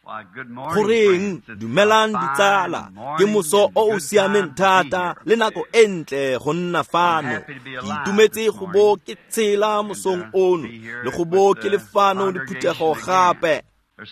Goreng, dumelang ditsala, ke moso o o siameng thata le nako e ntle go nna fano. Ke itumetse go bo ke tshela mosong ono le go bo ke le fano le phuthego gape.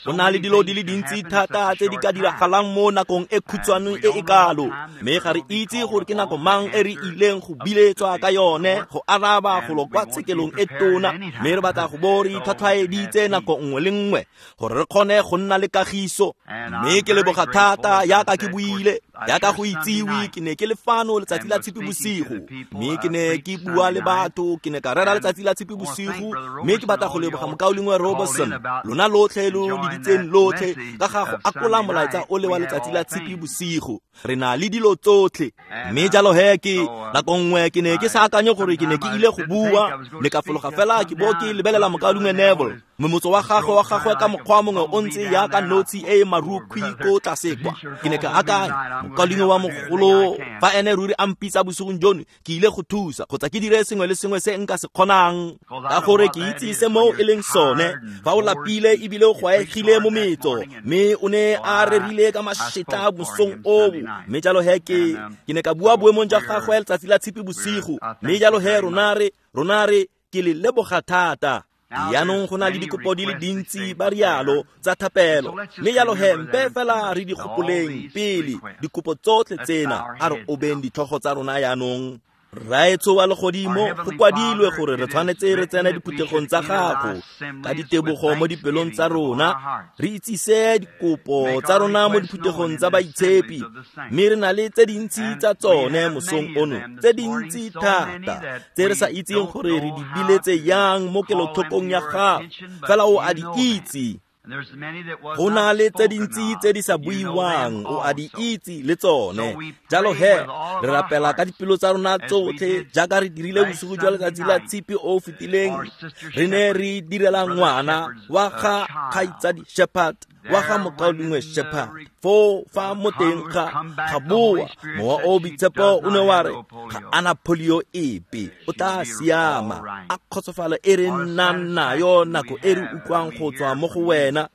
Go na le dilo di le dintsi thata tse di ka diragalang mo nakong e khutshwane e e kalo, mme ga re itse gore ke nako mang e re ileng go biletswa ka yone go araba golo kwa tshekelong e tona, mme re batla go bo re itlhwatlhwaeditse nako nngwe le nngwe gore re kgone go nna le kagiso. Mme ke leboga thata yaka ke buile, yaka go itsiwe ke ne ke le fano letsatsi la Tshipi bosigo, mme ke ne ke bua le batho, ke ne ka rera letsatsi la Tshipi bosigo, mme ke batla go leboga mokaulengwe Robertson, lona lotlhe lo leditseng lotlhe ka ga go akola molaetsa o le wa letsatsi la Tshipi bosigo. Re na le dilo tsotlhe. Mme jalo he ke nako nngwe ke ne ke sa akanye gore ke ne ke ile go bua, ne ka fologa fela ke bo ke lebelela mokaulengwe Neville. Momotso wa gagwe ka mokgwa mongwe o ntse yaka notshi e e marukhwi ko tlase kwa. Ke ne ka akanya, mokaulengwe wa mogolo, fa ene ruri a mpitsa bosigong jono, ke ile go thusa kgotsa ke dire sengwe le sengwe se nka se kgonang, ka gore ke itse se mo e leng sone. Fa o lapile ebile o gwaegile mo metso, mme o ne a rerile ka mašetla mosong oo. Mme jalo he ke ne ka bua boemong jwa gagwe letsatsi la Tshipi bosigo. Mme jalo he rona re ke le leboga thata. Jaanong go na le dikopo di le dintsi ba rialo tsa thapelo, mme jalo he mpe fela re di gopoleng pele dikopo tsotlhe tsena. A re obeng ditlhogo tsa rona jaanong. Rraetsho wa legodimo, go kwadilwe gore re tshwanetse re tsene diphuthegong tsa gago ka ditebogo mo dipelong tsa rona, re itsise dikopo tsa rona mo diphuthegong tsa baitshepi, mme re na le tse dintsi tsa tsone mosong ono, tse dintsi thata tse re sa itseng gore re di biletse yang mo kelotlhokong ya gago, fela o a di itse. Go na le tse dintsi tse di sa buiwang, o a di itse le tsone. Jalo he re rapela ka dipelo tsa rona tsotlhe jaaka re dirile bosigo jwa letsatsi la Tshipi o o fetileng. Re ne re direla ngwana wa ga kgaitsadi Shepherd, wa ga mokaulengwe Shepherd. Foo fa mo teng ga boa mowa o boitshepo o ne wa re ga ana polio epe, o tla siama. A kgotsofalo e re nnang nayo nako e re utlwang go tswa mo go wena.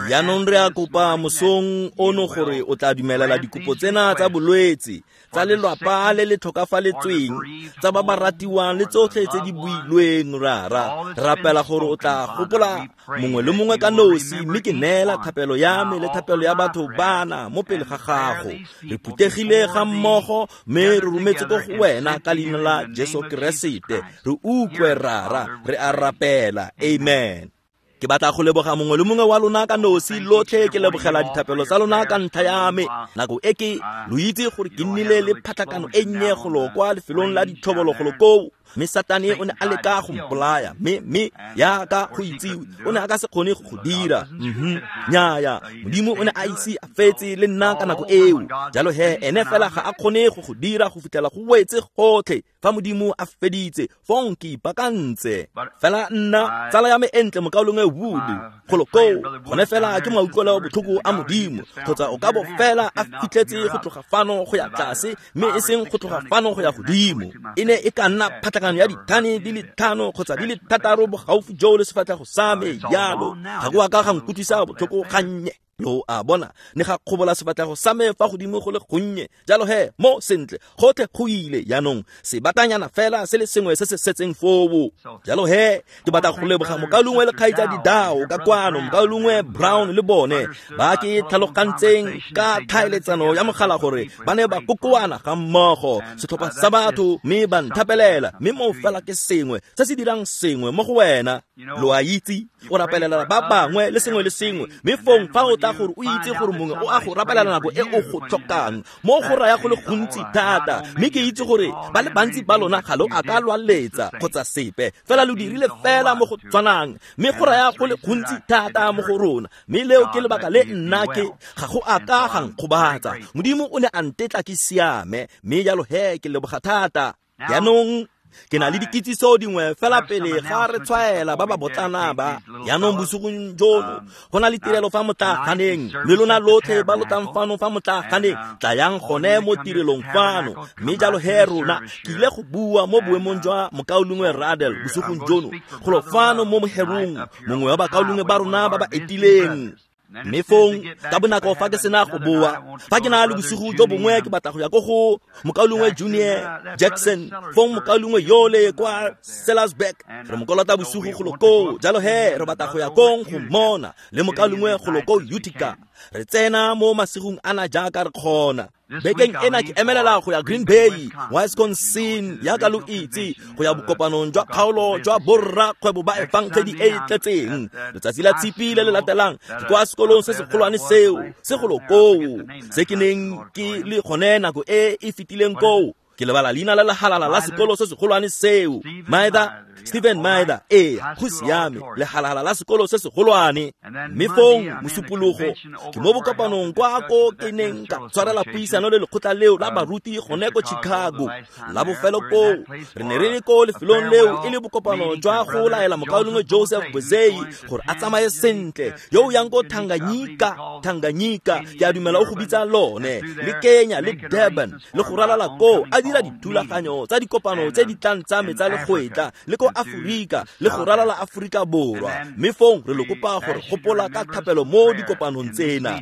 Jaanong re a kopa mosong ono gore o tla dumelela dikopo tsena tsa bolwetse, tsa lelwapa le le tlhokafaletsweng, tsa ba ba ratiwang le tsotlhe tse di builweng. Rara, re rapela gore o tla gopola mongwe le mongwe ka nosi, mme ke neela thapelo ya me le thapelo ya batho bana mo pele ga gago. Re phuthegile ga mmogo mme re rometse ko go wena ka leina la Jesu Keresete. Re utlwe Rara, re a rapela. Amen. Ke batla go leboga mongwe le mongwe wa lona ka nosi lotlhe. Ke lebogela dithapelo tsa lona ka ntlha ya me. Nako e ke lo itse gore ke nnile le phatlakano e nnye golo kwa lefelong la ditlhobolo golo koo, mme Satane o ne a leka go mpolaya, mme yaka go itsiwe o ne a ka se kgone go go dira. Nnyaya, Modimo o ne a ise a fetse le nna ka nako eo. Jalo he ene fela ga a kgone go go dira go fitlhela go wetse gotlhe. Fa Modimo a feditse, fong ke ipakantse. Fela nna tsala ya me e ntle mokaulengwe Wood golo koo, gone fela ke mautlwelo botlhoko a Modimo, kgotsa o ka bo fela a fitlhetse go tloga fano go ya tlase, mme e seng go tloga fano go ya godimo. E ne e ka nna phatlakano ya dithane di le 5 kgotsa di le 6 bogaufi joo le sefatlhego sa me jalo. Ga go a ka ga nkutlwisa botlhoko gannye. Lo a bona, ne ga kgobola sefatlhego sa me fa godimo go le gonnye. Jalo he mo sentle gotlhe go ile jaanong, sebatanyana fela se le sengwe se se setseng foo. Jalo he ke batla go leboga mokaulengwe le kgaitsadi Dao ka kwano, mokaulengwe Brown le bone ba ke tlhalogantseng ka tlhaeletsano ya mogala gore ba ne ba kokoana ga mmogo setlhopha sa batho, mme ba nthapelela. Mme mo fela ke sengwe se se dirang sengwe mo go wena. Lo a itse, o rapelela ba bangwe le sengwe le sengwe, mme fong fa o tla gore o itse gore mongwe o a go rapelela nako e o go tlhokang, mo go raya go le gontsi thata. Mme ke itse gore ba le bantsi ba lona ga lo a ka lwa letsa kgotsa sepe, fela lo dirile fela mo go tshwanang, mme go raya go le gontsi thata mo go rona. Mme leo ke lebaka le nna ke ga go a ka ga nkgobatsa. Modimo o ne a ntetla ke siame, mme jalo he ke leboga thata. Jaanong ke na le dikitsiso dingwe fela pele ga re tshwaela ba ba botlana ba. Jaanong bosigong jono go na le tirelo fa motlaganeng, mme lona lotlhe ba lo tlang fano fa motlaganeng, tlayang gone mo tirelong fano. Mme jalo he rona ke ile go bua mo boemong jwa mokaulengwe Radel bosigong jono golo fano mo moherong, mongwe wa bakaulengwe ba rona ba ba etileng. Mme fong ka bonako fa ke sena go boa, fa ke na le bosigo jo bongwe ke batla go ya ko go mokaulengwe Junior Jackson, fong mokaulengwe yole kwa Sellersburg, re mo kolota bosigo golo koo, jalo he re batla go ya kong go mmona, le mokaulengwe golo ko Utica. Re tsena mo masigong ana jaaka re kgona. Bekeng ena ke emelela go ya Green Bay, Wisconsin, yaka lo itse, go ya bokopanong jwa kgaolo jwa borra kgwebo ba efangedi e e tletseng. Letsatsi la Tshipi le le latelang ke kwa sekolong se segolwane seo, se golo koo, se ke neng ke le gone nako e e fetileng koo. Ke lebala leina la lehalala la sekolo se segolwane seo. Maida, Stephen Maida, ee, go siame, lehalala la sekolo se segolwane. Mme fong mosupologo ke mo bokopanong kwa ko ke neng ka tshwarela puisano le lekgotla leo la baruti gone ko Chicago. La bofelo koo re ne re le ko lefelong leo e le bokopano jwa go laela mokaulengwe Joseph Bozei gore a tsamaye sentle, yo o yang ko Tanganyika, ke a dumela o go bitsa lone, le Kenya le Durban, le go ralala koo a dira dithulaganyo tsa dikopano tse di tlang tsa me tsa legwetla, le ko Aforika, le go ralala Aforika Borwa. Mme fong re lo kopa gore gopola ka thapelo mo dikopanong tsena.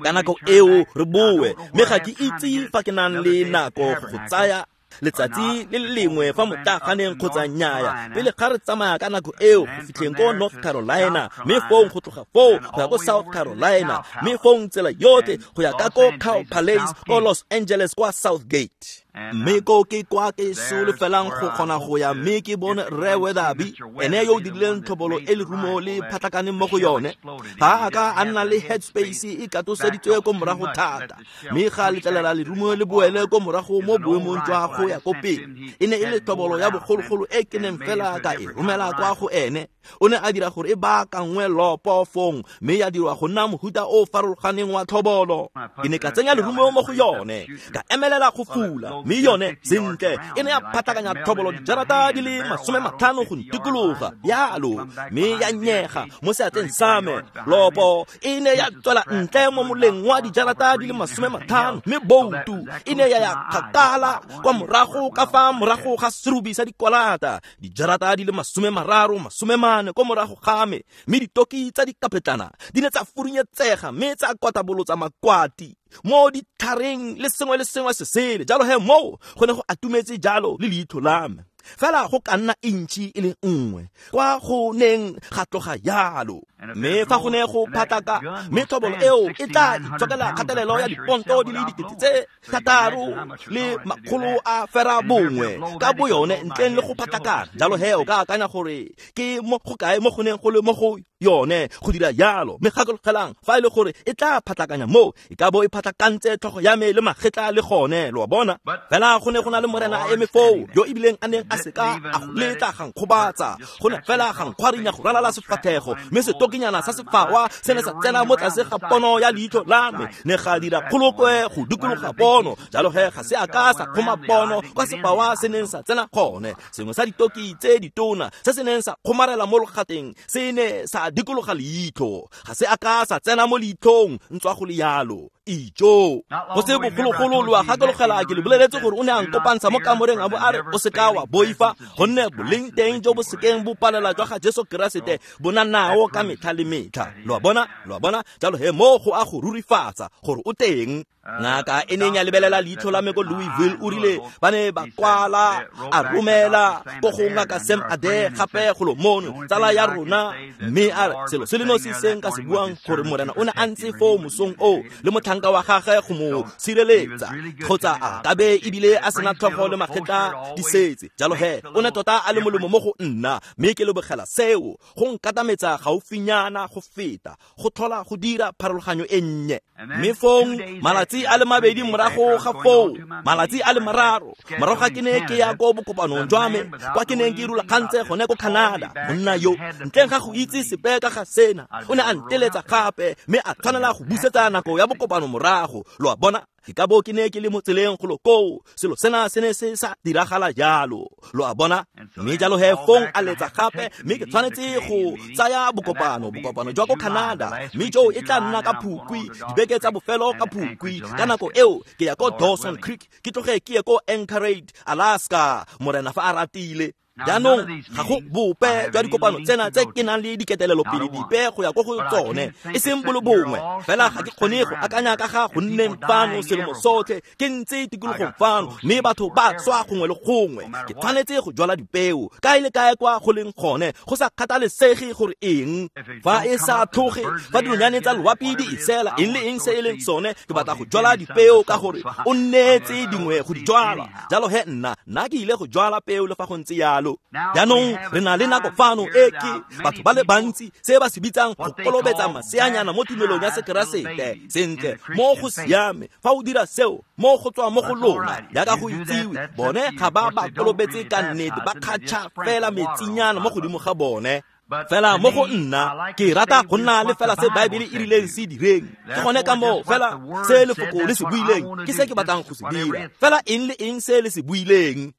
Ka nako eo re boe, mme ga ke itse fa ke nang le nako go tsaya letsatsi le lengwe fa motlaganeng kgotsa nnyaya, pele ga re tsamaya ka nako eo go fitlheng ko North Carolina, mme fong go tloga foo go ya ko South Carolina, mme fong tsela yotlhe go ya ka ko Cow Palace ko Los Angeles kwa Southgate. Mme ko ke kwa ke solofelang go kgona go ya, mme ke bone Rre Weatherby, ene yo o dirileng tlhobolo e lerumo le phatlakaneng mo go yone. Ga a ka a nna le headspace e katoseditswe ko morago thata, mme ga letlelela lerumo le boele ko morago mo boemong jwa go ya ko pele. E ne e le tlhobolo ya bogologolo e ke neng fela ka e romela kwa go ene. O ne a dira gore e baakangwe lopo fong, mme ya dirwa go nna mohuta o farologaneng wa tlhobolo. Ke ne ka tsenya lerumo mo go yone, ka emelela go fula, mme yone sentle e ne ya phatlakanya tlhobolo dijarata di le 50 go ntikologa yalo, mme ya nyega mo seatleng sa me. Lopo e ne ya tswela ntle mo moleng wa dijarata di le 50, mme boutu e ne ya ya kgakala kwa morago ka fa morago ga serubi sa dikwalata, dijarata di le 30, 40 ko morago ga me. Mme ditoki tsa dikapetlana di ne tsa furunyetsega mme tsa kwatabolotsa makwati mo ditlhareng le sengwe le sengwe se sele. Jalo he moo go ne go atumetse jalo le leitlho la me, fela go ka nna intšhi e le nngwe kwa go neng ga tloga yalo. Mme fa go ne go phatlaka, mme tlhobolo eo e tla itshokela kgatelelo ya diponto di le 6,609 ka boyone ntleng le go phatlakana. Jalo he o ka akanya gore ke mo go kae mo go neng go le mo go yone go dira yalo. Mme gakologelang, fa e le gore e tla phatlakanya mo, e ka bo e phatlakantse tlhogo ya me le magetla le gone, lo a bona. Fela go ne go na le morena a eme foo, yo ebileng a neng a seka a go letla ga nkgobatsa, go ne fela ga nkgwarinya go ralala sefatlhego, mme setokinyana sa sefawa se ne sa tsena mo tlase ga pono ya leitlho la me, ne ga dira kgolokwe go dikologa pono. Jalo he ga se a ka sa kgoma pono kwa sefawa se neng sa tsena gone. Sengwe sa ditoki tse ditona se se neng sa kgomarela mo logateng se ne sa dikologa leitlho, ga se a ka sa tsena mo leitlhong ntswa go le yalo. Ijo go se bogologolo lo a gakologela ke le boleletse gore o ne a nkopantsha mo kamoreng a bo a re o seka wa boifa, gonne boleng teng jo bo sekeng bo palela jwa ga Jesu Keresete bo na nao ka metlha le metlha. Lo a bona, lo a bona. Jalo he mo go a go rurifatsa gore o teng. Ngaka e neng ya lebelela leitlho la me ko Louisville o rile ba ne ba kwala a romela ko go ngaka Sam Ade gape golo mono, tsala ya rona, mme a re selo se le nosi se nka se buang gore morena o ne a ntse foo mosong oo le motlhanka wa gagwe go mo sireletsa, kgotsa a kabe ebile a sena tlhogo le magetla di setse. Jalo he o ne tota a le molemo mo go nna, mme ke lebogela seo go nkatametsa gaufinyana go feta go tlhola go dira pharologanyo e nnye. Mme fong malatsi a le mabedi morago ga foo, malatsi a le mararo morago ga ke ne ke ya ko bokopanong jwa me kwa ke neng ke rulagantse gone ko Canada, monna yo ntleng ga go itse sepe ka ga sena o ne a nteletsa gape, mme a tshwanela go busetsa nako ya bokopano morago. Lo a bona, ke ka bo ke ne ke le mo tseleng golo koo, selo sena se ne se sa diragala jalo. Lo a bona. Mme jalo he fong a letsa gape, mme ke tshwanetse go tsaya bokopano jwa ko Canada, mme joo e tla nna ka Phukwi, dibeke tsa bofelo ka Phukwi. Ka nako eo ke ya ko Dawson Creek, ke tloge ke ye ko Anchorage, Alaska, morena fa a ratile. Jaanong ga go bope jwa dikopano tsena tse ke nang le diketelelopele dipe go ya ko go tsone, e seng bolo bongwe fela. Ga ke kgone go akanya ka ga go nneng fano selemo sotlhe ke ntse tikologong fano, mme batho ba tswa gongwe le gongwe. Ke tshwanetse go jwala dipeo kae le kae kwa go leng gone, go sa kgathalesege gore eng. Fa e sa tlhoge, fa dinonyane tsa loapi di isela, eng le eng se e leng sone, ke batla go jwala dipeo ka gore o nneetse dingwe go di jwala. Jalo he nna ke ile go jwala peo le fa go ntse yalo. Jaanong re na le nako fano e ke batho ba le bantsi se ba se bitsang go kolobetsa maseanyana mo tumelong ya Sekeresete. Sentle, mo go siame fa o dira seo, mo go tswa mo go lona jaaka go itsiwe. Bone ga ba ba kolobetse ka nnete, ba kgatšha fela metsinyana mo godimo ga bone. Fela mo go nna ke rata go nna le fela se Baebele e rileng se direng. Ke gone ka moo fela se lefoko le se buileng ke se ke batlang go se dira, fela eng le eng se le se buileng.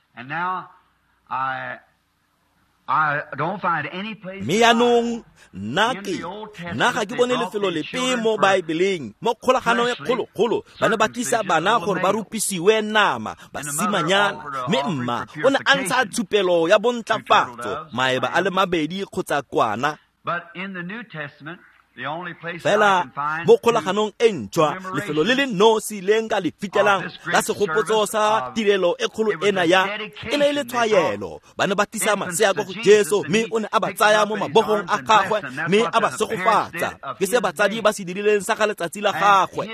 Mme jaanong nna ga ke bone lefelo lepe mo Baebeleng, mo kgolaganong e kgologolo, ba ne ba tlisa bana gore ba rupisiwe nama, basimanyana, mme mma o ne a ntsha tshupelo ya bontlafatso, maeba a le mabedi kgotsa kwana. Fela mo kgolaganong e ntšhwa, lefelo le le nosi le nka le fitlhelang la segopotso sa tirelo e kgolo ena ya e ne e le tshwaelo. Ba ne ba tlisa masea ko go Jesu, mme o ne a ba tsaya mo mabogong a gagwe mme a ba segofatsa. Ke se batsadi ba se dirileng sa ga letsatsi la gagwe,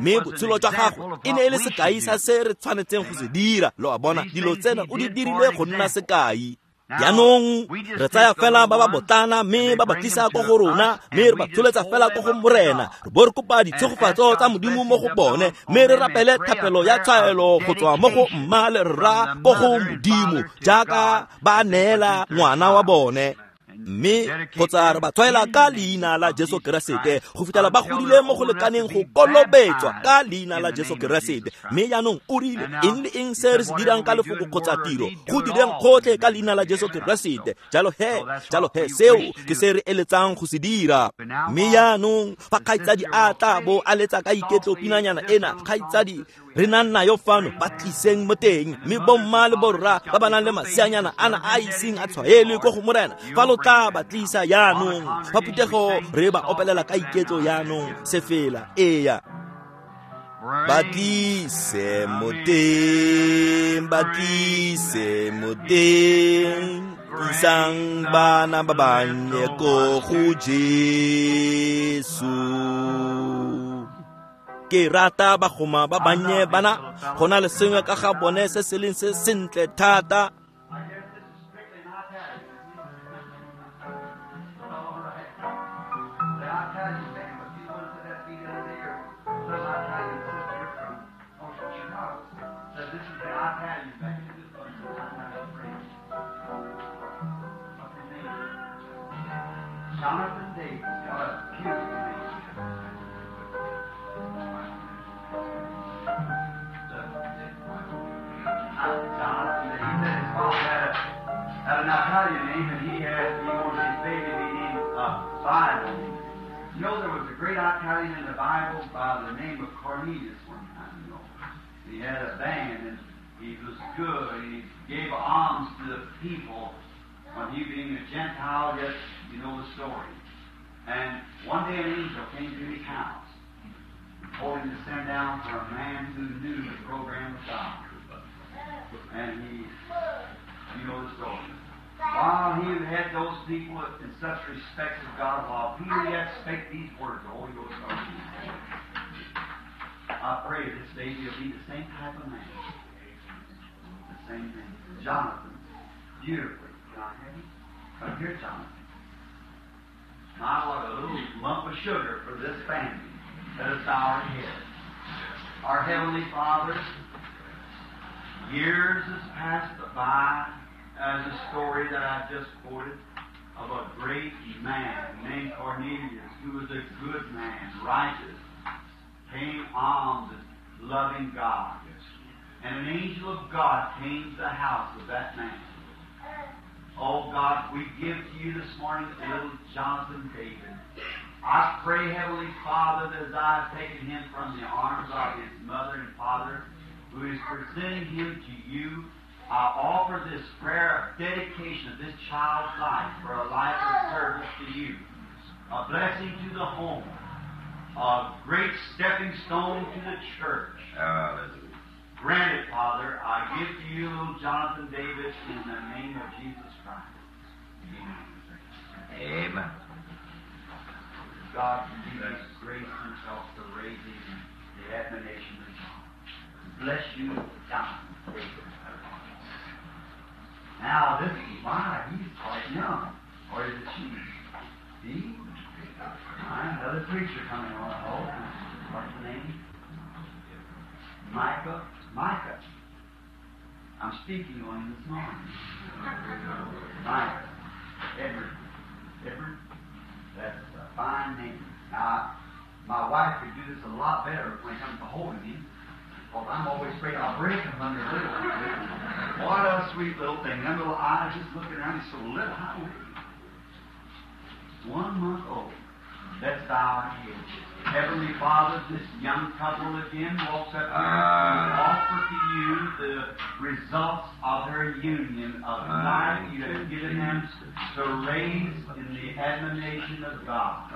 mme botshelo jwa gagwe e ne e le sekai sa se re tshwanetseng go se dira. Lo a bona, dilo tsena o di dirile go nna sekai. Jaanong re tsaya fela ba ba botlana mme ba ba tlisa ko go rona, mme re ba tsholetsa fela ko go Morena, re bo re kopa ditshegofatso tsa Modimo mo go bone, mme re rapele thapelo ya tshwaelo go tswa mo go mma le rra ko go Modimo jaaka ba neela ngwana wa bone. Mme kgotsa re ba tshwaela ka leina la Jesu Keresete go fitlhela ba godile mo go lekaneng go kolobetswa ka leina la Jesu Keresete. Mme jaanong o rile eng le eng se re se dirang ka lefoko kgotsa tiro, go direng gotlhe ka leina la Jesu Keresete. Jalo he seo ke se re eletsang go se dira. Mme jaanong fa kgaitsadi a tla bo a letsa ka iketlo pinanyana ena, kgaitsadi re nang nayo fano, ba tliseng mo teng. Mme bomma le borra ba ba nang le maseanyana ana a iseng a tshwaelwe ko go Morena, fa lo tla ba tlisa jaanong fa phuthego re ba opelela ka iketlo jaanong sefela. Eya, ba tlise mo teng, ba tlise mo teng, tlisang bana ba bannye ko go Jesu. Ke rata bagoma ba bannye bana, go na le sengwe ka ga bone se se leng se sentle thata. Jonathan Davis, what a beautiful name. Jonathan Davis, his father had an Italian name, and he wanted his baby to be named Bible. You know, there was a great Italian in the Bible by the name of Cornelius one time, you know. He had a band, and he was good, and he gave alms to the people. When he being a Gentile, yet you know the story. And one day an angel came to his house and told him to send down for a man who knew the program of God. And he, you know the story. While he had those people in such respect of God, while Peter yet spake these words, the Holy Ghost started him. I pray this day he'll be the same type of man. The same thing. Jonathan, beautifully. Can I have you? Come here, Jonathan. My, what a little lump of sugar for this family. Let us bow our heads. Our Heavenly Father, years has passed by as a story that I just quoted of a great man named Cornelius, who was a good man, righteous, paying alms and loving God. And an angel of God came to the house of that man. Oh God, we give to you this morning little Jonathan David. I pray, Heavenly Father, that as I have taken him from the arms of his mother and father, who is presenting him to you, I offer this prayer of dedication of this child's life for a life of service to you, a blessing to the home, a great stepping stone to the church. Hallelujah. Grant it, Father. I give to you little Jonathan Davis in the name of Jesus Christ. Amen. Amen. God give us grace himself to raise him in the admonition of God. Bless you, Jonathan Davis. Now, this is why he's quite young. Or is it she? See? Another preacher coming on. Oh, what's the name? Micah. Micah. I'm speaking on him this morning. Micah. Edward. Edward. That's a fine name. Now, my wife could do this a lot better when it comes to holding him, because I'm always afraid I'll break him under little. What a sweet little thing. Them little eyes just looking around. He's so little. How old is he? 1 month old. Let's bow our heads. Heavenly Father, this young couple again walks up here to offer to you the results of their union of life you have given them to raise in the admonition of God.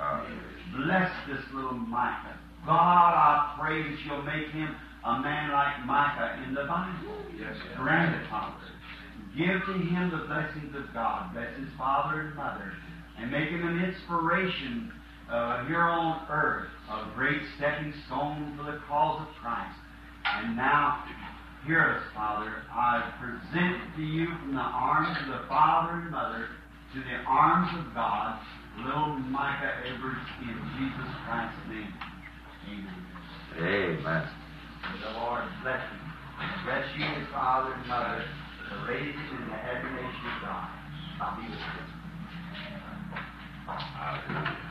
Bless this little Micah. God, I pray that you'll make him a man like Micah in the Bible. Yes. Grant it, Father. Give to him the blessings of God. Bless his father and mother. And make him an inspiration here on earth, a great stepping stone for the cause of Christ. And now, hear us, Father. I present to you from the arms of the father and mother to the arms of God, little Micah Edwards, in Jesus Christ's name. Amen. Amen. May the Lord bless you. Bless you, his father and mother, to raise him in the admiration of God. I'll be with you. Hallelujah.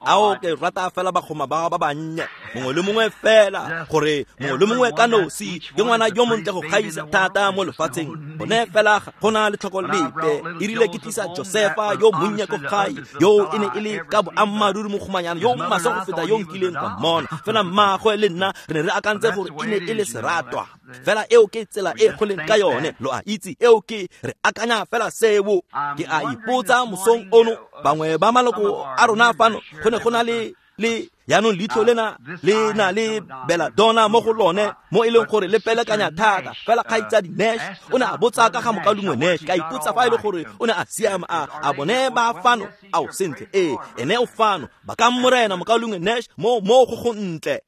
Ao ke rata fela bagoma ba ba bannye mongwe le mongwe fela gore mongwe le mongwe ka nosi ke ngwana yo montle go gaisa thata mo lefatsheng bone fela go na le tlhoko lepe e rile ke tlisa Josefa yo monnye ko gae yo e ne e le ka boammaaruri mogomanyana yo maswe go feta yo nkileng ka mmona fela mmaagwe le nna re ne re akantse gore e ne e le seratwa fela eo ke tsela e go leng ka yone lo a itse eo ke re akanya fela seo ke a ipotsa mosong ono bangwe ba maloko a rona fano go ne go na le yaanong leitlho lena le na le belladonna mo go lone mo e leng gore le pelekanya thata fela kgaitsadi Nash o ne a botsa ka ga mokalungwe Nash ka ipotsa fa e le gore o ne a siama a bone ba fano ao sentle ee ene o fano ba ka morena mokalungwe Nash mo go go ntle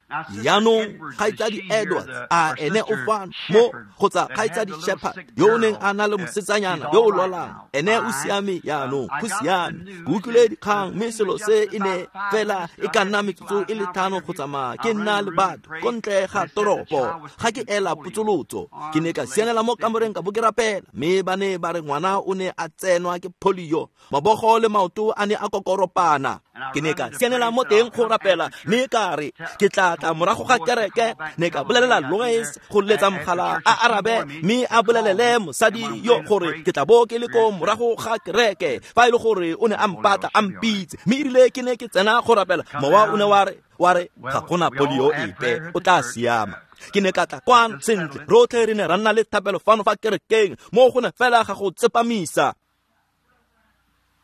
yaanong kgaitsadi Edwards a ene o fano mo kgotsa kgaitsadi Shepherd yo o neng a na le mosetsanyana yo o lwalang ene o siame yaanong go siame ke utlwile dikgang mme selo se e ne fela e ka nna metsotso e le 5 go tsamaya ke nna le batho ko ntle ga toropo ga ke ela potsolotso ke ne ka sianela mo kamoreng ka bo ke rapela mme ba ne ba re ngwana o ne a tsenwa ke polio mabogo le maoto a ne a kokoropana ke ne ka sianela mo teng go rapela mme ka re ke tla tla morago ga kereke ne ka bolelela Lois go letsa mogala a arabe mme a bolelele mosadi yo gore ke tla bo ke le ko morago ga kereke fa e le gore o ne a mpatla a mpitse mme erile ke ne ke tsena go rapela mowa o ne wa re ga gona polio epe o tla siama ke ne ka tla kwano sentle rotlhe re ne ra nna le thapelo fano fa kerekeng mo go ne fela ga go tsepamisa.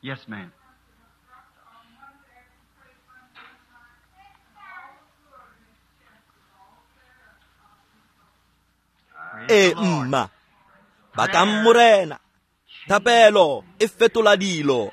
Yes, ma'am. E mma ba ka morena thapelo e fetola dilo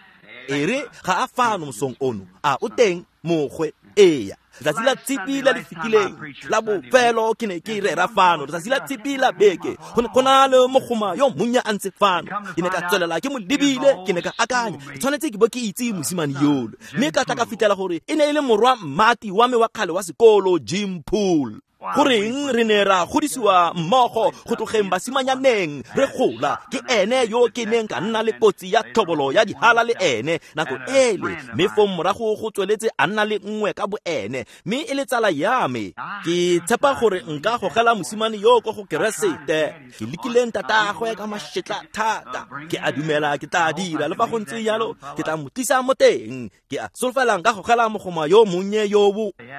e re ga a fano mosong ono a o teng mogwe eya letsatsi la tshipi le le fetileng la bofelo ke ne ke rera fano letsatsi la tshipi la beke go na le mogoma yo monnye a ntse fano ke ne ka tswelela ke mo lebile ke ne ka akanya ke tshwanetse ke bo ke itse mosimane yolo mme ka tla ka fitlhela gore e ne e le morwa mmati wa me wa kgale wa sekolo Jim Poole goreng re ne ra godisiwa mmogo go tlogeng basimanyaneng re gola ke ene yo ke neng ka nna le kotsi ya tlhobolo ya dihala le ene nako ele mme fong morago go tsweletse a nna le nngwe ka boene ene mme e le tsala ya me. Ke tshepa gore nka gogela mosimane yo ko go Keresete. Ke lekile ntatagwe ka mašetla thata. Ke a dumela ke tla dira le fa go ntse jalo ke tla mo tlisa mo teng. Ke a solofela nka gogela mogoma yo monnye yo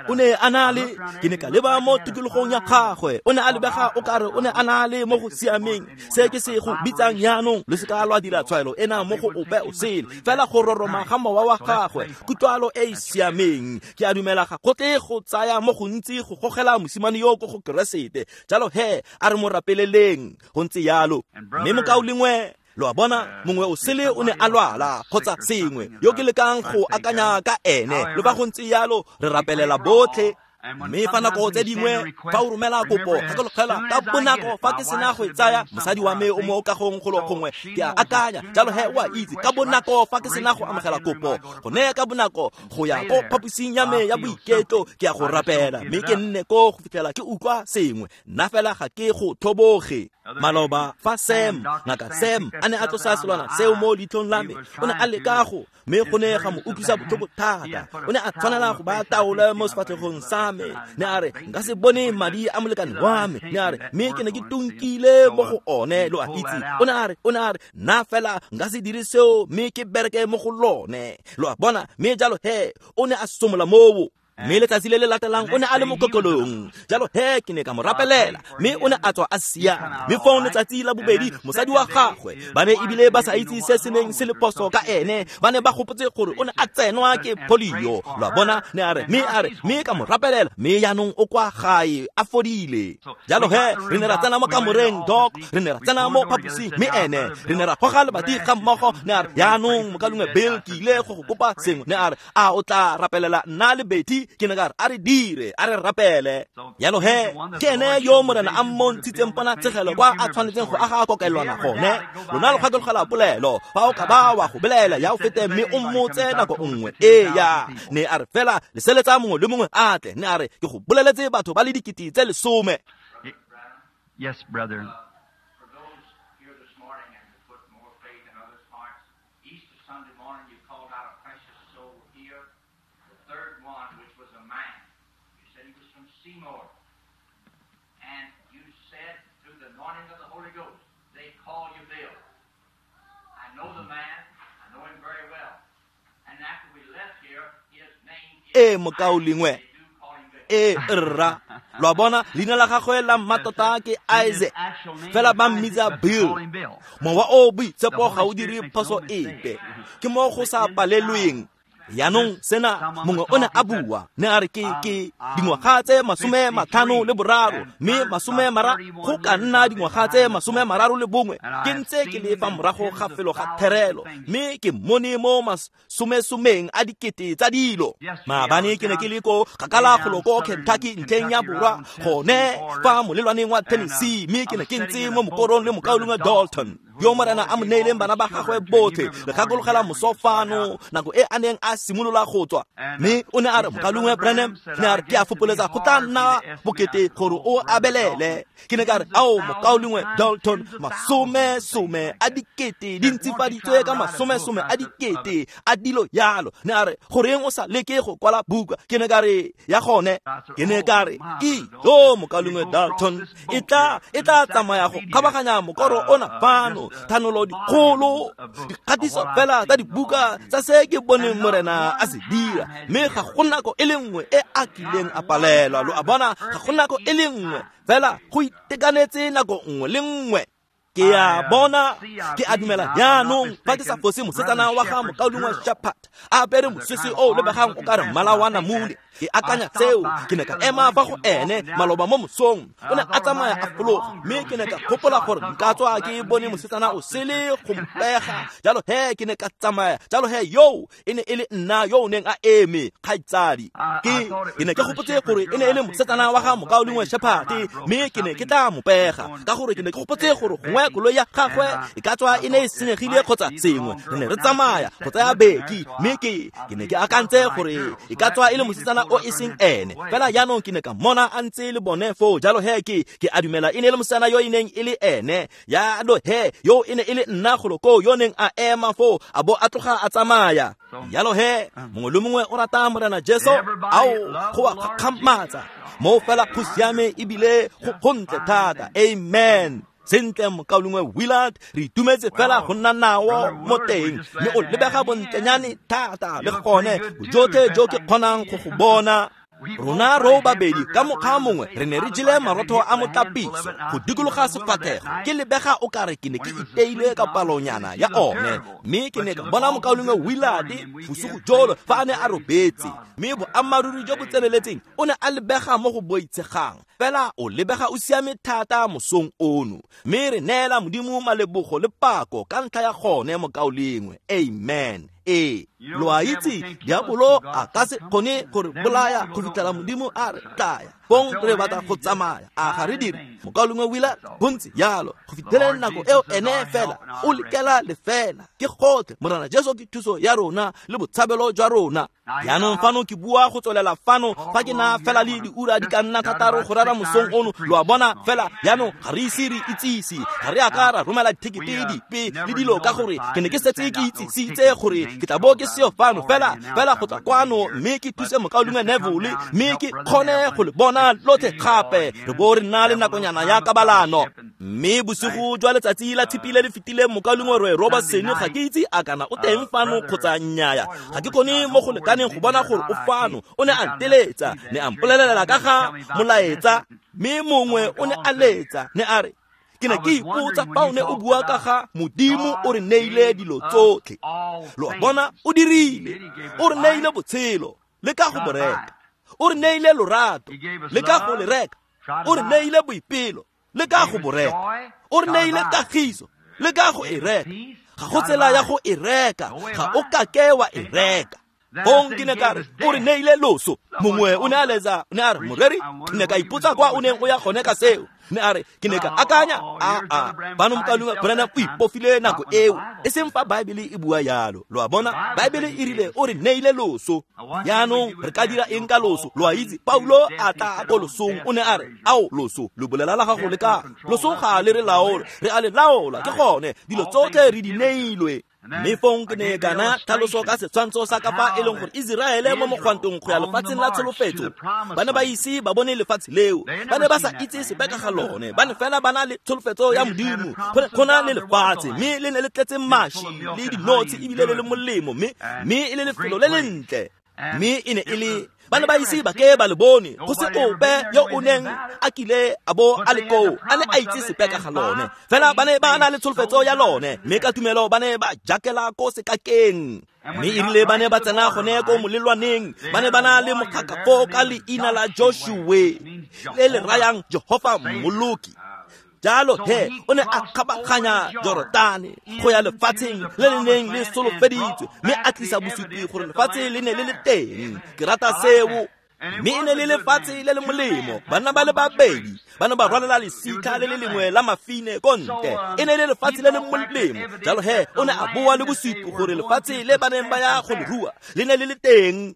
o ne a na le. Ke ne ka leba mo tikologong ya gagwe, o ne a lebega o kare o ne a na le mo go siameng se ke se go bitsang jaanong. Le se ka lwa dira tshwaelo ena mo go ope o sele, fela go roroma ga mowa wa gagwe, kutlwalo e e siameng. Ke a dumela ga go tle go tsaya mo gontsi go gogela mosimane yo ko go Keresete. Jalo he a re mo rapeleleng go ntse yalo. Mme mokaulengwe, lo a bona, mongwe o sele o ne a lwala kgotsa sengwe yo ke lekang go akanya ka ene. Le fa go ntse yalo re rapelela botlhe. Mme fa nako tse dingwe fa o romela kopo, gakologela ka bonako fa ke sena go e tsaya, mosadi wa me o mo kagong golo gongwe, ke a akanya jalo he o a itse, ka bonako fa ke sena go amogela kopo, gone ka bonako go ya ko phaposing ya me ya boiketlo, ke ya go rapela mme ke nne ko go fitlhela ke utlwa sengwe. Nna fela ga ke go tlhoboge. Maloba fa Sam, ngaka Sam, a ne a tlosa selwana seo mo leitlhong la me, o ne a leka go, mme go ne ga mo utlwisa botlhoko thata. O ne a tshwanela go baya taolo mo sefatlhegong sa me. Ne a re nka se bone madi a molekane wa me. Ne a re mme ke ne ke tunkile mo go one, lo a itse. O ne a re nna fela nka se dire seo mme ke bereke mo go lone, lo a bona. Mme jalo he o ne a somola moo. Mme letsatsi le le latelang o ne a le mo kokelong. Jalo he ke ne ka mo rapelela mme o ne a tswa a siama. Mme fong letsatsi la bobedi mosadi wa gagwe, ba ne ebile ba sa itse se se neng se le phoso ka ene, ba ne ba gopotse gore o ne a tsenwa ke polio, lo a bona. Ne a re mme a re mme ka mo rapelela mme jaanong o kwa gae a fodile. Jalo he re ne ra tsena mo kamoreng, Doc, re ne ra tsena mo phaposing mme ene re ne ra goga lebati ga mmogo. Ne a re jaanong mokalengwe Bill, ke ile go go kopa sengwe. Ne a re a o tla rapelela nna le Betty? Ke ne ka re a re dire, a re rapele. Jalo he ke ene yo Morena a mmontshitseng ponatshegelo kwa a tshwanetseng go aga kokelwana gone. Lona lo gakologela polelo, fa o ka ba wa go belaela ya o fete mme o mmotse nako nngwe. Eya, ne a re fela leseletsa mongwe le mongwe a tle. Ne a re ke go boleletse batho ba le 10,000. Yes, brother. For those here this morning and to put more faith in others' hearts, Easter Sunday morning you called out a precious soul here, the third one, which was a man. You said he was from Seymour. And you said through the anointing of the Holy Ghost, they call you Bill. I know the man. I know him very well. And after we left here, his name is mokaulengwe. They do call him Bill. Rra, lo a bona, leina la gagwe la mmatota ke Isaac, fela ba mmitsa Bill. Mowa o boitshepo ga o dire phoso epe, ke mo go sa palelweng. Jaanong sena mongwe o ne a bua, ne a re ke dingwaga tse 53 mme 30 go ka nna dingwaga tse 31 ke ntse ke le fa morago ga felo ga therelo, mme ke mmone mo masomesomeng a dikete tsa dilo. Maabane ke ne ke le ko kgakala golo ko Kentucky ntlheng ya borwa, gone fa molelwaneng wa Tennessee, mme ke ne ke ntse mo mokorong le mokaulengwe Dalton yo Morena a mo neileng bana ba gagwe botlhe. Le gakologela moso fano nako e a neng a simolola go tswa, mme o ne a re mokaulengwe Branham, ne a re ke a fopoletsa go tla nna bokete gore o abelele. Ke ne ka re ao mokaulengwe Dalton, masomesome a dikete di ntsifaditswe ka masomesome a dikete a dilo yalo. Ne a re goreng o sa leke go kwala buka? Ke ne ka re ya gone. Ke ne ka re yo mokaulengwe Dalton, e tla tsamaya go kgabaganya mokoro ona fano, thanolo dikgolo, dikgatiso fela tsa dibuka tsa se ke boneng Morena a se dira. Mme ga go nako e le nngwe e a kileng a palelwa, lo a bona, ga go nako e le nngwe fela, go itekanetse nako nngwe le nngwe. Ke a bona, ke a dumela jaanong fa ke sa fose mosetsana wa ga mokaulengwe Shepherd a apere mosese o lebegang o ka re mmala wa namune. Ke akanya seo, ke ne ka ema fa go ene maloba mo mosong, o ne a tsamaya a fologa, mme ke ne ka gopola gore nka tswa ke bone mosetsana o sele go mpega. Jalo he ke ne ka tsamaya, jalo he yo e ne e le nna yo o neng a eme, kgaitsadi. Ke ne ke gopotse gore e ne e le mosetsana wa ga mokaulengwe Shepherd, mme ke ne ke tla mo pega ka gore ke ne ke gopotse gore gongwe Gongwe koloi ya gagwe e ka tswa e ne e senyegile kgotsa sengwe. Re ne re tsamaya go tsaya Beki, mme ke ne ke akantse gore e ka tswa e le mosetsana o e seng ene. Fela jaanong ke ne ka mmona a ntse le bone foo, jalo he ke a dumela e ne e le mosetsana yo e neng e le ene. Jalo he yo e ne e le nna golo koo yo neng a ema foo a bo a tloga a tsamaya. Jalo he mongwe le mongwe o rata Morena Jesu, ao go a gakgamatsa mo fela go siame ebile go gontle thata. Amen. Sentle mokaulengwe Willard, re itumetse fela go nna nao mo teng, mme o lebega bontlenyane thata le gone bojotlhe jo ke kgonang go go bona. Rona ro babedi ka mokgwa mongwe re ne re jele marotho a motlapiso go dikologa sefatlhego, ke lebega o kare ke ne ke iteile ka palonyana ya one. Mme ke ne ka bona mokaulengwe Willard bosigo jolo fa a ne a robetse, mme boammaaruri jo bo tseneletseng o ne a lebega mo go boitshegang, fela o lebega o siame thata mosong ono. Mme re neela Modimo malebogo le pako ka ntlha ya gone mokaulengwe. Amen. Ee, lo a itse diabolo a ka se kgone gore bolaya go fitlhela Modimo a re tlaya. Fong re batla go tsamaya, a ga re dire? Mokaulengwe Willard, gontse jalo go fitlheleng nako eo ene fela o lekela lefela. Ke gotlhe, Morena Jesu ke thuso ya rona le botshabelo jwa rona. Jaanong fano ke bua go tswelela fano fa ke na fela le diura di ka nna thataro go rera mosong ono, lo a bona. Fela jaanong ga re ise re itsise, ga re a ka ra romela dithekete dipe le dilo, ka gore ke ne ke setse ke itsisitse gore ke tla bo ke seo fano fela fela go tla kwano mme ke thuse mokaulengwe Neville, mme ke kgone go le bona lotlhe gape, re bo re nna le nakonyana ya kabalano. Mme bosigo jwa letsatsi la Tshipi le le fetileng mokaulengwe Roy Robertson, ga ke itse a kana o teng fano kgotsa nnyaya, ga ke kgone mo go lekaneng go bona gore o fano. O ne a nteletsa, ne a mpolelela ka ga molaetsa, mme mongwe o ne a letsa, ne a re, ke ne ke ipotsa fa o ne o bua ka ga Modimo o re neile dilo tsotlhe. Lo a bona, o dirile, o re neile botshelo, le ka go bo reka. O re neile lorato, le ka go le reka. O re neile boipelo, le ka go bo reka. O re neile kagiso, le ka go e reka. Ga go tsela ya go e reka, ga o kake wa e reka. Fong ke ne ka re, o re neile loso. Mongwe o ne a letsa, o ne a re, moreri, ke ne ka ipotsa kwa o neng o ya gone ka seo. Mme a re, ke ne ka akanya, a bano mokaulengwe Branham o ipofile nako eo, e seng fa Baebele e bua yalo. Lo a bona, Baebele e rile o re neile loso. Jaanong re ka dira eng ka loso? Lo a itse, Paulo a tla ko losong, o ne a re, ao loso, lo bolela la gago le ka loso ga le re laola, re a le laola. Ke gone dilo tsotlhe re di neilwe. Mme fong ke ne kana tlhaloso ka setshwantsho sa ka fa e leng gore Iseraele mo mogwantong go ya lefatsheng la tsholofetso, ba ne ba ise ba bone lefatshe leo, ba ne ba sa itse sepe ka ga lone, ba ne fela ba na le tsholofetso ya Modimo go na le lefatshe, mme le ne le tletse maši le dinotshi ebile le le molemo, mme e le lefelo le lentle. Mme e ne e le ba ne ba ise ba ke ba le bone, go se ope yo o neng a kile a bo a le koo a ne a itse sepe ka ga lone, fela ba ne ba na le tsholofetso ya lone, mme ka tumelo ba ne ba jakela ko sekakeng. Mme e rile ba ne ba tsena gone ko molelwaneng, ba ne ba na le mokgaka foo ka leina la Joshua, le le rayang Jehova Mmoloki. Jalo he o ne a kgabaganya Jorodane go ya lefatsheng le le neng le solofeditswe, mme a tlisa bosupi gore lefatshe le ne le le teng. Ke rata seo. Mme e ne le lefatshe le le molemo, banna ba le babedi ba ne ba rwalela lesika le le lengwe la mafine ko ntle. E ne le lefatshe le le molemo. Jalo he o ne a boa le bosupi gore lefatshe le ba neng ba ya go le rua le ne le le teng.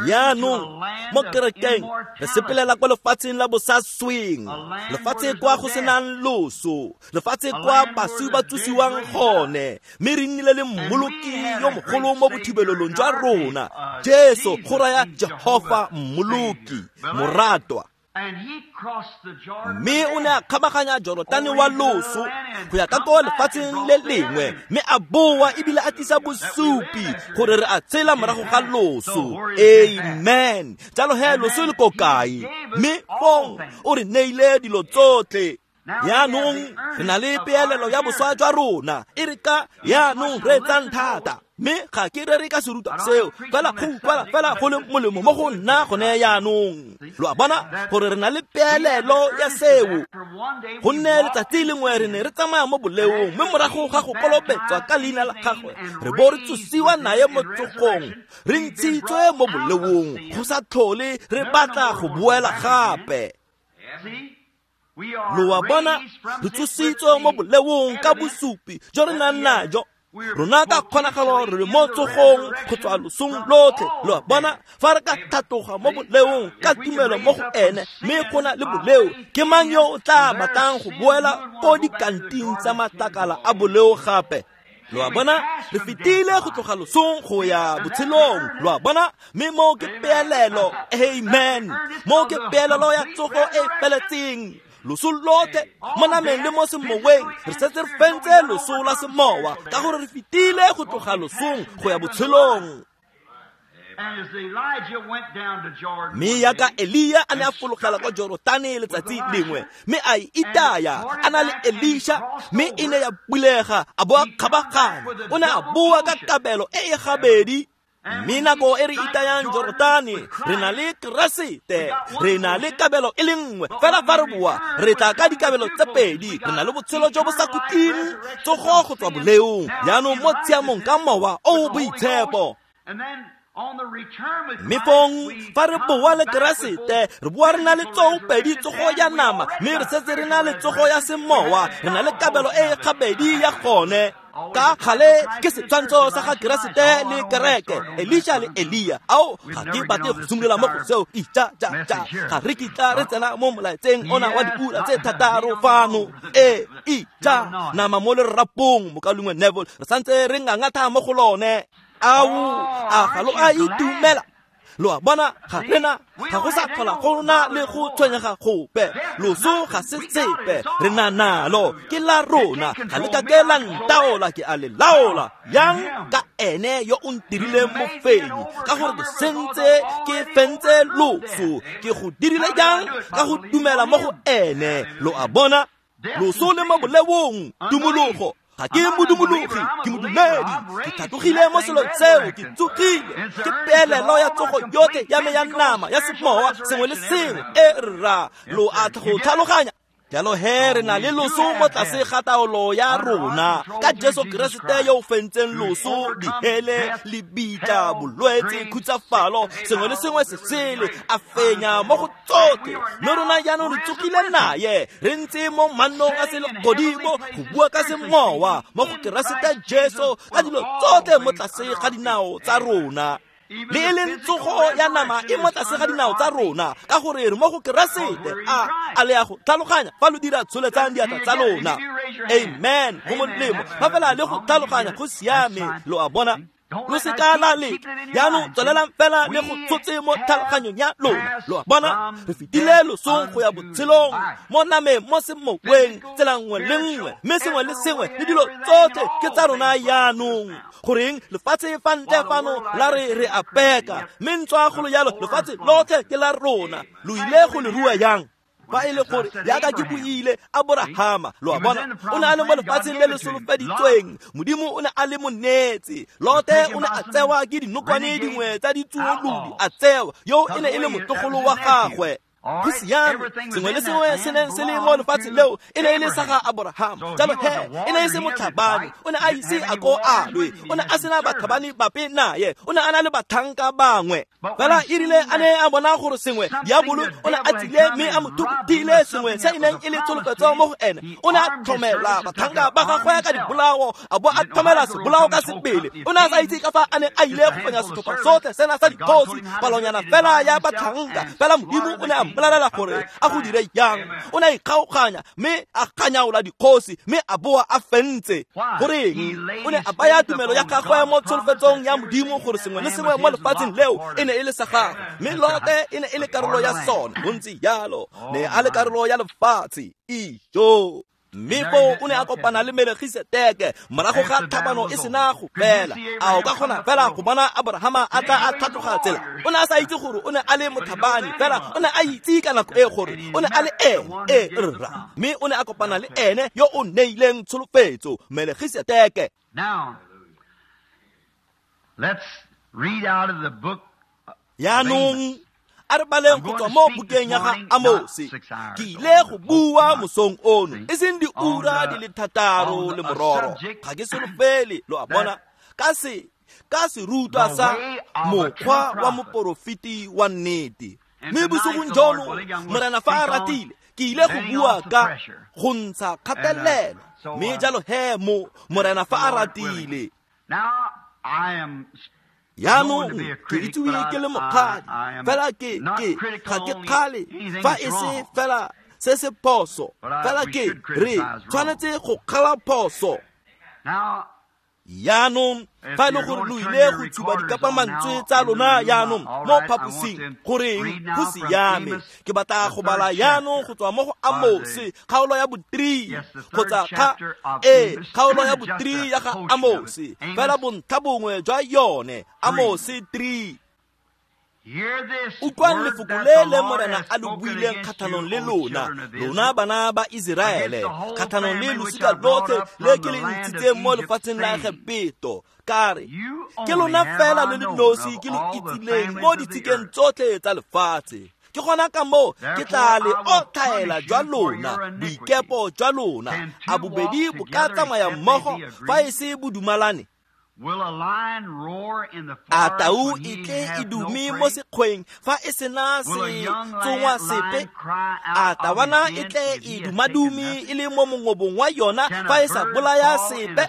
Jaanong mo kerekeng re sepelela kwa lefatsheng la bosasweng, lefatshe kwa go senang loso, lefatshe kwa baswi ba tsosiwang gone, mme re nnile le mmoloki yo mogolo mo bothibelelong jwa rona, Jesu, go raya Jehova Mmoloki, moratwa. Mme o ne a kgabaganya Jorodane wa loso go ya ka ko lefatsheng le lengwe, mme a boa ebile a tlisa bosupi gore re a tshela morago ga loso. Amen. Jalo he loso le ko kae? Mme fong o re neile dilo tsotlhe. Jaanong re na le peelelo ya boswa jwa rona, e re ka jaanong re etsang thata. Mme ga ke rere ka serutwa seo, fela go utlwala fela go le molemo mo go nna gone jaanong. Lo a bona gore re na le peelelo ya seo, gonne letsatsi lengwe re ne re tsamaya mo boleong, mme morago ga go kolobetswa ka leina la gagwe re bo re tsosiwa naye mo tsogong, re ntshitswe mo boleong, go sa tlhole re batla go boela gape. Lo a bona, re tsositswe mo boleong ka bosupi jo re nang najo. Rona ka kgonagalo re le mo tsogong go tswa losong lotlhe. Lo a bona, fa re ka tlhatloga mo boleong ka tumelo mo go ene, mme go na le boleo, ke mang yo o tla batlang go boela ko dikanting tsa matlakala a boleo gape? Lo a bona, re fetile go tloga losong go ya botshelong. Lo a bona, mme mo ke peelelo. Amen. Mo ke peelelo ya tsogo e feletseng. Loso lotlhe mo nameng le mo semoweng, re setse re fentse loso la semowa ka gore re fetile go tloga losong go ya botshelong. Mme yaka Elia a ne a fologela kwa Jorotane letsatsi lengwe, mme a e itaya a na le Elisha, mme e ne ya bulega a bo a kgabaganya. O ne a boa ka kabelo e e gabedi. Mme nako e re itayang Jorotane, re na le Keresete, re na le kabelo e le nngwe. Fela fa re boa, re tla ka dikabelo tse pedi. Re na le botshelo jo bo sa khutleng, tsogo go tswa boleong, jaanong mo tshiamong ka mowa o o boitshepo. Mme fong fa re boa le Keresete, re boa re na le tsoopedi tsogo ya nama, mme re setse re na le tsogo ya semowa, re na le kabelo e e gabedi ya gone. Ka gale ke setshwantsho sa ga Keresete le kereke, Elisha le Elia. Ao, ga ke batle go simolola mo go seo. Ija ja ja, ga re kitla re tsena mo molaetseng ona wa diura tse thataro fano. E ija nama mo lerapong, mokalungwe Neville, re santse re ngangatha mo go lone. Ao, a ga lo a itumela? Lo a bona, ga rena ga go sa tlhola go na le go tshwenyega gope. Loso ga se sepe, re na nalo, ke la rona, ga le ka ke la ntaola, ke a le laola. Yang ka ene yo o ntirileng mofenyi, ka gore ke sentse ke fentse loso, ke go dirile jang ka go dumela mo go ene. Lo a bona, loso le mo boleong, tumologo. Ga ke modumologi, ke modumedi. Ke tlhatlogile mo selong seo, ke tsogile. Ke peelelo ya tsogo yotlhe ya me ya nama, ya semowa, sengwe le sengwe. E rra, lo a go tlhaloganya. Jalo he re na le loso mo tlase ga taolo ya rona ka Jesu Keresete yo o fentseng loso, dihele, lebitla, bolwetse, khutsafalo, sengwe le sengwe se sele, a fenya mo go tsotlhe. Mme rona jaanong re tsogile naye, re ntse mo mannong a selegodimo go bua ka semowa mo go Keresete Jesu ka dilo tsotlhe mo tlase ga dinao tsa rona. Le e leng tsogo ya nama e mo tlase ga dinao tsa rona, ka gore re mo go Keresete. A le ya go tlhaloganya fa lo dira tsholetsang diatla tsa lona. Amen. Go molemo fa fela le go tlhaloganya go siame. Lo a bona, lo se ka la leka. Jaanong tswelelang fela le go tshotse mo tlhaloganyong ya lona. Lo a bona, re fetile losong go ya botshelong, mo nameng, mo semoweng, tsela nngwe le nngwe, mme sengwe le sengwe le dilo tsotlhe ke tsa rona jaanong. Goreng lefatshe fa ntle fano la re re a peka, mme ntswa golo jalo lefatshe lotlhe ke la rona. Lo ile go le rua yang? Fa e le gore yaka ke buile Aborahama, lo a bona, o ne a le mo lefatsheng le le solofeditsweng, Modimo o ne a le mo neetse. Lote o ne a tsewa ke dinokwane dingwe tsa ditsuolodi, a tsewa, yo e ne e le motlogolo wa gagwe. Go siame, sengwe le sengwe se neng se le mo lefatsheng leo e ne e le sa ga Aborahama. Jalo he e ne e se motlhabani, o ne a ise a ko a lwe, o ne a sena batlhabani bape naye, o ne a na le batlhanka bangwe. Fela e rile a ne a bona gore sengwe, diabolo o ne a tsile mme a mo thukutile sengwe se e neng e le tsholofetso mo go ene. O ne a tlhomela batlhanka ba gagwe ka dibolao, a bo a tlhomela sebolao ka sebele. O ne a sa itse ka fa a ne a ile go fenya setlhopha sotlhe sena sa dikgosi, palonyana fela ya batlhanka. Fela Modimo o ne a mmolelela gore a go dire yang. O ne a ikgaoganya mme a kganyaola dikgosi, mme a boa a fentse. Goreng? O ne a baya tumelo ya gagwe mo tsholofetsong ya Modimo gore sengwe le sengwe mo lefatsheng leo e ne e le sa gagwe, mme Lote e ne e le karolo ya sone. Go ntse jalo, ne a le karolo ya lefatshe. Ijo. Mme foo o ne a kopana le Melkisedeke morago ga tlhabano e sena go fela. A o ka kgona fela go bona Aborahama a tla a tlhatloga tsela? O ne a sa itse gore o ne a le motlhabani, fela o ne a itse ka nako e gore o ne a le ene e rra. Mme o ne a kopana le ene yo o neileng tsholofetso, Melkisedeke. Now, let's read out of the book. Jaanong a re baleng go tswa mo bukeng ya ga Amose. Ke ile go bua mosong ono, e seng diura di le thataro le mororo. Ga ke solofele, lo a bona, ka serutwa sa mokgwa wa moporofeti wa nnete. Mme bosigong jono, Morena fa a ratile, Ke ile go bua ka go ntsha kgatelelo, mme jalo he mo Morena fa a ratile. Jaanong ke itsewe ke le mokgadi, fela ke ga ke kgale fa e se fela se se phoso, fela ke re tshwanetse go kgala phoso. Jaanong fa e le gore lo ile go tshuba dikapamantswe tsa lona jaanong mo phaposing, goreng go siame. Ke batla go bala jaanong go tswa mo go Amose kgaolo ya bo-3 kgotsa kgaolo ya bo-3 ya ga Amose, fela bontlha bongwe jwa yone, Amose 3. Utlwang lefoko le le Morena a lo buileng kgatlhanong le lona, lona bana ba Iseraele, kgatlhanong le losika lotlhe le ke le ntshitseng mo lefatsheng la Egepeto. Ka re, ke lona fela lo le nosi ke lo itsileng mo ditshikeng tsotlhe tsa lefatshe. Ke gona ka moo ke tla le otlhaela jwa lona, boikepo jwa lona. A bobedi bo ka tsamaya mmogo fa e se bo dumalane? A tau e tle e dume mo sekgweng fa e sena se tsongwa sepe? A tawana e tle e dumadume e le mo mongobong wa yona fa e sa bolaya sepe?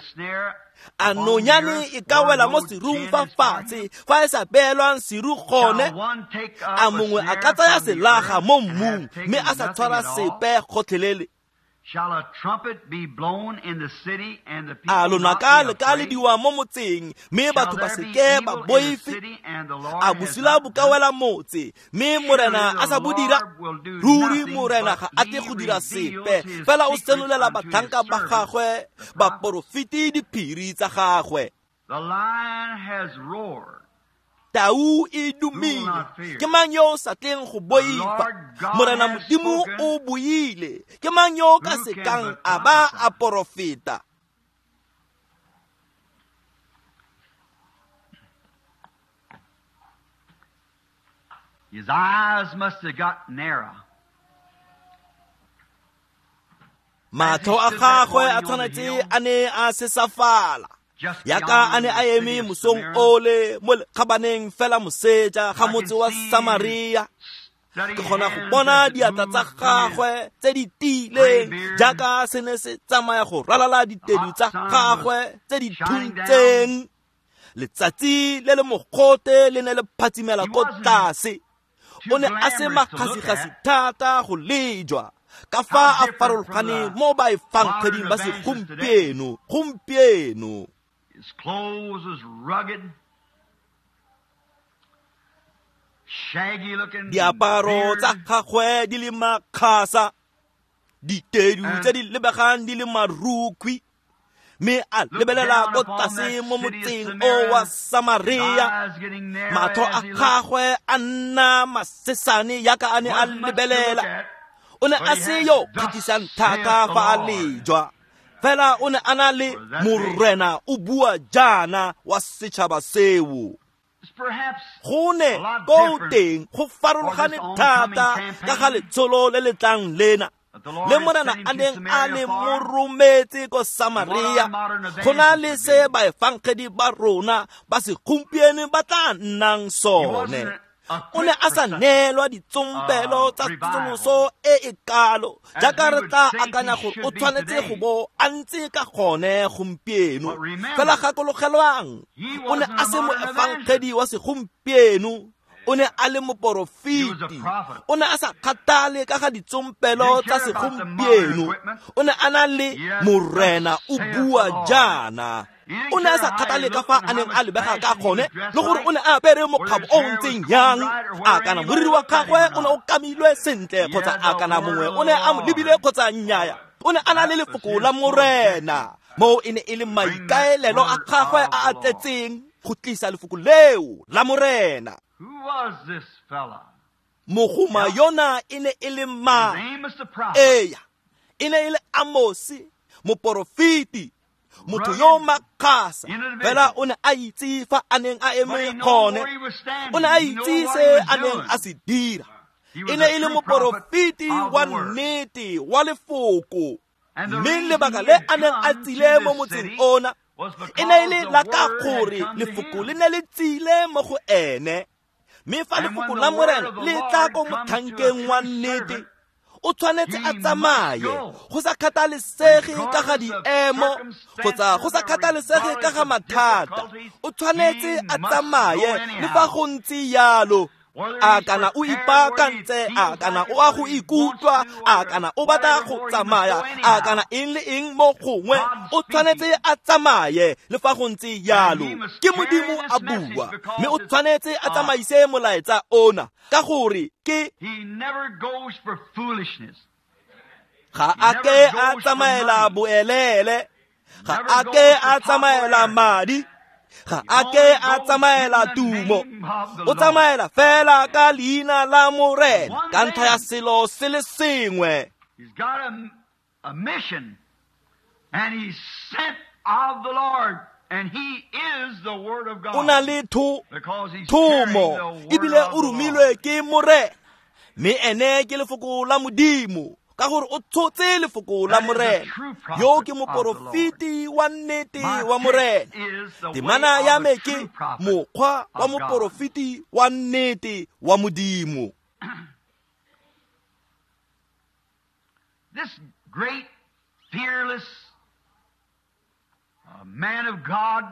A nonyane e ka wela mo serung fa fatshe fa e sa beelwang seru gone? A mongwe a ka tsaya selaga mo mmung mme a sa tshwara sepe gotlhelele? A lonaka le ka lediwa mo motseng mme batho ba seke ba boife? A bosula bo ka wela motse mme Morena a sa bo dira? Ruri Morena ga a tle go dira sepe, fela o senolela batlhanka ba gagwe baporofeti diphiri tsa gagwe. Tau e dumile, ke mang yo o sa tleng go boifa? Morena Modimo o buile, ke mang yo o ka sekang a ba a porofeta? His eyes must have got narrow. Matlho a gagwe a tshwanetse a ne a sesafala, yaka a ne a eme mosong ole mo lekgabaneng fela moseja ga motse wa Samaria. Ke kgona go bona diatla tsa gagwe tse di tiileng jaaka se ne se tsamaya go ralala ditedu tsa gagwe tse di thuntseng. Letsatsi le le mogote le ne le phatsimela ko tlase. O ne a se makgasigasi thata go lejwa, ka fa a farologane mo baefangeding ba segompieno gompieno. His clothes was rugged, shaggy looking. Diaparo tsa gagwe di le makgasa, ditedu tse di lebegang di le marukhwi, mme a lebelela ko tlase mo motseng o wa Samaria. Matlho a gagwe a nna masesane yaka a ne a lebelela. O ne a se yo kgatlhisang thata fa a lejwa, fela o ne a na le Morena o bua jaana wa setšhaba seo. Go ne ko teng go farologane thata ka ga letsholo le le tlang lena le Morena a neng a le mo rometse ko Samaria. Go na le se baefangedi ba rona ba segompieno ba tla nnang sone. O ne a sa neelwa ditsompelo tsa tsosoloso e e kalo jaaka re tla akanya gore o tshwanetse go bo a ntse ka gone gompieno. Fela gakologelwang, o ne a se moefangedi wa segompieno, o ne a le moporofeti. O ne a sa kgathale ka ga ditsompelo tsa segompieno, o ne a na le Morena o bua jaana. O ne a sa kgathale ka fa a neng a lebega ka gone, le gore o ne a apere mokgabo o ntseng yang, a kana moriri wa gagwe o ne o kamilwe sentle kgotsa a kana mongwe o ne a mo lebile kgotsa nnyaya. O ne a na le lefoko la Morena, moo e ne e le maikaelelo a gagwe a a tletseng go tlisa lefoko leo la Morena. Mogoma yona e ne e le mang? Eya, e ne e le Amose, moporofeti, motho yo makgasa, fela o ne a itse fa a neng a eme gone. O ne a itse se a neng a se dira. E ne e le moporofeti wa nnete wa lefoko, mme lebaka le a neng a tsile mo motseng ona e ne e le la ka gore lefoko le ne le tsile mo go ene. Mme fa lefoko la Morena le tla ko motlhankeng wa nnete, O tshwanetse a tsamaye go sa kgathalesege ka ga diemo kgotsa go sa kgathalesege ka ga mathata. O tshwanetse a tsamaye le fa go ntse yalo. A kana o ipaakantse, a kana o a go ikutlwa, a kana o batla go tsamaya, a kana eng le eng mo gongwe, o tshwanetse a tsamaye le fa go ntse yalo. Ke Modimo a bua, mme o tshwanetse a tsamaise molaetsa ona ka gore ke ga a ke a tsamaela boelele, ga a ke a tsamaela madi, ga a ke a tsamaela tumo. O tsamaela fela ka leina la Morena ka ntlha ya selo se le sengwe. He's got a mission, and he's sent of the Lord, and he is the Word of God. O na le thomo ebile o romilwe ke Morena, mme ene ke lefoko la Modimo ka gore o tshotse lefoko la Morena. Yo ke moporofeti wa nnete wa Morena. Temana ya me ke mokgwa wa moporofeti wa nnete wa Modimo. This great, fearless man of God,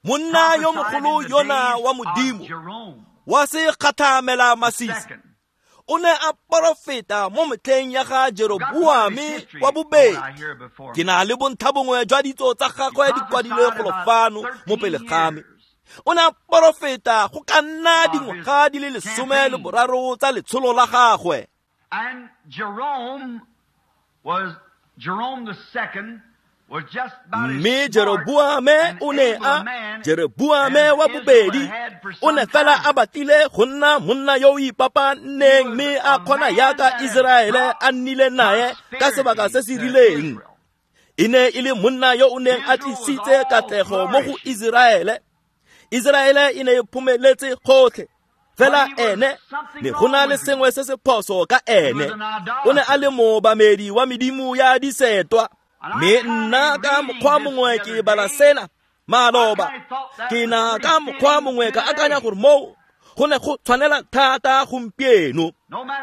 monna yo mogolo yona wa Modimo wa se kgathamela masisi, o ne a porofeta mo metlheng ya ga Jeroboame wa bobedi. Ke na le bontlha bongwe jwa ditso tsa gagwe di kwadilwe golo fano mo pele ga me. O ne a porofeta go ka nna dingwaga di le 13 tsa letsholo la gagwe. And Jerome the second was just about Mme Jeroboame o ne a Jeroboame wa bobedi o ne fela a batlile go nna monna yo o ipapanneng, mme a kgona yaka Iseraele a nnile nae ka sebaka se se rileng. E ne e le monna yo o neng a tlisitse katlego mo go Iseraele. Iseraele e ne e phomeletse gotlhe, fela ene ne go na le sengwe se se phoso ka ene. O ne a le moobamedi wa medimo ya disetwa. Mme nna ka mokgwa mongwe ke bala sena maloba, ke na ka mokgwa mongwe ka akanya gore moo go ne go tshwanela thata gompieno.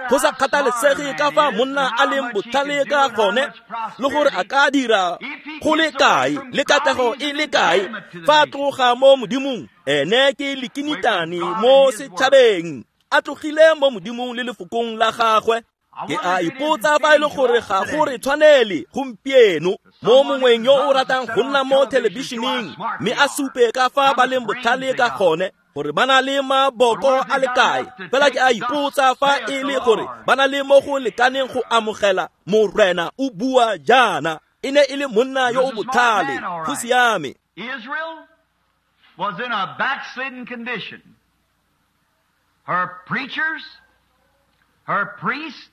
Go sa kgathalesege ka fa monna a leng botlhale ka gone le gore a ka dira go le kae le katlego e le kae, fa a tloga mo Modimong, ene ke lekinitane mo setšhabeng, a tlogile mo Modimong le lefokong la gagwe. Ke a ipotsa fa e le gore ga go re tshwanele gompieno mo mongweng yo o ratang go nna mo thelebišeneng mme a supe ka fa ba leng botlhale ka gone, gore ba na le maboko a le kae. Fela ke a ipotsa fa e le gore ba na le mo go lekaneng go amogela Morena o bua jaana. E ne e le monna yo o botlhale, go siame. Israel was in a backslidden condition. Her preachers, her priests,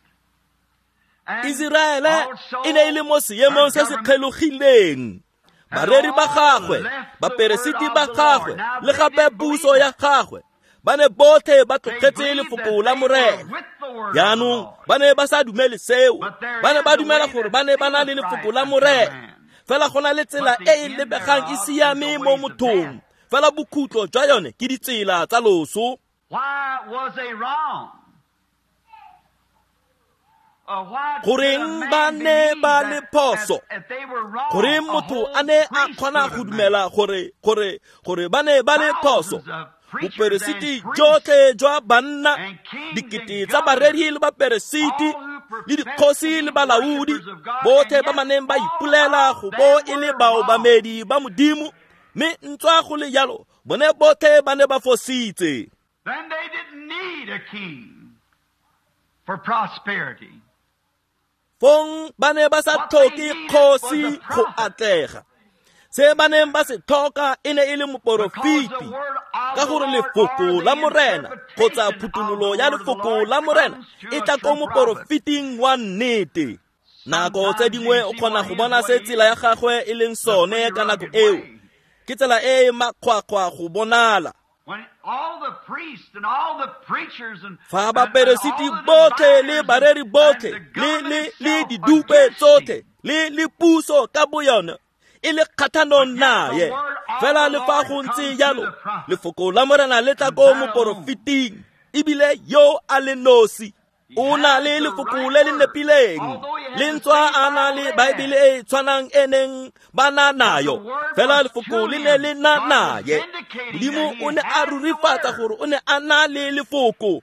Iseraele e ne e le mo seemong se se kgelogileng. Bareri ba gagwe, baperesiti ba gagwe, le gape puso ya gagwe ba ne botlhe ba tlogetse lefoko la Morena. Jaanong ba ne ba sa dumele seo, ba ne ba dumela gore ba ne ba na le lefoko la Morena. Fela go na le tsela e e lebegang e siame mo mothong, fela bokhutlo jwa yone ke ditsela tsa loso. Why was they wrong? Goreng ba ne ba le phoso? Goreng motho a ne a kgona go dumela gore ba ne ba le phoso? Boperesiti jotlhe jwa banna, dikete tsa bareri le baperesiti, le dikgosi le balaodi, botlhe ba ba neng ba ipolela go bo e le baobamedi ba Modimo, mme ntswa go le jalo bone botlhe ba ne ba fositse. Then they didn't need a king for prosperity. Fong ba ne ba sa tlhoke kgosi go atlega. Se ba neng ba se tlhoka e ne e le moporofeti, ka gore lefoko la Morena kgotsa phuthololo ya lefoko la Morena e tla ko moporofeting wa nnete. Nako tse dingwe o kgona go bona se tsela ya gagwe e leng sone ka nako eo. Ke tsela e e makgwakgwa go bonala. Fa baperesiti botlhe le bareri botlhe le didupe tsotlhe le puso ka boyone e le kgathanong naye, fela le fa go ntse jalo lefoko la Morena le tla ko moporofeting, ebile yo a le nosi. O na le lefoko le le nepileng, le ntswa a na le Baebele e tshwanang e neng ba na nayo, fela lefoko le ne le na naye. Modimo o ne a rurifatsa gore o ne a na le lefoko.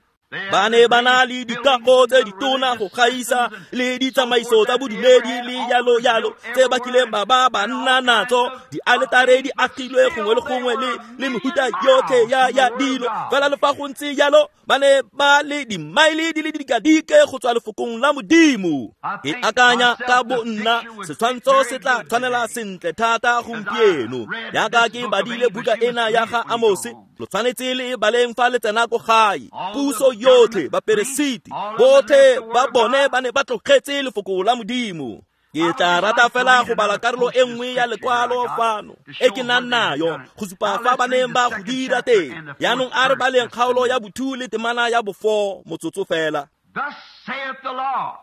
Ba ne ba na le dikago tse ditona go gaisa le ditsamaiso tsa bodumedi le yalo yalo tse ba kileng ba ba nna natso, dialetare di agilwe gongwe le gongwe le mehuta yotlhe ya dilo. Fela le fa go ntse jalo, ba ne ba le dimaele di le dikadike go tswa lefokong la Modimo. Ke akanya ka bo nna setshwantsho se tla tshwanela sentle thata gompieno. Jaaka ke badile buka ena ya ga Amose, lo tshwanetse le baleng fa le tsena ko gae. Puso yotlhe, baperesiti botlhe ba bone ba ne ba tlogetse lefoko la Modimo. Ke tla rata fela go bala karolo e nngwe ya lekwalo fano e ke nang nayo go supa fa ba neng ba go dira teng. Jaanong a re baleng kgaolo ya bo-2 le temana ya bo-4 motsotso fela. Thus saith the Lord,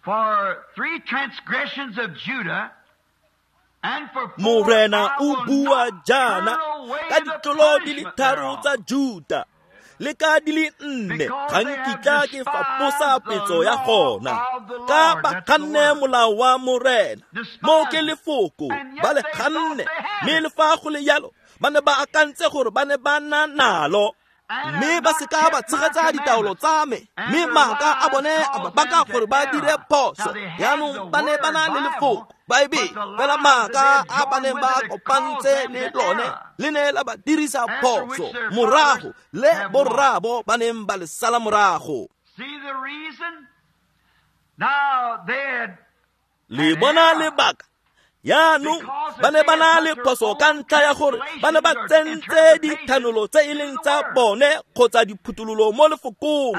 for 3 transgressions of Judah, Morena o bua jaana ka ditlolo di le 3 tsa Juta le ka di le 4 ga nkitla ke faposa petso ya gona, ka ba ganne molao wa Morena. Mo ke lefoko ba le ganne, mme le fa go le jalo ba ne ba akantse gore ba ne ba na nalo, mme ba seka ba tshegetsa ditaolo tsa me, mme maaka a bone a ba baka gore ba dire phoso. Jaanong ba ne ba na le lefoko Baebele, fela maaka a ba neng ba kopantse le lone le ne la ba dirisa phoso morago le borraabo ba neng ba le sala morago. Le bona lebaka? Jaanong ba ne ba na le phoso ka ntlha ya gore ba ne ba tsentse dithanolo tse e leng tsa bone kgotsa diphuthololo mo lefokong.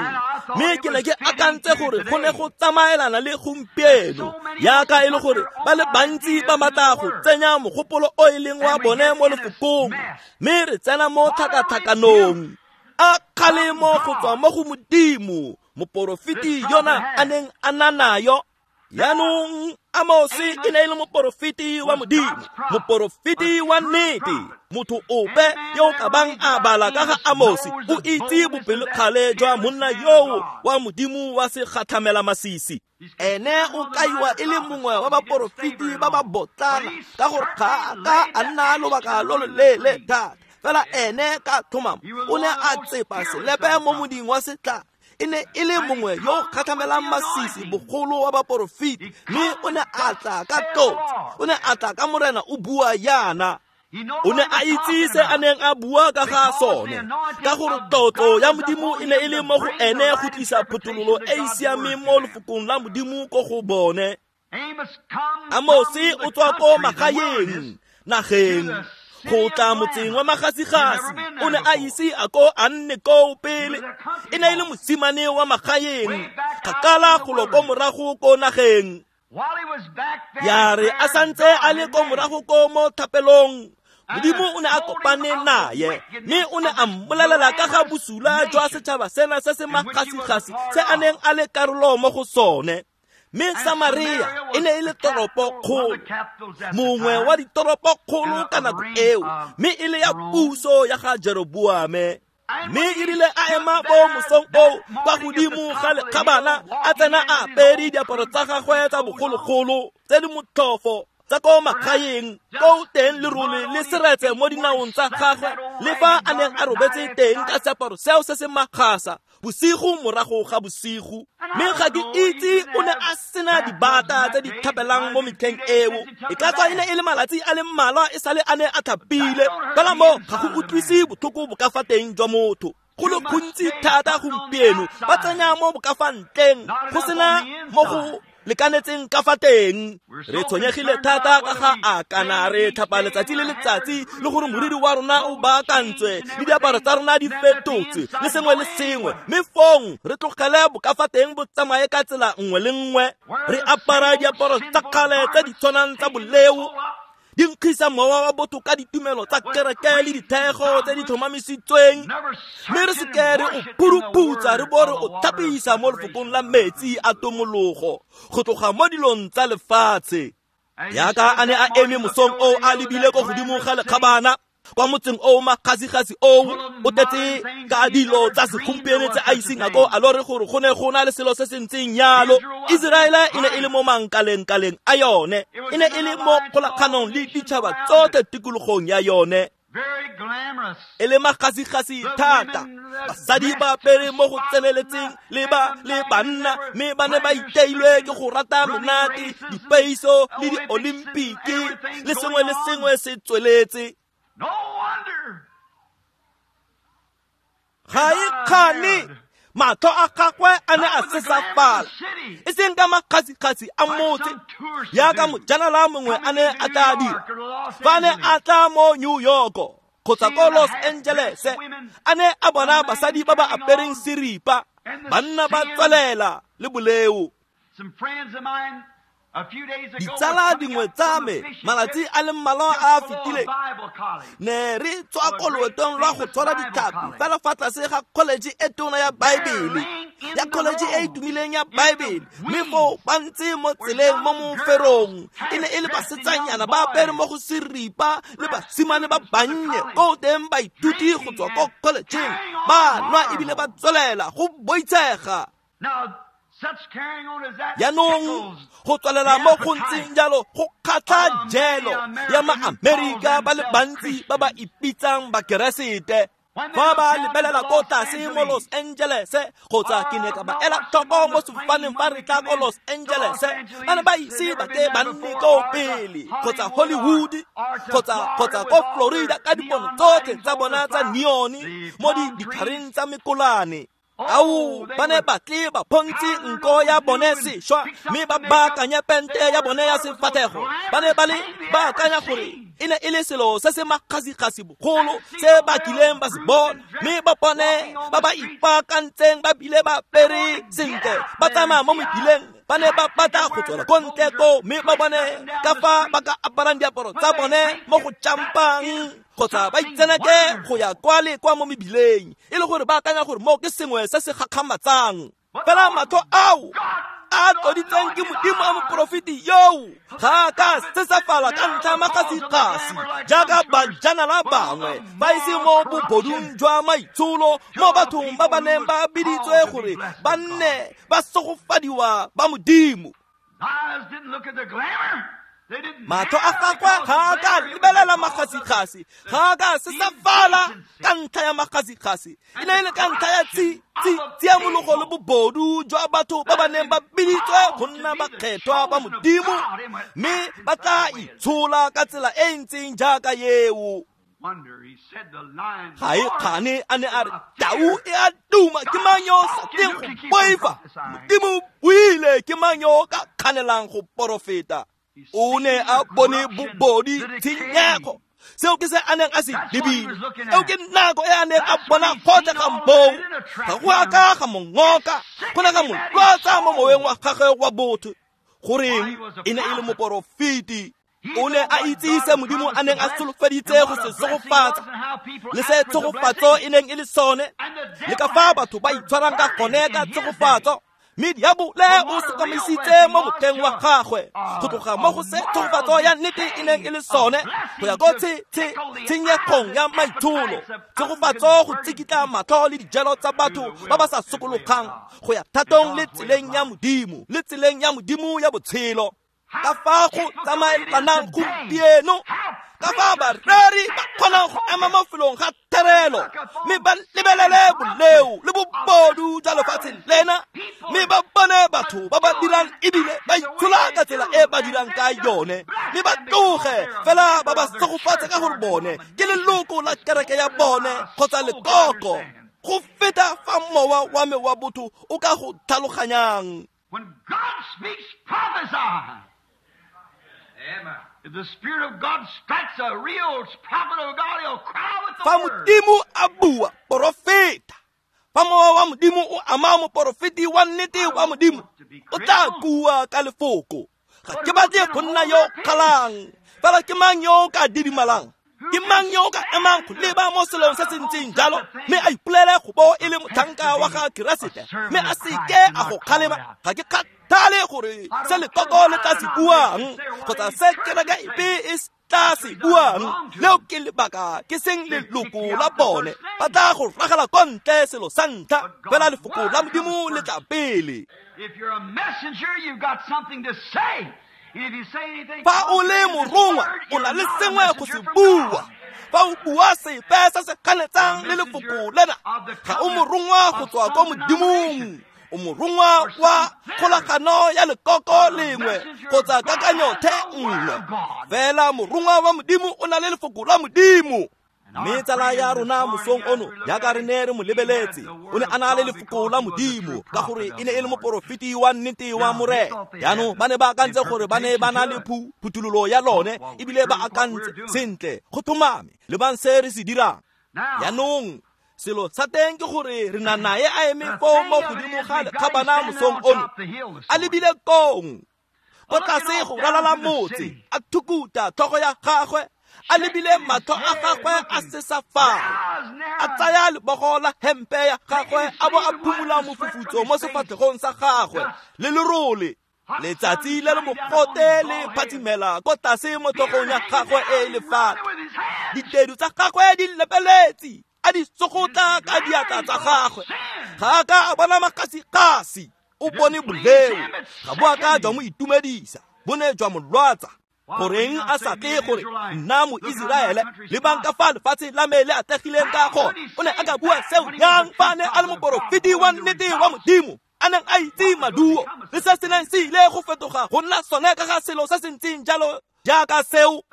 Mme ke ne ke akantse gore go ne go tsamaelana le gompieno, jaaka e le gore ba le bantsi ba batla go tsenya mogopolo o e leng wa bone mo lefokong, mme re tsena mo tlhakatlhakanong. A kgalemo go tswa mo go Modimo, moporofeti yona a neng a na nayo. Jaanong Amose e ne e le moporofeti wa Modimo, moporofeti wa nnete. Motho ope yo o ka bang a bala ka ga Amose o itse bopelokgale jwa monna yoo wa Modimo wa segatlhamela masisi. Ene o kaiwa e le mongwe wa baporofeti ba ba botlana, ka gore ga a ka a nna lobaka lo loleele thata. Fela ene ka tlhomamo o ne a tsepa selepe mo moding wa setlhare. E ne e le mongwe yo o kgatlhamelang masisi bogolo wa baporofeti, mme o ne a tla ka tlotso, o ne a tla ka Morena o bua jaana. O ne a itse se a neng a bua ka ga sone, ka gore tlotlo ya Modimo e ne e le mo go ene go tlisa phuthololo e e siameng mo lefokong la Modimo ko go bone. Amose o tswa ko magaeng, nageng, go tla motseng wa magasigasi. O ne a ise a ko a nne koo pele. E ne e le mosimane wa magaeng, kgakala golo ko morago ko nageng. Ya re a santse a le ko morago ko mo thapelong, Modimo o ne a kopane naye, mme o ne a mmolelela ka ga bosula jwa setšhaba sena se se magasigasi se a neng a le karolo mo go sone. Mme Samaria e ne e le toropokgolo, mongwe wa ditoropokgolo ka nako eo, mme e le ya puso ya ga Jeroboame. Mme e rile a ema bo mosong oo kwa godimo ga lekgabana, a tsena a apere diaparo tsa gagwe tsa bogologolo tse di motlhofo tsa ko magaeng, ko teng lerole le seretse mo dinaong tsa gagwe, le fa a neng a robetse teng ka seaparo seo se se makgasa bosigo morago ga bosigo. Mme ga ke itse o ne a sena dibata tse di tlhapelang mo metlheng eo. E ka tswa e ne e le malatsi a le mmalwa e sale a ne a tlhapile, fela mo ga go utlwise botlhoko bo ka fa teng jwa motho. Go le gontsi thata gompieno ba tsenya mo bo ka fa ntleng, go sena mo go lekanetseng ka fa teng. Re tshwenyegile thata ka ga a kana re tlhapa letsatsi le letsatsi, le gore moriri wa rona o baakantswe, le diaparo tsa rona di fetotswe, le sengwe le sengwe, mme fong re tlogele bo ka fa teng bo tsamaye ka tsela nngwe le nngwe. Re apara diaparo tsa kgale tse di tshwanang tsa boleo, di nkgisa mowa wa botho ka ditumelo tsa kereke le dithego tse di tlhomamisitsweng, mme re seke re o phuruputsa re bo re o tlhapisa mo lefokong la metsi a tomologo go tloga mo dilong tsa lefatshe. Jaaka a ne a eme mosong oo a lebile ko godimo ga lekgabana, Kwa motseng o makgasigasi oo o tletse ka dilo tsa segompieno tse a iseng a ko a lore gore go ne go na le selo se se ntseng yalo. Iseraele e ne e le mo mankalengkaleng a yone, e ne e le mo kgolaganong le ditšhaba tsotlhe tikologong ya yone. E le makgasigasi thata, basadi ba apere mo go tseneletseng le ba le banna, mme ba ne ba iteilwe ke go rata menate, dipeiso le diolimpiki le sengwe le sengwe se tsweletse. Ga e kgane matlho a gagwe a ne a sesafala, e seng ka makgasikgasi a motse jaaka mojanala mongwe a ne a tla dira fa ne a tla mo New York kgotsa ko Los Angeles, a ne a bona basadi ba ba apereng seripa, banna ba tswelela le boleo. Ditsala dingwe tsa me malatsi a le mmalwa a a fetileng ne re tswa ko loetong lwa go tshwara ditlhapi fela fa tlase ga college e tona ya Baebele, ya college e e tumileng ya Baebele, mme foo ba ntse mo tseleng mo moferong e ne e le basetsanyana ba apere mo go seripa le basimane ba bannye ko teng baithuti go tswa ko collegeng ba nwa ebile ba tswelela go boitshega. Jaanong go tswelela mo go ntseng jalo go kgatlha jelo ya maAmerika ba le bantsi ba ba ipitsang bakeresete. Fa ba lebelela ko tlase mo Los Angeles, kgotsa ke ne ka ba ela tlhoko mo sefofaneng fa re tla ko Los Angeles, ba ne ba ise ba ke ba nne ko pele kgotsa Hollywood kgotsa ko Florida ka dipono tsotlhe tsa bona tsa neon mo ditlhareng tsa mekolane. Ao, ba ne ba tle ba phontse nko ya bone sešwa mme ba baakanye pente ya bone ya sefatlhego. Ba ne ba le ba akanya gore e ne e le selo se se makgasikgasi bogolo se ba kileng ba se bona, mme ba bone ba ba ipaakantseng ba bile ba apere sentle ba tsamaya mo mebileng. Ba ne ba batla go tswela ko ntle ko mme ba bone ka fa ba ka aparang diaparo tsa bone mo go jampang kgotsa ba itseneke go ya kwa le kwa mo mebileng, e le gore ba akanya gore moo ke sengwe se se gakgamatsang. Fela matlho ao a tloditsweng ke Modimo a moporofeti yoo ga a ka sesafala ka ntlha ya makgasikgasi jaaka bajanala bangwe ba ise mo bobodung jwa maitsholo mo bathong ba ba neng ba biditswe gore ba nne ba segofadiwa ba Modimo. Matlho a gagwe ga a ka lebelela makgasikgasi, ga a ka sesafala ka ntlha ya makgasikgasi, e ne e le ka ntlha ya tsiamologo le bobodu jwa batho ba ba neng ba biditswe go nna bakgethwa ba Modimo, mme ba tla itshola ka tsela e e ntseng jaaka eo. Ga e kgane a ne a re tau e a duma, ke mang yo sa tleng go boifa? Modimo o buile, ke mang yo o ka kganelang go porofeta? O ne a bone bobodi, tshenyego. Seo ke se a neng a se lebile. Eo ke nako e a neng a bona gotlhe ga moo. Ga go a ka ga mo ngoka, go ne ga mo lwatsa mo moweng wa gagwe wa botho. Goreng e ne e le moporofeti. O ne a itse se Modimo a neng a solofeditse go se segofatsa, le se tshegofatso e neng e le sone, le ka fa batho ba itshwarang ka gone ka tshegofatso. Mme diabole o sokamisitse mo motlheng wa gagwe go tloga mo go se tshegofatso ya nnete e neng e le sone go ya ko tshenyegong ya maitsholo, tshegofatso go tsikitla matlho le dijelo tsa batho ba ba sa sokologang go ya thatong le tseleng ya Modimo, le tseleng ya Modimo ya botshelo. Ka fa go tsamaelanang gompieno, ka fa bareri ba kgonang go ema mo felong ga therelo mme ba lebelele boleo le bobodu jwa lefatshe lena, mme ba bone batho ba ba dirang ebile ba itshola ka tsela e ba dirang ka yone, mme ba tloge fela ba ba segofatse ka gore bone ke leloko la kereke ya bone kgotsa lekoko, go feta fa mowa wa me wa botho o ka go tlhaloganyang. When God speaks, prophesy. Amen. If the Spirit of God strikes a real prophet of God, he'll cry with the Fa word. Modimo a bua, porofeta. Fa mowa wa Modimo o ama moporofeti wa nnete wa Modimo, o tla kua ka lefoko. Ga ke batle go nna yo kgalang, fela ke mang yo o ka didimalang? Ke mang yo o ka emang go leba mo selong se se ntseng jalo, mme a ipolele go bo e le motlhanka wa ga Keresete, mme a seke a go kgalema? Ga ke kgathale gore se lekoko le tla se buang kgotsa se kereke epe e tla se buang. Leo ke lebaka ke seng leloko la bone. Ba tla go ragela ko ntle selo sa ntlha, fela lefoko la Modimo le tla pele. Fa o le morongwa, o na le sengwe go se bua. Fa o bua sepe se se ganetsang le lefoko lena, ga o morongwa go tswa kwa Modimong. O morongwa wa kgolagano ya lekoko lengwe kgotsa kakanyo the nngwe. Fela morongwa wa Modimo o na le lefoko la Modimo. Mme tsala ya rona mosong ono, jaaka re ne re mo lebeletse, o ne a na le lefoko la Modimo ka gore e ne e le moporofeti wa nnete wa Morena. Jaanong ba ne ba akantse gore ba ne ba na le phuthololo ya lone, ebile ba akantse sentle go tlhomame lebang se re se dirang. Jaanong selo sa teng ke gore re na nae a eme foo mo godimo ga lekgabana mosong ono, a lebile kong ko tlase go ralala motse, a thukuta tlhogo ya gagwe, a lebile matlho a gagwe a sesafala, a tsaya lebogo la hempe ya gagwe a bo a phumula mofufutso mo sefatlhegong sa gagwe le lerole. Letsatsi le le mogote le phatsimela ko tlase mo tlhogong ya gagwe e e lefatshe. Ditedu tsa gagwe di lepeletse, a di tsogotla ka diatla tsa gagwe. Ga a ka a bona makgasikgasi, o bone boleo. Ga bo a ka jwa mo itumedisa, bo ne jwa mo lwatsa. Goreng a sa tle gore nna mo Iseraele le bang ka fa lefatshe la me le atlegileng ka gone? O ne a ka bua seo yang fa ne a le moporofeti wa nnete wa Modimo, a neng a itse maduo le se se neng se ile go fetoga go nna sone ka ga selo se se ntseng jalo jaaka seo.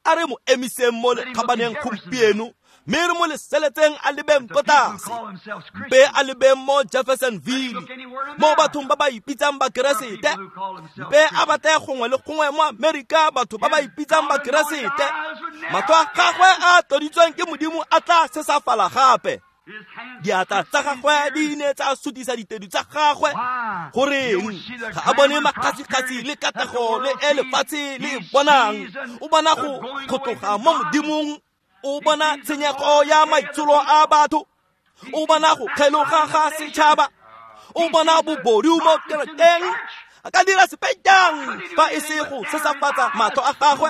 A re mo emiseng mo lekgabaneng gompieno, mme re mo leseletseng a lebeng ko tlase, mpe a lebeng mo Jeffersonville, mo bathong ba ba ipitsang Bakeresete, mpe a batle gongwe le gongwe mo Amerika batho ba ba ipitsang Bakeresete. Matlho a gagwe a tloditsweng ke Modimo a tla sesafala gape. Diatla tsa gagwe di ne tsa sutisa ditedu tsa gagwe. Goreng ga a bone makgasikgasi le katlego le e lefatshe le e bonang? O bona go tloga mo Modimong, o bona tshenyego ya maitsholo a batho, o bona go kgeloga ga setšhaba, o bona bobodu mo kerekeng. A ka dira sepe jang fa e se go sesafatsa matlho a gagwe,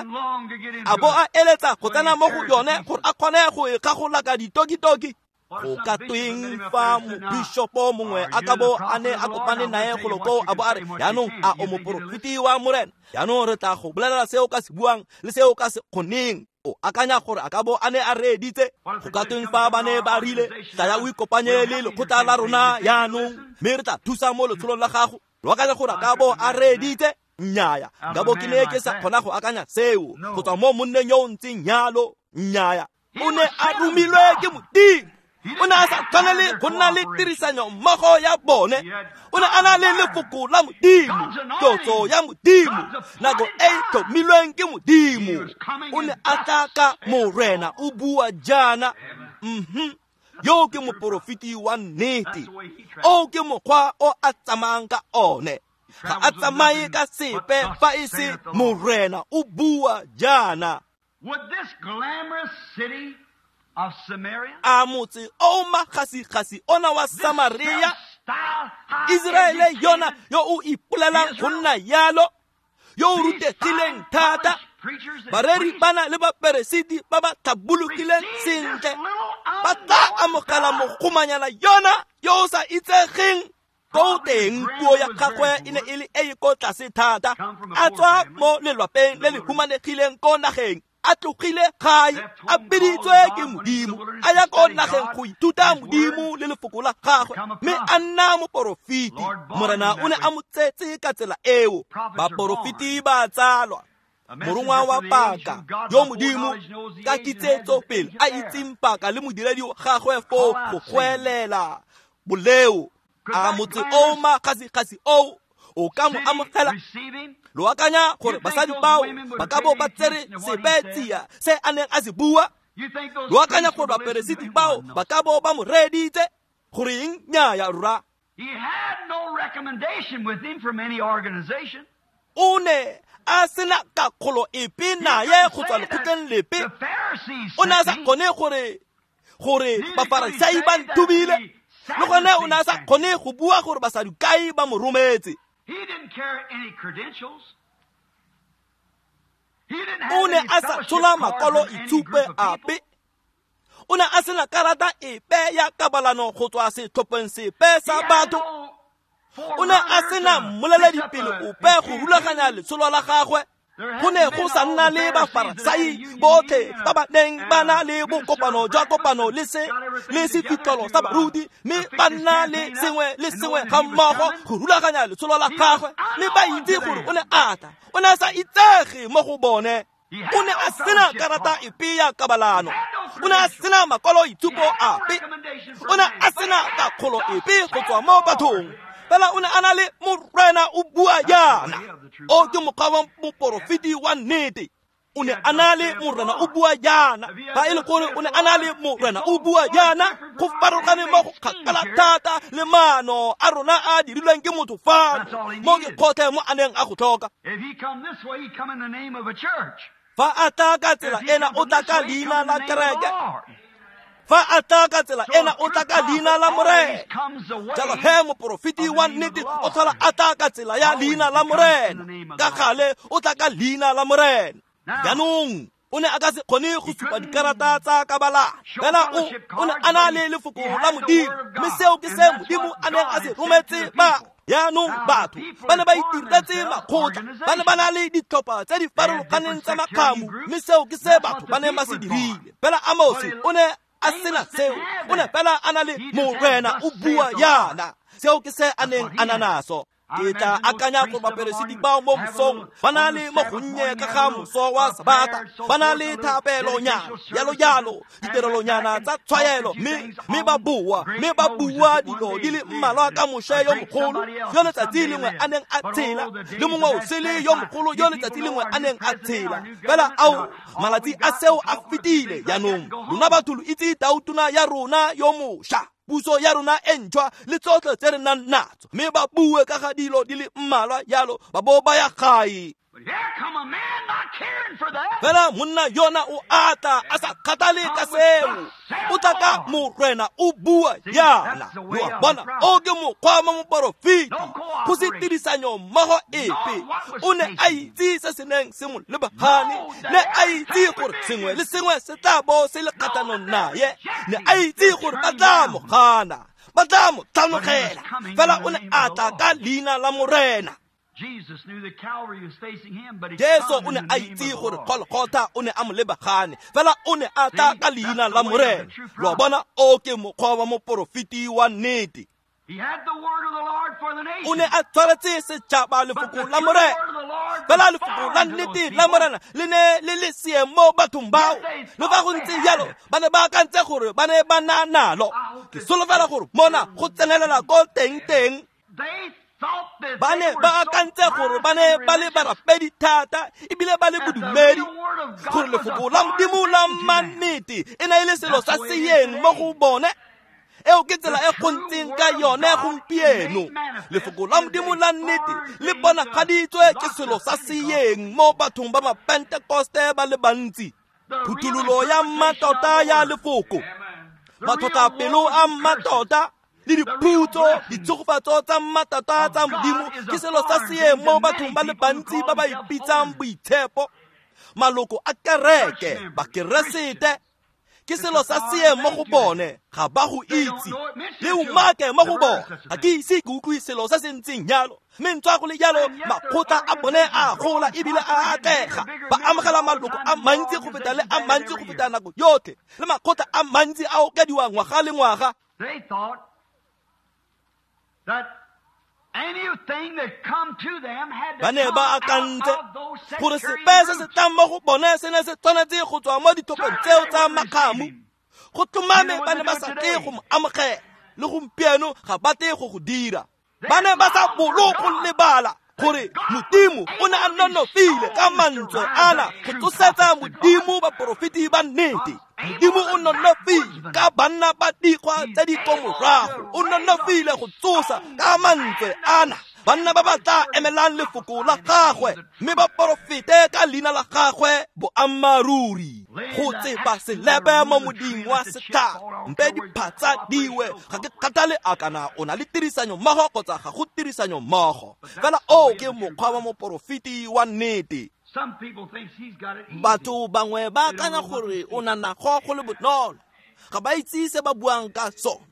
a bo a eletsa go tsena mo go yone gore a kgone go e kgagolaka ditokitoki? Go ka tweng fa mobishopo mongwe a ka bo a ne a kopane nae golo koo a bo a re, jaanong a o moporofeti wa Morena? Jaanong re tla go bolelela se o ka se buang le se o ka se kgoneng. O akanya gore a ka bo a ne a reeditse? Go ka tweng fa ba ne ba rile, tlaya o ikopanye le lekgotla la rona jaanong, mme re tla thusa mo letsholong la gago? Lo akanya gore a ka bo a reeditse? Nnyaya, nka bo ke ne ke sa kgona go akanya seo go tswa mo monneng yo o ntseng jalo. Nnyaya, o ne a romilwe ke Modimo. O ne a sa tshwanele go nna le tirisanyo mmogo ya bone. O ne a na le lefoko la Modimo, tlotso ya Modimo, nako e e tlhomilweng ke Modimo. O ne a tla ka Morena o bua jaana. Yo ke moporofeti wa nnete. O ke mokgwa o a tsamayang ka one. Ga a tsamaye ka sepe fa e se Morena o bua jaana. A motse o makgasikgasi ona wa Samaria, Iseraele yona yo o ipolelang go nna yalo, yo o rutegileng thata, bareri bana le baperesiti ba ba tlhabologileng sentle, ba tla amogela mogomanyana yona yo o sa itsegeng. Ko teng puo ya gagwe e ne e le e e ko tlase thata, a tswa mo lelwapeng le le humanegileng ko nageng, a tlogile gae, a biditswe ke Modimo, a ya ko nageng go ithuta Modimo le lefoko la gagwe, mme a nna moporofeti. Morena o ne a mo tsetse ka tsela eo. Baporofeti ba tsalwa. Morongwa wa paka yo Modimo ka kitsetso pele a itseng paka le modiredi wa gagwe foo go goelela boleo. A motse o makgasikgasi oo o ka mo amogela? Lo akanya gore basadi bao ba ka bo ba tsere sepe tsia se a neng a se bua? Lo akanya gore baperesiti bao ba ka bo ba mo reeditse? Goreng nnyaya rra? O ne a sena kakgolo epe naye go tswa lekgotleng lepe. O ne a sa kgone gore Bafarisai ba nthubile, le gone o ne a sa kgone go bua gore Basadukai ba mo rometse. O ne a sa tshola makwalo itshupe ape. O ne a sena karata epe ya kabalano go tswa setlhopheng sepe sa batho. O ne a sena mmoleledipele ope go rulaganya letsholo la gagwe. Go ne go sa nna le Bafarasai botlhe ba ba neng ba na le bokopano jwa kopano le se le sefitlholo sa baruti, mme ba nna le sengwe le sengwe ga mmogo go rulaganya letsholo la gagwe, mme ba itse gore o ne a tla. O ne a sa itsege mo go bone. O ne a sena karata epe ya kabalano. O ne a sena makwalo itshupo ape. O ne a sena kakgolo epe go tswa mo bathong. Fela o ne a na le Morena o bua jaana. O ke mokgwa wa moporofeti wa nnete. O ne a na le Morena o bua jaana. Fa e le gore o ne a na le Morena o bua jaana, go farologane mo go kgakala thata le maano a rona a dirilweng ke motho fano mo ke kgotlhe mo a neng a go tlhoka. Fa a tla ka tsela ena, o tla ka leina la kereke. Fa a tla ka tsela ena, o tla ka leina la Morena. Jalo he moporofeti wa nnete o tlhola a tla ka tsela ya leina la Morena. Ka gale o tla ka leina la Morena. Jaanong o ne a ka se kgone go supa dikarata tsa kabalano, fela o ne a na le lefoko la Modimo, mme seo ke se Modimo a neng a se rometse ba. Jaanong batho ba ne ba itiretse makgotla, ba ne ba na le ditlhopha tse di farologaneng tsa makgamu, mme seo ke se batho ba neng ba se dirile. Fela Amose o ne a sena seo, o ne fela a na le Morena o bua jaana. Seo ke se a neng a na naso. Ke tla akanya gore baperesiti bao mo mosong ba na le mo gonnye ka ga moso wa Sabata, ba na le thapelonyana, jalo jalo, ditirelonyana tsa tshwaelo, mme ba bua dilo di le mmalwa ka Moshe yo mogolo yo letsatsi lengwe a neng a tshela, le mongwe o sele yo mogolo yo letsatsi lengwe a neng a tshela. Fela ao malatsi a seo a fetile. Jaanong lona batho lo itse tautona ya rona yo mošwa, puso ya rona e ntšhwa le tsotlhe tse re nang natso, mme ba bue ka ga dilo di le mmalwa jalo ba bo ba ya gae. Fela monna yona o ata a sa kgathale ka seo. O tla ka Morena o bua jaana. Lo a bona, o ke mokgwa wa moporofeti, go se tirisanyo mmogo epe. O ne a itse se se neng se mo lebagane, ne a itse gore sengwe le sengwe se tla bo se le kgatlhanong naye, ne a itse gore ba tla mo gana, ba tla mo tlhanogela. Fela o ne a tla ka leina la Morena. Jesu o ne a itse gore Golgotha o ne a mo lebagane, fela o ne a tla ka leina la Morena. Lo a bona, o ke mokgwa wa moporofeti wa nnete. O ne a tshwaretse setšhaba lefoko la Morena, fela lefoko la nnete la Morena le ne le le seeng mo bathong bao. Le fa go ntse jalo, ba ne ba akantse gore ba ne ba na nalo. Ke solofela gore mona go tsenelela ko teng-teng. Ba ne ba akantse gore ba ne ba le barapedi thata ebile ba le bodumedi, gore lefoko la Modimo la mannete e ne e le selo sa seeng mo go bone. Eo ke tsela e go ntseng ka yone gompieno. Lefoko la Modimo la nnete le bonagaditswe ke selo sa seeng mo bathong ba Mapentekoste ba le bantsi. Phuthololo ya mmatota ya lefoko, matlhotlhapelo a mmatota le diphutso, ditshegofatso tsa mmatata tsa Modimo ke selo sa seeng mo bathong ba le bantsi ba ba ipitsang boitshepo, maloko a kereke, Bakeresete. Ke selo sa seeng mo go bone, ga ba go itse. Le umake mo go bone, ga ke ise ke utlwe selo se se ntseng jalo. Mme ntswa go le jalo, makgotla a bone a gola ebile a atlega. Ba amogela maloko a mantsi go feta le a mantsi go feta nako yotlhe, le makgotla a mantsi a okediwa ngwaga le ngwaga. Ba ne ba akantse gore sepe se se tlang mo go bone se ne se tshwanetse go tswa mo ditlhopheng tseo tsa makgamu. Go tlhomame ba ne ba sa tle go mo amogela, le gompieno ga ba tle go go dira. Ba ne ba sa bolo go lebala gore Modimo o ne a nonofile ka mantswe ana go tsosetsa Modimo baporofeti ba nnete. Modimo o nonofile ka banna ba dikgwa tse di ko morago, o nonofile go tsosa ka mantswe ana banna ba ba tla emelang lefoko la gagwe, mme ba porofete ka leina la gagwe boammaaruri. Go tsepa selepe mo moding wa setlhare, mpe diphatsa diwe. Ga ke kgathale a kana o na le tirisanyo mmogo kgotsa ga go tirisanyo mmogo, fela o ke mokgwa wa moporofeti wa nnete. Batho bangwe ba akanya gore o na nago go le bonolo, ga ba itse se ba buang ka sone.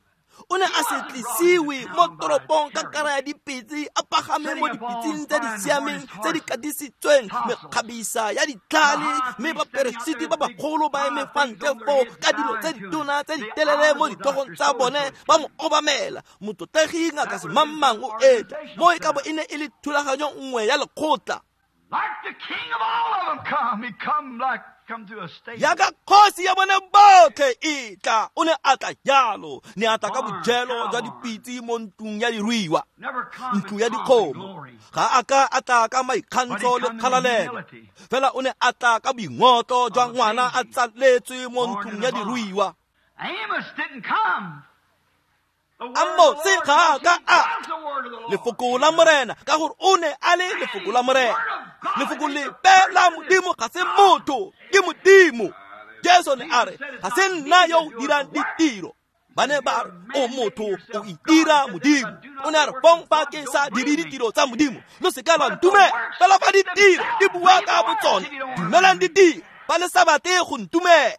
O ne a se tlisiwe mo toropong ka kara ya dipitse, a pagame mo dipitseng tse di siameng tse di katisitsweng mekgabisa ya ditlhale, mme baperesiti ba bagolo ba eme fa ntle foo ka dilo tse ditona tse di telele mo ditlhogong tsa bone ba mo obamela. Motlotlegi ngaka semangmang o etla mo e ka bo e ne e le thulaganyo nngwe ya lekgotla. Yaka kgosi ya bone botlhe e tla, o ne a tla jalo, ne a tla ka bojelo jwa dipitse mo ntlong ya diruiwa, ntlo ya dikgomo. Ga a ka a tla ka maikgantsho le kgalalelo, fela o ne a tla ka boingotlo jwa ngwana a tsaletswe mo ntlong ya diruiwa. Amose ga a ka a lefoko la Morena, ka gore o ne a le lefoko la Morena. Lefoko lepe la Modimo ga se motho, ke Modimo. Jesu ne a re, ga se nna yo o dirang ditiro. Ba ne ba re, o motho o itira Modimo. O ne a re, fong fa ke sa dire ditiro tsa Modimo, lo se ka lwa ntumela. Fela fa ditiro di bua ka botsone, dumelang ditiro, fa le sa batle go ntumela.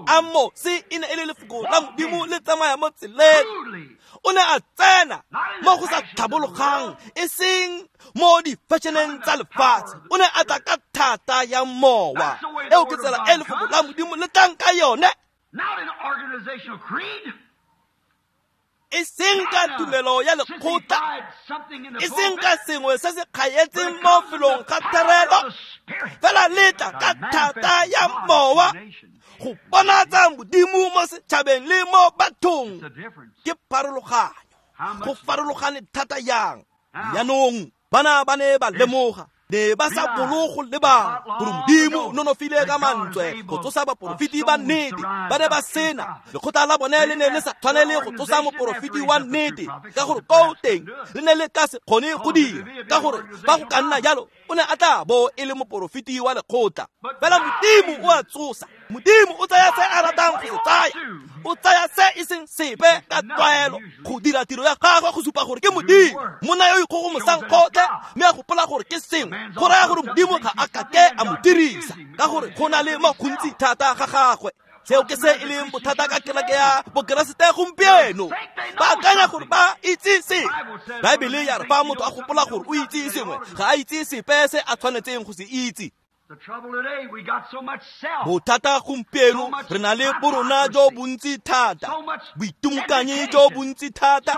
Amose e ne e le lefoko la Modimo le tsamaya mo tseleng. O ne a tsena mo go sa tlhabologang, e seng mo di-fashioneng tsa lefatshe. O ne a tla ka thata ya mowa. Eo ke tsela e lefoko la Modimo le tlang ka yone, e seng ka tumelo ya lekgotla, e seng ka sengwe se se kgaetseng mo felong ga therelo, fela le tla ka thata ya mowa go bonatsa Modimo mo setšhabeng le mo bathong. Ke pharologanyo, go farologane thata yang. Jaanong bana ba ne ba lemoga, ne ba sa bolo go lebala gore Modimo o nonofile ka mantswe go tsosa baporofeti ba nnete. Ba ne ba sena lekgotla la bone le ne le sa tshwanele go tsosa moporofeti wa nnete, ka gore koo teng le ne le ka se kgone go dira, ka gore fa go ka nna jalo o ne a tla bo e le moporofeti wa lekgotla. Fela Modimo o a tsosa. Modimo o tsaya se a ratang go se tsaya, o tsaya se e seng sepe ka tlwaelo go dira tiro ya gagwe go supa gore ke Modimo. Monna yo ikgogomosang kgotlhe mme a gopola gore ke sengwe, go raya gore Modimo ga a kake a mo dirisa, ka gore go na le mo gontsi thata ga gagwe. Seo ke se e leng bothata ka kereke ya bokeresete gompieno. Ba akanya gore ba itse sengwe. Baebele ya re fa motho a gopola gore o itse sengwe, ga a itse sepe se a tshwanetseng go se itse. Bothata gompieno re na le borona jo bontsi thata, boitimokanyi jo bontsi thata,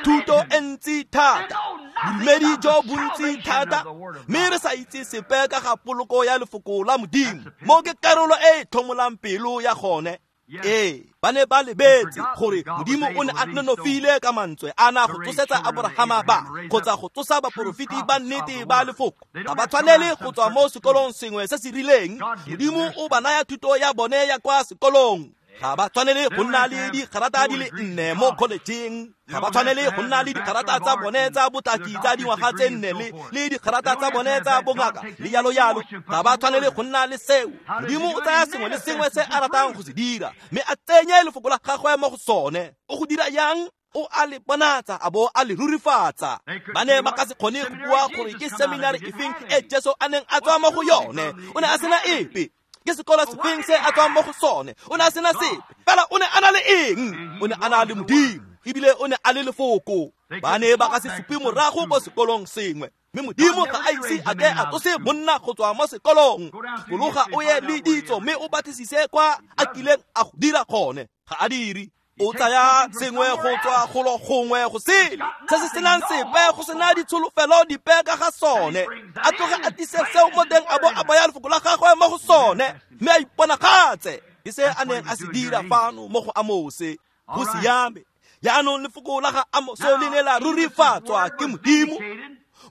thuto e ntsi thata, bodumedi jo bontsi thata, mme re sa itse sepe ka ga poloko ya lefoko la Modimo. Mo ke karolo e e tlhomolang pelo ya gone. Ee, ba ne ba lebetse gore Modimo o ne a nonofile ka mantswe a na go tsosetsa Aborahama ba kgotsa go tsosa baporofeti ba nnete ba lefoko. Ga ba tshwanele go tswa mo sekolong sengwe se se rileng. Modimo o ba naya thuto ya bone ya kwa sekolong. Ga ba tshwanele go nna le digarata di le nne mo kholejeng. Ga ba tshwanele go nna le digarata tsa bone tsa botaki tsa dingwaga tse nne le digarata tsa bone tsa bongaka le yalo yalo. Ga ba tshwanele go nna le seo. Modimo o tsaya sengwe le sengwe se a ratang go se dira, mme a tsenye lefoko la gagwe mo go sone. O go dira yang? O a le bonatsa a bo a le rurifatsa. Ba ne ba ka se kgone go bua gore ke seminari efeng e Jesu a neng a tswa mo go yone. O ne a sena epe. Ke sekolo sefeng se a tswang mo go sone? O ne a sena sepe. Fela o ne a na le eng? O ne a na le Modimo, ebile o ne a le lefoko. Ba ne ba ka se supe morago ko sekolong sengwe, mme Modimo ga a ise a ke a tsose monna go tswa mo sekolong. Fologa o ye le ditso mme o batlisise kwa a kileng a go dira gone. Ga a dire. O tsaya sengwe go tswa golo gongwe go sele, se se senang sepe, go sena ditsholofelo dipe ka ga sone. A tloge a tlise seo mo teng a bo a baya lefoko la gagwe mo go sone, mme a iponagatse. Ke se a neng a se dira fano mo go Amose. Go siame. Jaanong lefoko la ga Amose le ne la rurifatswa ke Modimo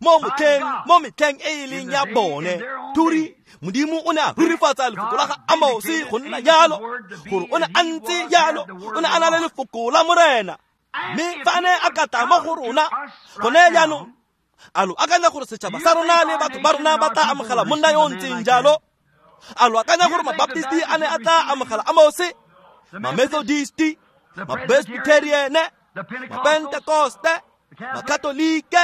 mo metlheng e e leng ya bone. Turi Modimo o ne a rurifatsa lefoko la ga Amose go nna jalo, gore o ne a ntse jalo, o ne a na le lefoko la Morena. Mme fa a ne a ka tla mo go rona gone jaanong, a lo akanya gore setšhaba sa rona le batho ba rona ba tla amogela monna yo o ntseng jalo? A lo akanya gore mabaptisti a ne a tla amogela Amose, mamethodisti, mapresbyteriane, mapentekoste, Makatolike?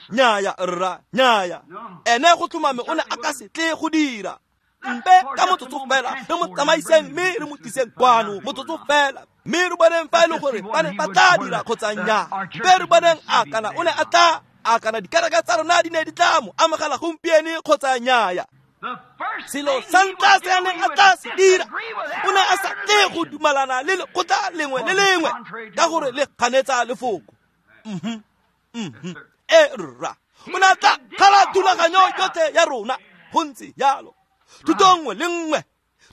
Nnyaya rra, nnyaya. Ene go tlhomame o ne a ka se tle go dira. Mpe ka motsotso fela re mo tsamaiseng mme re mo tliseng kwano motsotso fela, mme re boneng fa e le gore ba ne ba tla dira kgotsa nnyaa. Mpe re boneng a kana o ne a tla, a kana dikereke tsa rona di ne di tla mo amogela gompieno kgotsa nnyaya. Selo sa ntlha se a neng a tla se dira, o ne a sa tle go dumalana le lekgotla lengwe le lengwe ka gore le kganetsa lefoko. E rra, o ne a tla kgala thulaganyo yotlhe ya rona. Go ntse jalo. Thuto nngwe le nngwe,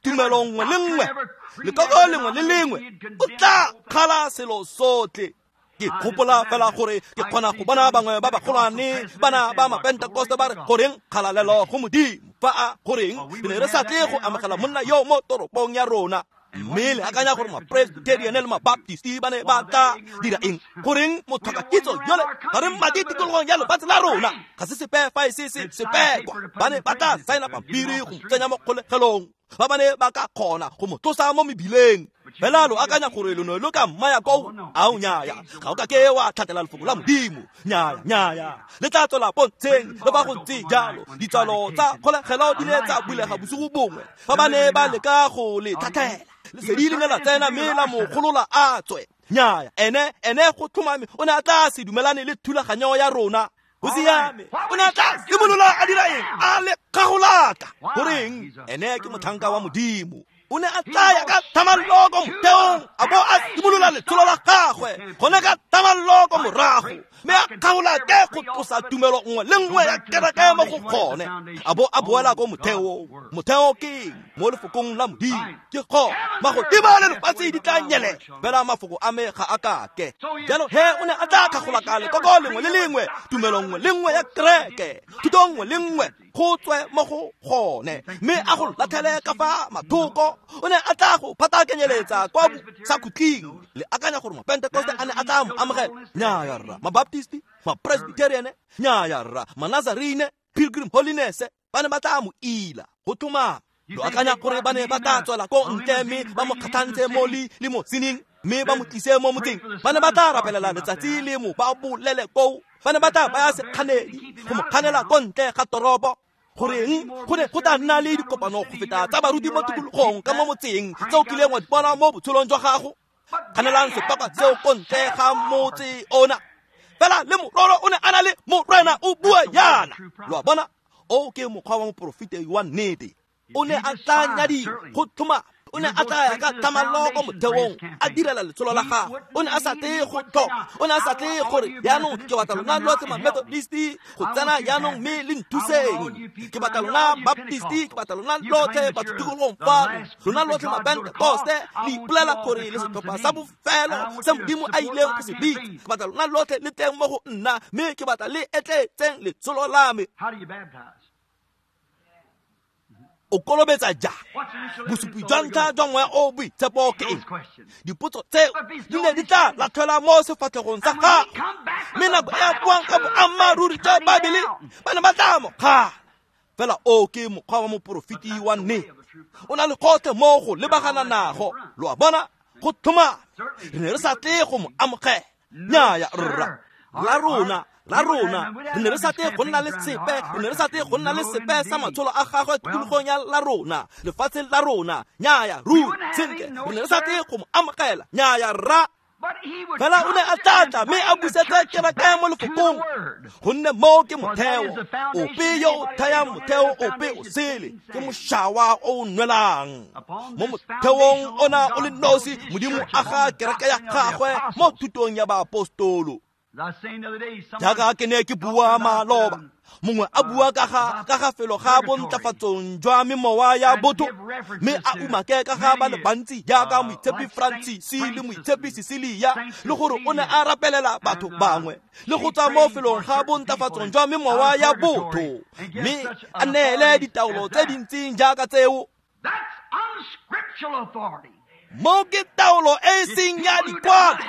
tumelo nngwe le nngwe, lekoko lengwe le lengwe, o tla kgala selo sotlhe. Ke gopola fela gore ke kgona go bona bangwe ba bagolwane bana ba Mapentekoste ba re goreng kgalalelo go Modimo, fa a goreng re ne re sa tle go amogela monna yo mo toropong ya rona. Mme le akanya gore Mapresbyterian le Mabaptisti ba ne ba tla dira eng? Goreng motlhokakitso yole ga re madi tikologong ya lefatshe la rona? Ga se sepe fa e se se sepekwa. Ba ne ba tla saena pampiri go mo tsenya mo kgolegelong fa ba ne ba ka kgona go mo tlosa mo mebileng. Fela lo akanya gore lo ne lo ka mmaya koo? Ao nnyaya, ga o ka ke wa tlhatela lefoko la Modimo. Nnyaya, nnyaya, le tla tswela pontsheng le ba go ntse jalo. Ditswalo tsa kgolegelo di ne tsa bulega bosigo bongwe fa ba ne ba leka go le tlhatlhela. Lesedi le ne la tsena mme la mo golola a tswe. Nnyaya, ene go tlhomame o ne a tla se dumelane le thulaganyo ya rona. Go siame, o ne a tla simolola a dira eng? A le kgagolaka. Goreng? Ene ke motlhanka wa Modimo. O ne a tsaya ka thamallo ko motheong, a bo a simolola letsholo la gagwe gone ka thamallo ko morago, mme a kgaolake go tlosa tumelo nngwe le nngwe ya kereke mo go gone, a bo a boela ko motheong. Motheo ke mo lefokong la Modimo. Ke go magodimo le lefatshe di tla nyelela, fela mafoko a me ga a kake. Jalo he o ne a tla kgagolaka lekoko lengwe le lengwe, tumelo nngwe le nngwe ya kereke, thuto nngwe le nngwe go tswe mo go gone, mme a go latlhele ka fa mathoko. O ne a tla go phatakenyeletsa kwa sakhutleng. Le akanya gore Mapentekoste a ne a tla mo amogela? Nnyaya rra. Mabaptisti, Mapresbyterian, nnyaya rra. Manazarene, Pilgrim Holiness, ba ne ba tla mo ila go tlhomama. Lo akanya gore ba ne ba tla tswela ko ntle mme ba mo kgatlhantshe mo limosineng mme ba mo tlise mo motseng? Ba ne ba tla rapelela letsatsi le mo ba bolele koo. Ba ne ba tla baya sekganedi go mo kganela ko ntle ga toropo. Goreng go ne go tla nna le dikopano go feta tsa baruti mo tikologong ka mo motseng tse o kileng wa di bona mo botshelong jwa gago? Kganelang sepaka seo ko ntle ga motse ona. Fela le mororo o ne a na le Morena o bua yana. Lo a bona? O ke mokgwa wa moporofeta wa nnete. O ne a tla nyadiwa go tlhoma. O ne a tla ka thamallo ko motheong a direla letsholo la gagwe. O ne a sa tle go tlhoka, o ne a sa tle gore jaanong ke batla lona lotlhe Mamethodist go tsena jaanong mme le nthuseng. Ke batla lona Baptist, ke batla lona lotlhe batho tikologong fano, lona lotlhe Mapentekoste, le ipolela gore le setlhopha sa bofelo se Modimo a ileng go se bitsa. Ke batla lona lotlhe le tleng mo go nna, mme ke batla le etletseng letsholo la me. O kolobetsa jang? Bosupi jwa ntlha jwa moya o boitshepo ke eng? Dipotso tseo di ne di tla latlhelwa mo sefatlhegong sa gagwe, mme nako e a buang ka boammaaruri jwa Baebele ba ne ba tla mo kgala. Fela o ke mokgwa wa moporofeti wa nnete. O na le gotlhe mo go lebagana nago. Lo a bona? Go tlhomame re ne re sa tle go mo amogela. Nnyaya rra. La rona, re ne re sa tle go nna le sepe, re ne re sa tle go nna le sepe sa matsholo a gagwe tikologong ya la rona, lefatsheng la rona. Nnyaya ruri, sentle, re ne re sa tle go mo amogela. Nnyaya rra. Fela o ne a tla mme a busetse kereke mo lefokong, gonne mo ke motheo. Ope yo o thayang motheo ope o sele ke mošawa o o nwelang. Mo motheong ona o le nosi Modimo a ga kereke ya gagwe mo thutong ya baapostolo. Jaaka ke ne ke bua maloba, mongwe a bua ka ga felo ga bontlafatsong jwa memowa ya botho, mme a umake ka ga ba le bantsi jaaka Moitshepi Francis le Moitshepi Cecilia, le gore o ne a rapelela batho bangwe le go tswa mo felong ga bontlafatsong jwa memowa ya botho, mme a neele ditaolo tse dintseng jaaka tseo. Mo ke taolo e e seng ya dikwalo,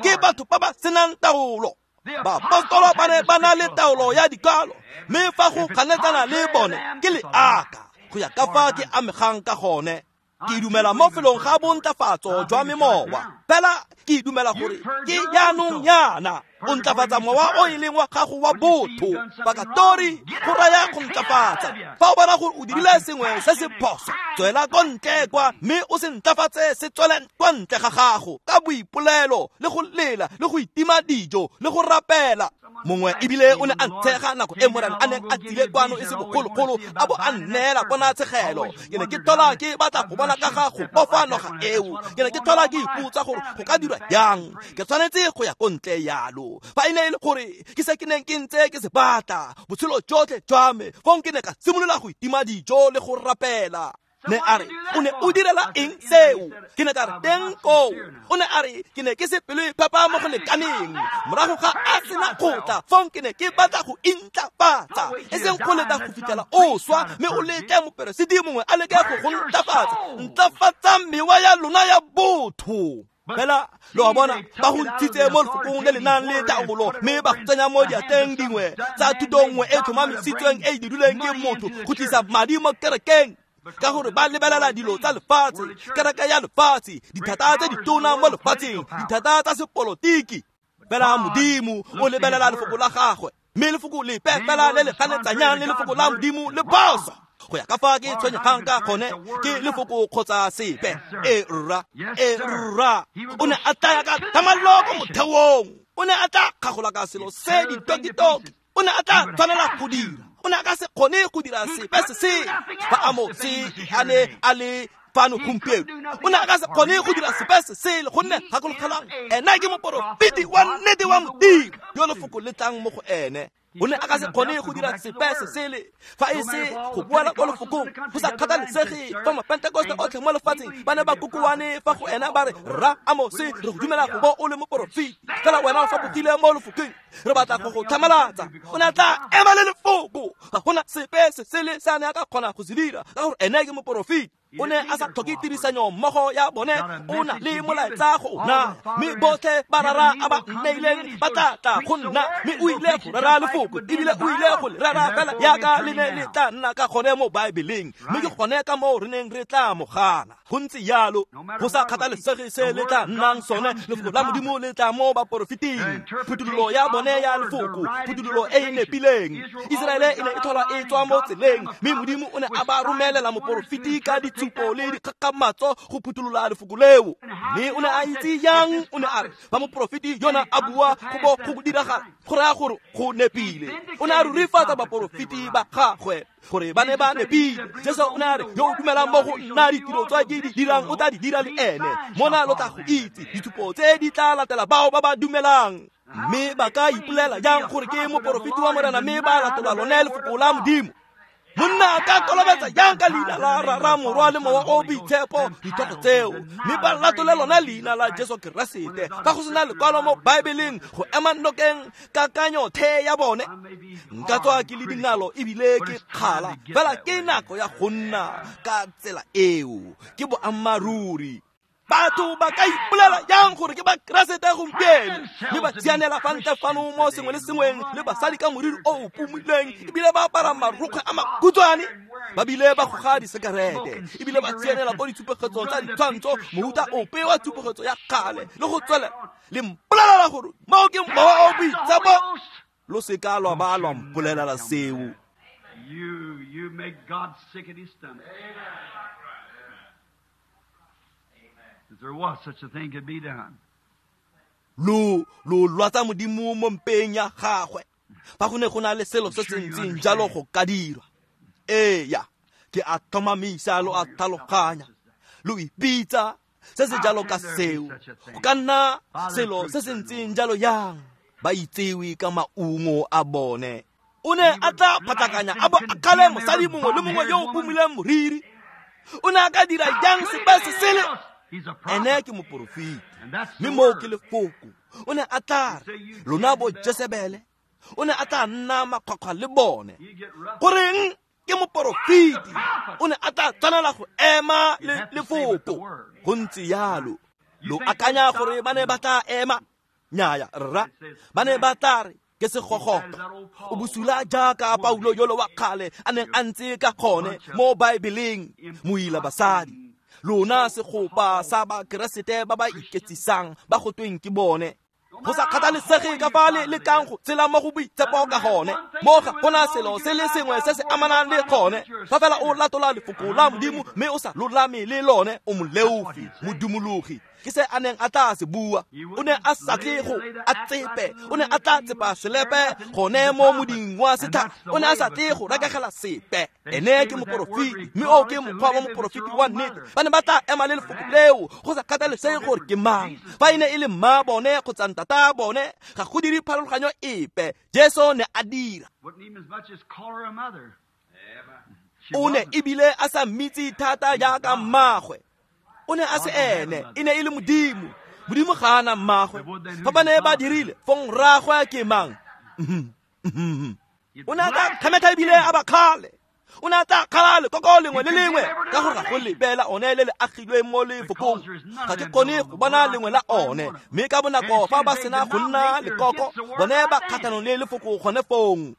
ke batho ba ba senang taolo. Baapostolo ba ne ba na le taolo ya dikwalo, mme fa go kganetsana le bone ke leaka go ya ka fa ke amegang ka gone. Ke dumela mo felong ga bontlafatso jwa memowa, fela ke dumela gore ke jaanong yana. O ntlafatsa mowa o e leng wa gago wa botho. Pakatori go raya go ntlafatsa. Fa o bona gore o dirile sengwe se se phoso, tswela ko ntle kwa mme o se ntlafatse se tswele kwa ntle ga gago ka boipolelo le go lela le go itima dijo le go rapela. Mongwe ebile o ne a ntshega nako e Morena a neng a tsile kwano e se bogologolo a bo a nneela ponatshegelo. Ke ne ke tlhola ke batla go bona ka ga go bofa noga eo. Ke ne ke tlhola ke ipotsa gore go ka dirwa jang. Ke tshwanetse go ya ko ntle yalo. Fa e ne e le gore ke se ke neng ke ntse ke se batla botshelo jotlhe jwa me, fong ke ne ka simolola go itima dijo le go rapela. Ne a re, o ne o direla eng seo? Ke ne ka re teng koo. O ne a re, ke ne ke se pelo e phepa mo go lekaneng. Morago ga a sena go tla, fong ke ne ke batla go intlafatsa, e seng go leta go fitlhela o swa mme o letle moperesiti mongwe a leke go go ntlafatsa. Ntlafatsa mewa ya lona ya botho. Fela lo a bona, ba go ntshitse mo lefokong le le nang le taolo mme ba go tsenya mo diatleng dingwe tsa thuto nngwe e tlhomamisitsweng e e dirilweng ke motho go tlisa madi mo kerekeng. Ka gore ba lebelela dilo tsa lefatshe, kereke ya lefatshe, dithata tse ditona mo lefatsheng, dithata tsa sepolotiki. Fela Modimo o lebelela lefoko la gagwe, mme lefoko lepe fela le le ganetsanyang le lefoko la Modimo le phoso. Go ya ka fa ke tshwenyegang ka gone, ke lefoko kgotsa sepe. E rra, e rra. O ne a tlaya ka thamallo ko motheong. O ne a tla kgagola ka selo se ditokitoki. O ne a tla tshwanela go dira. O ne a ka se kgone go dira sepe se se fa Amose a ne a le fano gompieno. O ne a ka se kgone go dira sepe se sele, gonne gakologelang, ena ke moporofeti wa nnete wa Modimo yo lefoko le tlang mo go ene. O ne a ka se kgone go dira sepe se sele fa e se go boela ko lefokong. Go sa kgathalesege fa mapentekoste otlhe mo lefatsheng ba ne ba kokoane fa go ena ba re, rra Amose, re go dumela go bo o le moporofeti, fela wena o fapogile mo lefokong, re batla go go tlhamalatsa. O ne a tla ema le lefoko. Ga gona sepe se sele se a ne a ka kgona go se dira, ka gore ene ke moporofeti. O ne a sa tlhoke tirisanyo mmogo ya bone, o na le molaetsa go o naya, mme botlhe ba rara a ba nneileng ba tla tla go nna, mme o ile go rera lefoko, ebile o ile go le rera fela yaka le ne le tla nna ka gone mo Baebeleng, mme ke gone ka moo re neng re tla mo gana. Go ntse yalo, go sa kgathalesege se le tla nnang sone, lefoko la Modimo le tla mo baporofeting. Phuthololo ya bone ya lefoko, phuthololo e e nepileng. Iseraele e ne e tlhola e tswa mo tseleng, mme Modimo o ne a ba romelela moporofeti ka ditshupo le dikgakgamatso go phuthulola lefoko leo. Mme o ne a itse yang? O ne a re fa moporofeti yona a bua go bo go diragala, go raya gore go nepile. O ne a rurifatsa baporofeti ba gagwe gore ba ne ba nepile. Jesu o ne a re, yo o dumelang mo go nna, ditiro tsa ke di dirang o tla di dira le ene. Mona lo tla go itse ditshupo tse di tla latela bao ba ba dumelang. Mme ba ka ipolela jang gore ke moporofeti wa Morena mme ba latola lone lefoko la Modimo? Monna a ka kolobetsa jang ka leina la Rara, Morwa le Mowa o Boitshepo dithoto tseo, mme ba latole lona leina la Jesu Keresete fa go sena lekwalo mo Baebeleng go ema nokeng kakanyo the ya bone? Nka tswa ke le dingalo ebile ke kgala, fela ke nako ya go nna ka tsela eo. Ke boammaaruri. Batho ba ka ipolela jang gore ke ba Keresete gompieno, mme ba tsianela fa ntle fano mo sengwe le sengweng le basadi ka moriri o o pumileng, ebile ba apara marokgwe a makhutshwane, ba bile ba goga disekerete, ebile ba tsianela ko ditshupegetsong tsa ditshwantsho, mohuta ope wa tshupegetso ya kgale le go tswelela. Le mpolelela gore moo ke Mowa o Boitshepo? Lo seka lwa ba lwa mpolelela seo. You make God sick at his stomach. If there was such a thing could be done. Lo lwatsa Modimo mo mpeng ya gagwe. Fa go ne go na le selo se se ntseng jalo go ka dirwa. Eya, ke a tlhomamisa lo a tlhaloganya. Lo ipitsa se se jalo ka seo. Go ka nna selo se se ntseng jalo yang? Ba itsewe ka maungo a bone. O ne a tla phatlakanya a bo a kgale mosadi mongwe le mongwe yo o pumileng moriri. O ne a ka dira jang sepe se sele? Ene ke moporofeti, mme moo ke lefoko. O ne a tla re, lona bo Jesebele, o ne a tla nna makgwakgwa le bone. Goreng ke moporofeti? O ne a tla tshwanela go ema le lefoko. Go ntse yalo. Lo akanya gore ba ne ba tla ema? Nnyaya, rra. Ba ne ba tla re ke segogoto. O bosula jaaka Paulo yolo wa kgale a neng a ntse ka gone mo Baebeleng, moila basadi. Lona segopa sa ba Keresete ba ba iketsisang ba go tweng ke bone. Go sa kgathalesege ka fa le lekang go tshela mo go boitshepo ka gone, mo ga gona selo se le sengwe se se amanang le gone. Fa fela o latola lefoko la Modimo mme o sa lolame le lone, o moleofi, modumologi. Ke se a neng a tla se bua. O ne a sa tle go a tsepe, o ne a tla tsepa selepe gone mo moding wa setlhare. O ne a sa tle go rekegela sepe. Ene ke moporofeti, mme o ke mokgwa wa moporofeti wa nnete. Ba ne ba tla ema le lefoko leo go sa kgathalesege gore ke mang. Fa e ne e le mma bone kgotsa ntata bone, ga go dire pharologanyo epe. Jesu ne a dira. O ne ebile a sa mmitse thata jaaka mmagwe. O ne a se ene, e ne e le Modimo. Modimo ga a na mmagwe. Fa ba ne ba dirile, fong rraagwe ke mang? O ne a tla kgemetha ebile a ba kgale. O ne a tla kgala lekoko lengwe le lengwe ka gore ga go lebela one le le agilweng mo lefokong. Ga ke kgone go bona lengwe la one, mme ka bonako fa ba sena go nna lekoko, bone ba kgatlhanong le lefoko gone fong.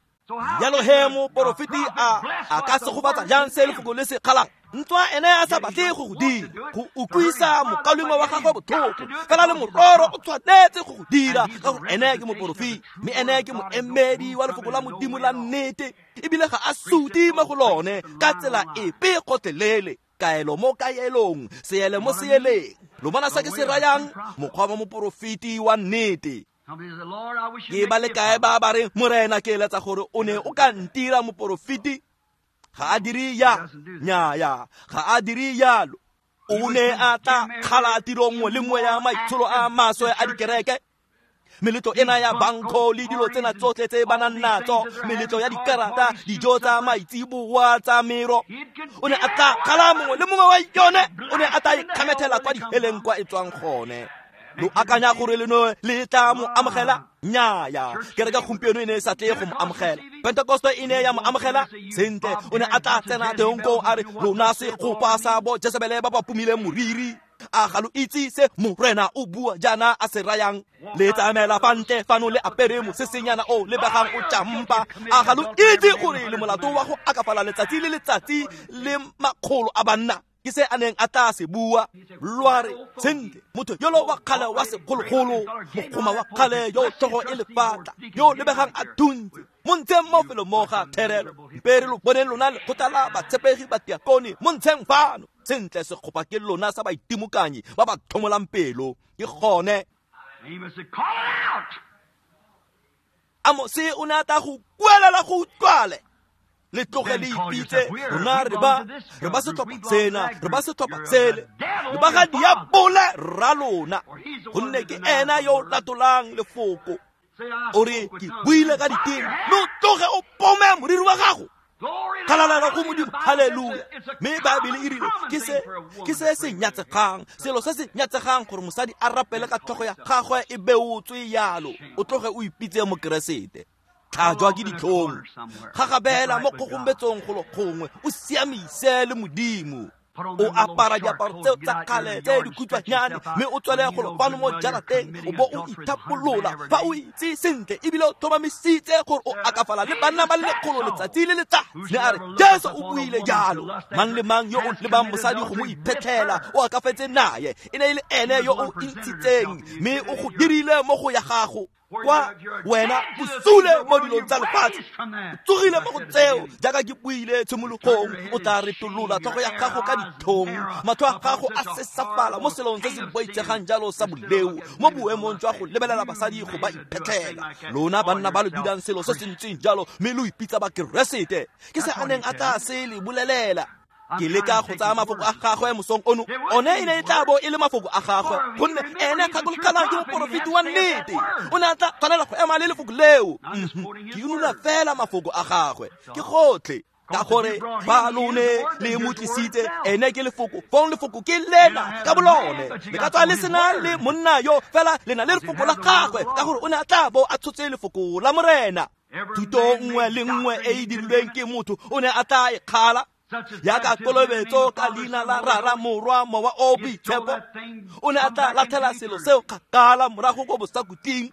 Jalo he moporofeti a ka segofatsa jang se lefoko le se kgalang? Ntswa ene a sa batle go go dira, go utlwisa mokaulengwe wa gagwe botlhoko, fela le mororo o tshwanetse go go dira ka gore ene ke moporofeti, mme ene ke moemedi wa lefoko la Modimo la nnete, ebile ga a sute mo go lone ka tsela epe gotlhelele. Kaelo mo kaelong, seele mo seeleng. Lo bona se ke se rayang? Mokgwa wa moporofeti wa nnete. Ke ba le kae ba ba reng, Morena ke eletsa gore o ne o ka ntira moporofeti? Ga a dire ya, nnyaya, ga a dire jalo. O ne a tla kgala tiro nngwe le nngwe ya maitsholo a maswe a dikereke, meletlo ena ya bankho le dilo tsena tsotlhe tse ba nang natso, meletlo ya dikarata, dijo tsa maitseboa tsa mero. O ne a tla kgala mongwe le mongwe wa yone. O ne a tla ikgamethela kwa diheleng kwa e tswang gone. Lo akanya gore leno le tla mo amogela? Nnyaya. Kereke gompieno e ne e sa tle go mo amogela. Pentekoste e ne ya mo amogela sentle. O ne a tla tsena teng koo a re, lona segopa sa bo Jesebele ba ba pumileng moriri, a ga lo itse se Morena o bua jaana a se rayang? Le tsamaela fa ntle fano le apere mosesenyana o lebegang o tjampa. A ga lo itse gore le molato wa go akafala letsatsi le letsatsi le makgolo a banna? Ke se a neng a tla se bua. Lwa re, sentle, motho yolo wa kgale wa segologolo, mokgoma wa kgale yo tlhogo e lefatla, yo lebegang a thuntse, mo ntsheng mo felo mo ga therelo. Mpe re lo boneng lona lekgotla la batshepegi ba diakone, mo ntsheng fano. Sentle, segopa ke lona sa baitimokanyi ba ba tlhomolang pelo. Ke gone. Amose o ne a tla go kuelela go utlwale. Le tloge le ipitse, rona re ba setlhopha sena, re ba setlhopha sele, le ba ga diabole rra lona, gonne ke ena yo o latolang lefoko. O re, ke buile ka diteme, mme o tloge o pome moriri wa gago. Kgalalelo go Modimo, haleluya. Mme Baebele e rile ke se se nyatsegang, selo se se nyatsegang gore mosadi a rapele ka tlhogo ya gagwe e beotswe yalo. O tloge o ipitse mokeresete. Tlhajwa ke ditlhong, gagabela mo kgogombetsong golo gongwe, o siamise le Modimo. O apara diaparo tseo tsa kgale tse dikhutshwanyane, mme o tswele golo fano mo jarateng, o bo o ithapolola fa o itse sentle ebile o tlhomamisitse gore o akafala le banna ba le lekgolo letsatsi le letsatsi. Ne a re, Jesu o buile jalo. Mang le mang yo o lebang mosadi go mo iphetlhela o akafetse naye. E ne e le ene yo o intshitseng, mme o go dirile mo go ya gago. Kwa wena o sule mo dilong tsa lefatshe, o tsogile mo go tseo jaaka ke buile tshimologong. O tla retolola tlhogo ya gago ka ditlhong, matlho a gago a sesafala mo selong se se boitshegang jalo sa boleo, mo boemong jwa go lebelela basadi go ba iphetlhela. Lona banna ba le dulang selo se se ntseng jalo, mme lo ipitsa bakeresete. Ke se a neng a tla se le bolelela. Ke leka go tsaya mafoko a gagwe mosong ono. One e ne e tla bo e le mafoko a gagwe, gonne ene kgakologelang ke moporofeti wa nnete. O ne a tla tshwanela go ema le lefoko leo. Ke unola fela mafoko a gagwe, ke gotlhe. Ka gore ba lone le mo tlisitse, ene ke lefoko, fong lefoko ke lena ka bolone. Le ka tswa le sena le monna yo, fela le na le lefoko la gagwe, ka gore o ne a tla bo a tshotse lefoko la Morena. Thuto nngwe le nngwe e e dirilweng ke motho o ne a tla e kgala, jaaka kolobetso ka leina la Rara, Morwa, Mowa o Boitshepo. O ne a tla latlhela selo seo kgakala morago ko bosakutleng.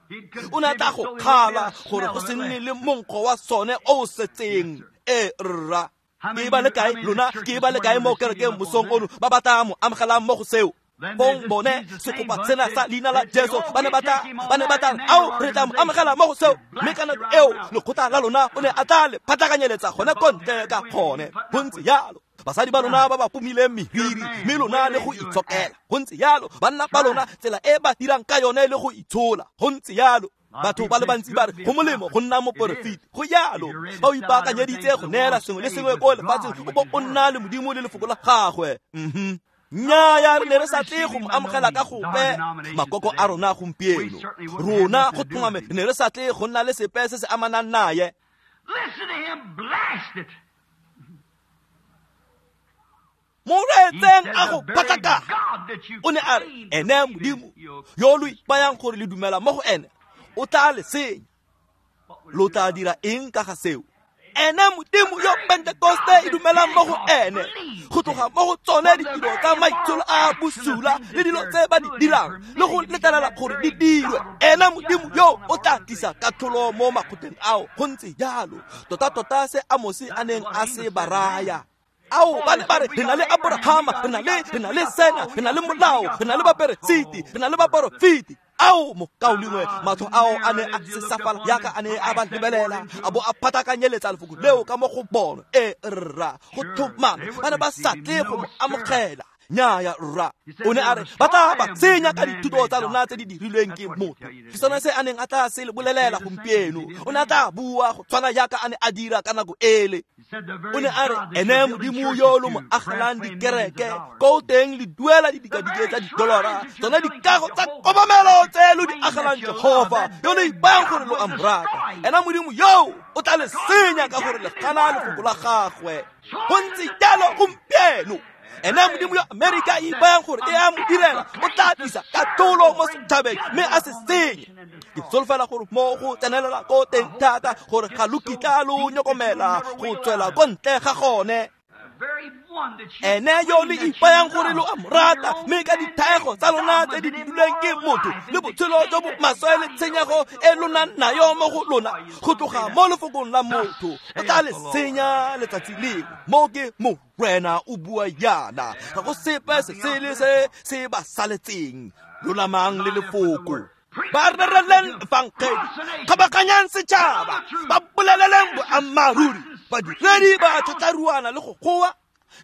O ne a tla go kgala gore go se nne le monkgo wa sone o o setseng. E rra, ke ba le kae lona? Ke ba le kae mo kerekeng mosong ono ba ba tla mo amogelang mo go seo? Fong bone sekopa sena sa leina la Jesu ba ne ba tla ao re tla mo amogela mo go seo, mme ka nako eo lekgotla la lona o ne a tla le phatlakanyeletsa gone ko ntle ka gone. Go ntse jalo. Basadi ba lona ba ba pomileng meriri, mme lona le go itshokela. Go ntse jalo. Banna ba lona tsela e ba dirang ka yone le go itshola. Go ntse jalo. Batho ba le bantsi ba re go molemo go nna moporofeti. Go jalo. Ba o ipaakanyeditse go neela sengwe le sengwe ko lefatsheng, o bo o nna le Modimo le lefoko la gagwe. Nnyaya, re ne re sa tle go mo amogela ka gope makoko a rona gompieno. Rona go tlhomame re ne re sa tle go nna le sepe se se amanang naye. Mo reetseng a go phatlakana. O ne a re ene Modimo yo lo ipayang gore le dumela mo go ene o tla le senya. Lo tla dira eng ka ga seo? Ene Modimo yo Pentekoste e dumelang mo go ene, go tloga mo go tsone ditiro tsa maitsholo a bosula le dilo tse ba di dirang le go letlelela gore di dirwe. Ene Modimo yo o tla tlisa katlholo mo makgotleng ao. Go ntse jalo. Tota-tota se Amosi a neng a se ba raya. Ao ba ne ba re re na le Abrahama, re na le sena, re na le molao, re na le baperesiti, re na le baporofeti. Ao mokaulengwe, matlho ao a ne a sesafala jaaka a ne a ba lebelela, a bo a phatlakanyeletsa lefoko leo ka mo go bona. E rra, go tlhomame ba ne ba sa tle go mo amogela. Nnyaya rra. O ne a re ba tla ba senya ka dithuto tsa lona tse di dirilweng ke motho. Ke sone se a neng a tla se le bolelela gompieno. O ne a tla bua go tshwana jaaka a ne a dira ka nako ele. O ne a re ene Modimo yo lo mo agelang dikereke ko teng le duela didikadike tsa didolara, tsone dikago tsa kobamelo tse lo di agelang Jehova yo lo ipayang gore lo a mo rata. Ena Modimo yo o tla le senya ka gore le gana lefoko la gagwe. Go ntse jalo gompieno. Ene Modimo yo Amerika e ipayang gore e a mo direla o tla tlisa katlholo mo setšhabeng mme a se senye. Ke solofela gore mo go tsenelela ko teng thata gore ga lo kitla lo nyokomela go tswela ko ntle ga gone. Ene yo le ipayang gore lo a mo rata, mme ka dithaego tsa lona tse di duleng ke motho le botshelo jo bo maswe le tshenyego e lo nang nayo mo go lona go tloga mo lefokong la motho, o tla le senya letsatsi lengwe. Mo ke Morena o bua yana, ga go sepe se sele se se ba saletseng. Lolamang le lefoko. Ba rereleng efangedi, kgabaganyang setšhaba, ba boleleleng boammaaruri. Badiredi ba tlhatlaruana le go goa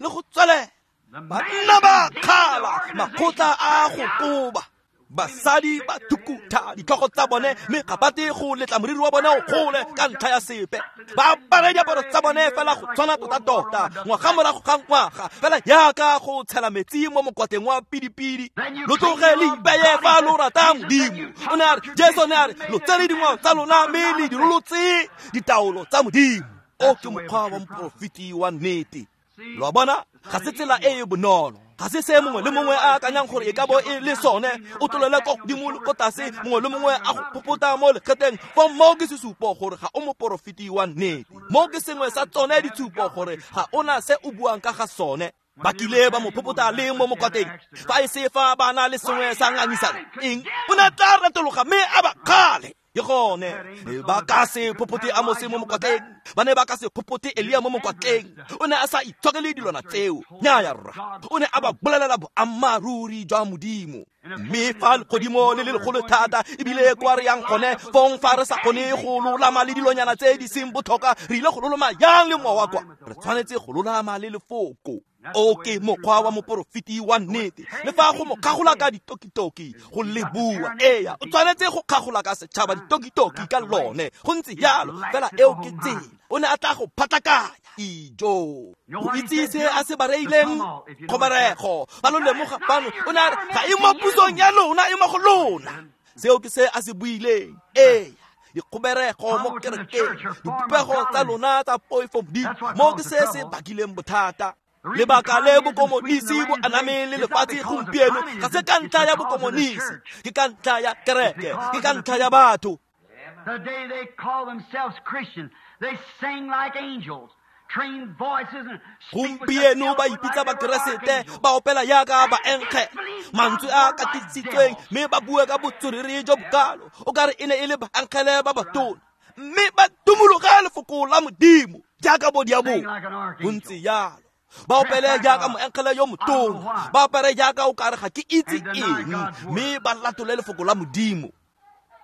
le go tswelela, banna ba kgala makgotla a go koba. Basadi ba thukutha ditlhogo tsa bone mme ga ba tle go letla moriri wa bone o gole ka ntlha ya sepe. Ba apare diaparo tsa bone fela go tshwana tota-tota ngwaga morago ga ngwaga, fela jaaka go tshela metsi mo mokwateng wa pidipidi. Lo tloge le ipeye fa lo rata Modimo. O ne a re, Jesu ne a re, lo tsere dingwao tsa lona mme le di rolotse ditaolo tsa Modimo. O ke mokgwa wa moporofeti wa nnete. Lo a bona, ga se tsela e e bonolo. Ga se se mongwe le mongwe a akanyang gore e ka bo e le sone. O tlolele ko godimo le ko tlase, mongwe le mongwe a go phopota mo lekgetleng. Fo mo ke sesupo gore ga o moporofeti wa nnete. Mo ke sengwe sa tsone ditshupo gore ga ona se o buang ka ga sone. Ba kile ba mo phopota le mo mokwateng, fa e se fa ba na le sengwe sa ngangisano. Eng? O ne a tla retologa mme a ba kgale. Ke gone ba ka se phopote Amose mo mokwatleng, ba ne ba ka se phopote Elia mo mokwatleng. O ne a sa itshokele dilwana tseo. Nnyaya rra. O ne a ba bolelela boammaaruri jwa Modimo. Mme fa legodimo le le legolo thata ebile kwa re yang gone, fong fa re sa kgone go lolama le dilonyana tse di seng botlhokwa, re ile go loloma yang le mowa kwa? Re tshwanetse go lolama le lefoko. O ke mokgwa wa moporofeti wa nnete. Le fa go mo kgagola ka ditokitoki go le bua, eya, o tshwanetse go kgagola ka setšhaba ditokitoki ka lone. Go ntse jalo fela, eo ke tsela. O ne a tla go phatlakanya. Ijo, o itse se a se ba reileng kgoberego. Ba lo lemoga fano, o ne a re ga e mo pusong ya lona, e mo go lona. Seo ke se a se buileng. Eya, dikgoberego mo kerekeng, dipopego tsa lona tsa poifo Modimo, mo ke se se bakileng bothata. Lebaka le bokomonisi bo anameng le lefatshe gompieno ga se ka ntlha ya bokomonisi, ke ka ntlha ya kereke, ke ka ntlha ya batho. Today they call themselves Christians. They sing like angels. Gompieno ba ipitsa bakeresete, ba opela jaaka baenkge, mantswe a katisitsweng, mme ba bue ka botswerere jo bokalo o kare e ne e le baenkgele ba batona, mme ba tumologa lefoko la Modimo jaaka bo diabolo. Go ntse jalo. Ba opele jaaka moengele yo motona, ba apare jaaka o kare ga ke itse eng, mme ba latole lefoko la Modimo.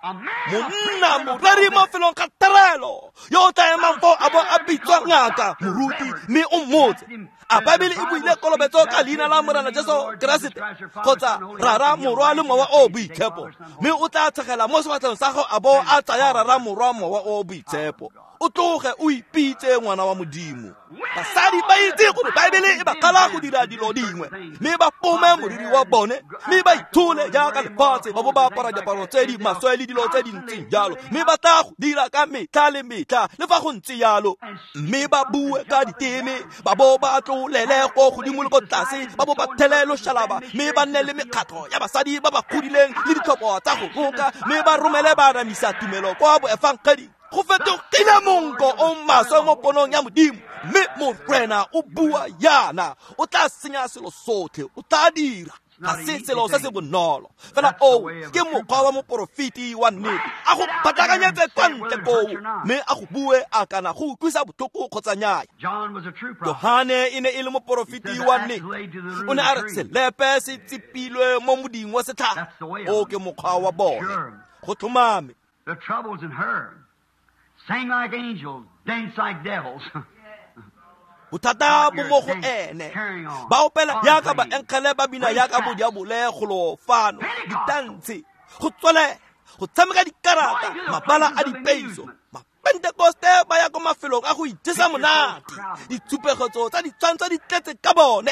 Monna moreri mo felong ga terelo yo o tla emang foo a bo a bitswa ngaka moruti, mme o mmotse a Baebele e buile kolobetso ka leina la Morena Jesu Keresete kgotsa Rara, Morwa le Mowa o Boitshepo, mme o tla tshegela mo sefatlhegong sa gago a bo a tsaya Rara, Morwa, Mowa o Boitshepo. O tloge o ipitse ngwana wa Modimo. Basadi ba itse gore Baebele e ba kgala go dira dilo dingwe, mme ba pome moriri wa bone, mme ba ithole jaaka lefatshe, ba bo ba apara diaparo tse di maswe le dilo tse di ntseng jalo, mme ba tla go dira ka metlha le metlha le fa go ntse jalo, mme ba bue ka diteme, ba bo ba tlolele ko godimo le ko tlase, ba bo ba thele loshalaba, mme ba nne le mekgatlho ya basadi ba ba godileng le ditlhopho tsa go roka, mme ba romele baanamisa tumelo kwa boefangedi. Go fetogile monko o maswe mo ponong ya Modimo, mme Morena o bua yana, o tla senya selo sotlhe, o tla dira. Ga se selo se se bonolo fela. O ke mokgwa wa moporofeti wa nnete, a go phatlakanyetse kwa ntle koo, mme a go bue a kana go utlwisa botlhoko kgotsa nnyaya. Johane e ne e le moporofeti wa nnete, o ne a re selepe se tsepilwe mo moding wa setlhare. O ke mokgwa wa bone, go tlhomame. Sing like angels, dance like devils. Bothata bo mo go ene. Ba opela jaaka baengele, ba bina jaaka bodiabole golo fano, ditantshe, go tswelela, go tshameka dikarata, mabala a dipeiso. Mapentekoste ba ya ko mafelong a go ijesa monate, ditshupegetso tsa ditshwantsho di tletse ka bone,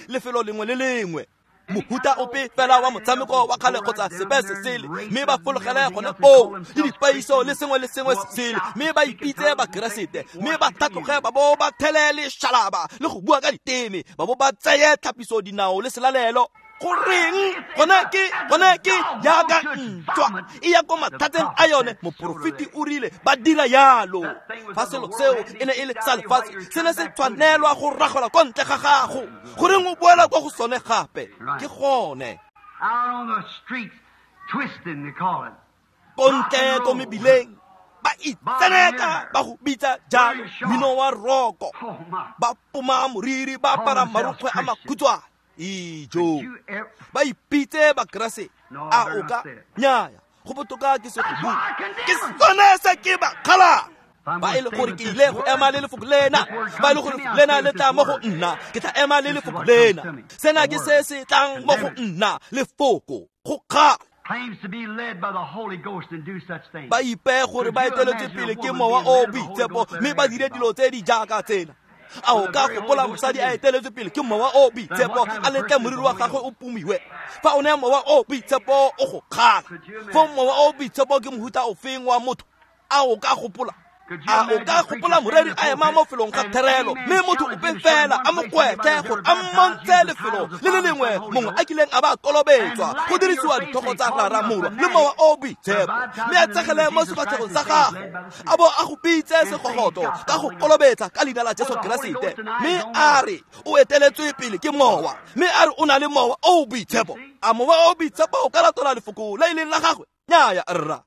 lefelo lengwe le lengwe. Mohuta ope fela wa motshameko wa kgale kgotsa sepe se sele, mme ba fologele gone foo le dipaiso le sengwe le sengwe se sele, mme ba ipitse Bakeresete, mme ba tlhatloge ba bo ba thele lešalaba le go bua ka diteme, ba bo ba tseye tlhapiso dinao le selalelo. Goreng gone ke jaaka ntwa e ya ko mathateng a yone. Moporofeti o rile ba dira yalo. Fa selo seo e ne e le sa lefatshe, se ne se tshwanelwa go ragola kwa ntle ga gago. Goreng o boela kwa go sone gape? Ke gone ko ntle ko mebileng ba itseneka, ba go bitsa jalo mmino wa roko, ba poma moriri, ba apara marokgwe a makhutshwane. Ijo ba ipitse Bakeresete. A o ka nnyaya, go botoka ke se go bua, ke sone se ke ba kgalang. Ba e le gore ke ile go ema le lefoko lena, ba e le gore lena le tla mo go nna, ke tla ema le lefoko lena. Sena ke se se tlang mo go nna, lefoko go kgala. Ba ipe gore ba eteletswe pele ke Mowa o Boitshepo, mme ba dire dilo tse di jaaka tsena. A o ka gopola mosadi a eteletswe pele ke Mowa o Boitshepo, a letle moriri wa gagwe o pomiwe? Fa o ne Mowa o Boitshepo o go kgala, fo Mowa o Boitshepo ke mohuta ofeng wa motho? A o ka gopola? A o ka gopola moreri a ema mo felong ga therelo, mme motho ope fela a mo kgwetlhe gore a mmontshe lefelo le le lengwe mongwe a kileng a ba kolobetswa go dirisiwa ditlhogo tsa Rara, Morwa le Mowa o Boitshepo, mme a tsegele mo sefatlhegong sa gago a bo a go pitse segogoto ka go kolobetsa ka leina la Jesu Keresete, mme a re o eteletswe pele ke Mowa, mme a re o na le Mowa o Boitshepo? A Mowa o Boitshepo o ka latola lefoko le e leng la gagwe? Nnyaya rra.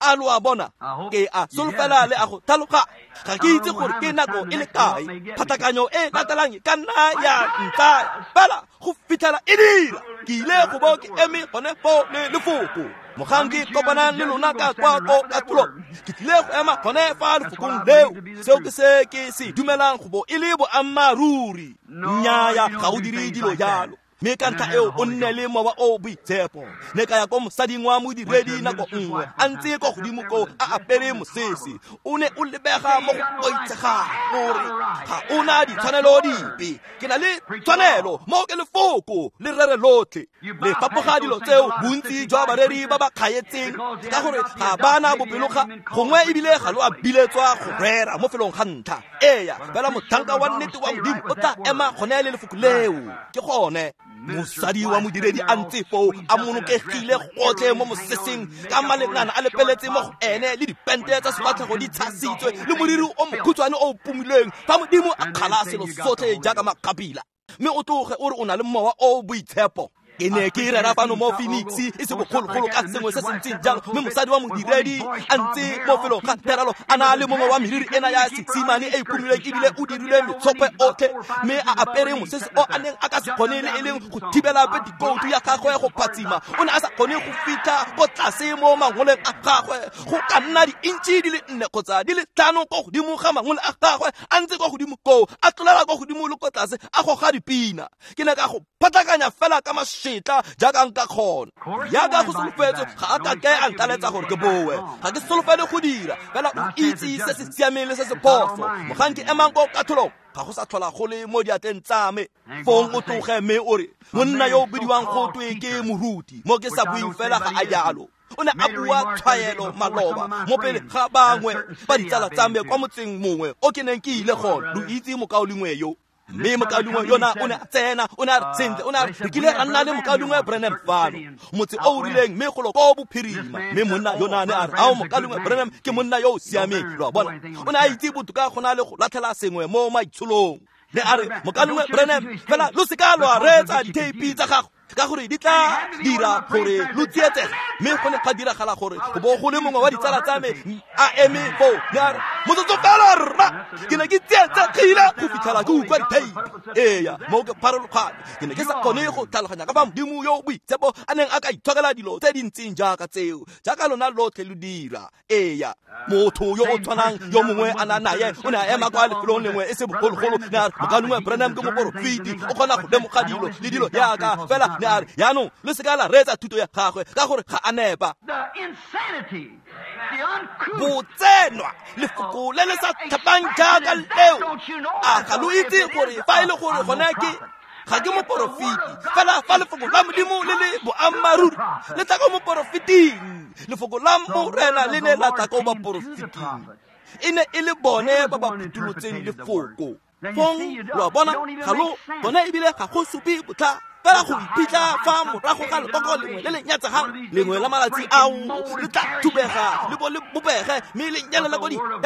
A lo a bona? Ke a solofela le a go tlhaloga. Ga ke itse gore ke nako e le kae phatlakanyo e latelang ka nna ya ntsaya, fela go fitlhela e dira, ke ile go bo ke eme gone foo le lefoko. Mogang ke kopanang le lona ka kwa ko katolong, ke tlile go ema gone fa lefokong leo. Seo ke se ke se dumelang go bo e le boammaaruri. Nnyaya, ga o dire dilo jalo. Mme ka ntlha eo o nne le Mowa o Boitshepo. Ne ka ya ko mosading wa modiredi nako nngwe, a ntse ko godimo ko a apere mosese. O ne o lebega mo go boitshegang gore ga o na ditshwanelo dipe. Ke na le tshwanelo mo ke lefoko le rere lotlhe. Le fapoga dilo tseo bontsi jwa bareri ba ba kgaetseng, ka gore ga ba na bopeloga, gongwe ebile ga lo a biletswa go rera mo felong ga ntlha. Eya, fela motlhanka wa nnete wa Modimo o tla ema gone le lefoko leo. Ke gone. Mosadi wa modiredi a ntse foo a monokegile gotlhe mo moseseng, ka malengana a lepeletse mo go ene, le dipente tsa sefatlhego di tshasitswe, le moriri o mokhutshwane o pomilweng, fa Modimo a kgala selo sotlhe jaaka makgapila, mme o tloge o re o na le Mowa o Boitshepo. Ke ne ke rera fano mo Phoenix e se bogologolo ka sengwe se se ntseng jang, mme mosadi wa modiredi a ntse mo felong ga therelo a na le mongwe wa meriri ena ya sesimane e e phumilweng ebile o dirile metshophe otlhe, mme a apere mosese o a neng a ka se kgone le e leng go thibela petikoutu ya gagwe go phatsima. O ne a sa kgone go fitlha ko tlase mo mangoleng a gagwe, go ka nna diintšhi di le 4 kgotsa di le 5 ko godimo ga mangole a gagwe, a ntse ko godimo koo, a tlolela ko godimo le ko tlase, a goga dipina. Ke ne ka go phatlakanya fela ka mašetla jaaka nka kgona. Jaaka go solofetswe, ga a ka ke a ntaletsa gore ke boe. Ga ke solofele go dira, fela o itse se se siameng le se se phoso. Mogang ke emang ko katlholong, ga go sa tlhola go le mo diatleng tsa me. Fong o tloge mme o re, monna yo o bidiwang go twe ke moruti, mo ke sa bueng fela ga a jalo. O ne a bua tshwaelo maloba mo pele ga bangwe ba ditsala tsa me kwa motseng mongwe o ke neng ke ile gone. Lo itse mokaulengwe yo. Mme mokaulengwe yona o ne a tsena, o ne a re sentle, o ne a re re kile ra nna le mokaulengwe Branham fano motse o o rileng, mme golo ko bophirima. Mme monna yona ne a re, ao, mokaulengwe Branham ke monna yo o siameng. Lo a bona, o ne a itse botoka go na le go latlhela sengwe mo maitsholong. Ne a re, mokaulengwe Branham, fela lo seka lo a reetsa ditheipi tsa gago, ka gore di tla dira gore lo tsietsege. Mme go ne ga diragala gore go bo go le mongwe wa ditsala tsa me a eme foo, ne a re, motsotso fela rra, ke ne ke tsietsegile go fitlhela ke utlwa ditheipi. Eya, mo ke pharologane, ke ne ke sa kgone go tlhaloganya ka fa Modimo yo o boitshepo a neng a ka itshokela dilo tse di ntseng jaaka tseo, jaaka lona lotlhe lo dira. Eya, motho yo o tshwanang yo mongwe a na naye o ne a ema kwa lefelong lengwe e se bogologolo, ne a re, mokaulengwe Branham ke moporofeti, o kgona go lemoga dilo le dilo jaaka fela. Ne a re, jaanong lo seka la reetsa thuto ya gagwe ka gore ga a nepa. Botsenwa, lefoko le le sa tlhapang jaaka leo. A ga lo itse gore fa e le gore gone ke ga ke moporofeti, fela fa lefoko la Modimo le le boammaaruri le tla ko moporofeting, lefoko la Morena le ne la tla ko baporofeting. E ne e le bone ba ba phuthulotseng lefoko. Fong lo a bona, ga lo bone ebile ga go supe botlha, fela go iphitlha fa morago ga lekoko lengwe le le nyatsegang, lengwe la malatsi ao le tla thubega le bo le bopege, mme le nyelela ko diheleng.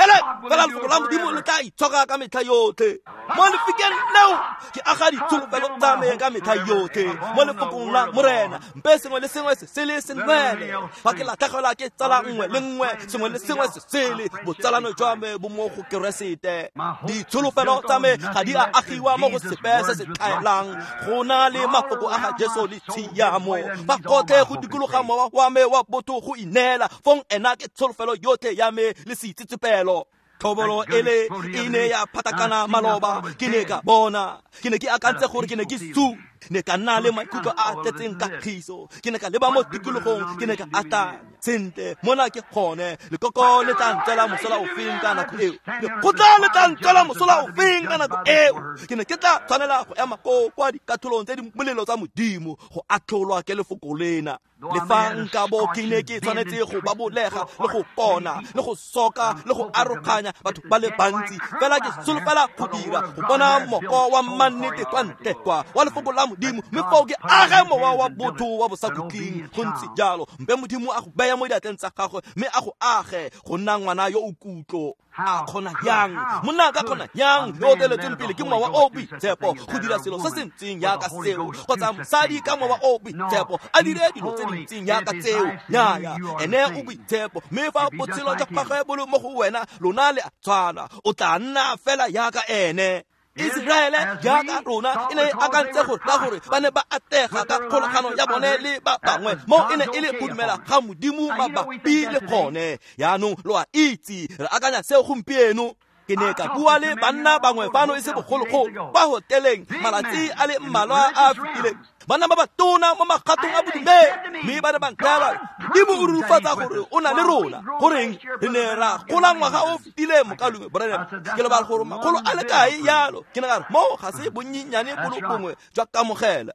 Fela lefoko la Modimo le tla itshoka ka metlha yotlhe. Mo lefikeng leo ke aga ditsholofelo tsa me ka metlha yotlhe mo lefokong la Morena. Mpe sengwe le sengwe se sele se nwele. Fa ke latlhegelwa ke tsala nngwe le nngwe, sengwe le sengwe se sele, botsalano jwa me bo mo go Keresete. Ditsholofelo tsa me ga di a agiwa mo go sepe se se tlhaelang, go na le mafoko a ga Jesu le tshiamo. Fa gotlhe go dikologa mowa wa me wa botho go ineela, fong ena ke tsholofelo yotlhe ya me le seitsetsepelo. Thobolo ele e ne ya phatakana maloba, ke ne ka bona, ke ne ke akantse gore ke ne ke su, ne ka nna le maikutlo a tletseng kagiso. Ke ne ka leba mo tikologong, ke ne ka akanya, sentle, mona ke gone, lekoko le tla ntswela mosola ofeng ka nako eo, lekgotla le tla ntswela mosola ofeng ka nako eo. Ke ne ke tla tshwanela go ema ko kwa dikatlholong tse di molelo tsa Modimo, go atlholwa ke lefoko lena. Le fa nka bo ke ne ke tshwanetse go babolega le go kona le go soka le go aroganya batho ba le bantsi, fela ke solofela go dira go bona moko wa mannete kwa ntle kwa wa lefoko la Modimo, mme foo ke age mowa wa botho wa bosakhutleng. Go ntse jalo, mpe Modimo a go beya mo diatleng tsa gagwe mme a go age go nna ngwana yo o kutlo. A kgona yang, monna a ka kgona yang yo o teletsweng pele ke mowa o boitshepo go dira selo se se ntseng jaaka seo, kgotsa mosadi ka mowa o boitshepo a dire dilo tse di ntseng jaaka tseo? Nnyaya, ene o boitshepo, mme fa botshelo jwa gagwe bo le mo go wena, lona le a tshwana, o tla nna fela jaaka ene. Iseraele jaaka rona e ne e akantse gore ka gore ba ne ba atega ka kgolagano ya bone le ba bangwe, mo e ne e le go dumela ga Modimo mabapi le gone. Jaanong lo a itse, re akanya seo gompieno. Ke ne ka bua le banna bangwe fano e se bogologolo kwa hoteleng malatsi a le mmalwa a a fetileng, banna ba batona mo magatong a bodumedi, mme ba ne ba nthaya, Modimo o rurifatsa gore o na le rona. Goreng re ne ra gola ngwaga o fetileng, mokaulengwe Branham? Ke lebala gore makgolo a le kae yalo. Ke ne ka re, mo ga se bonnyenyane bo le bongwe jwa kamogela.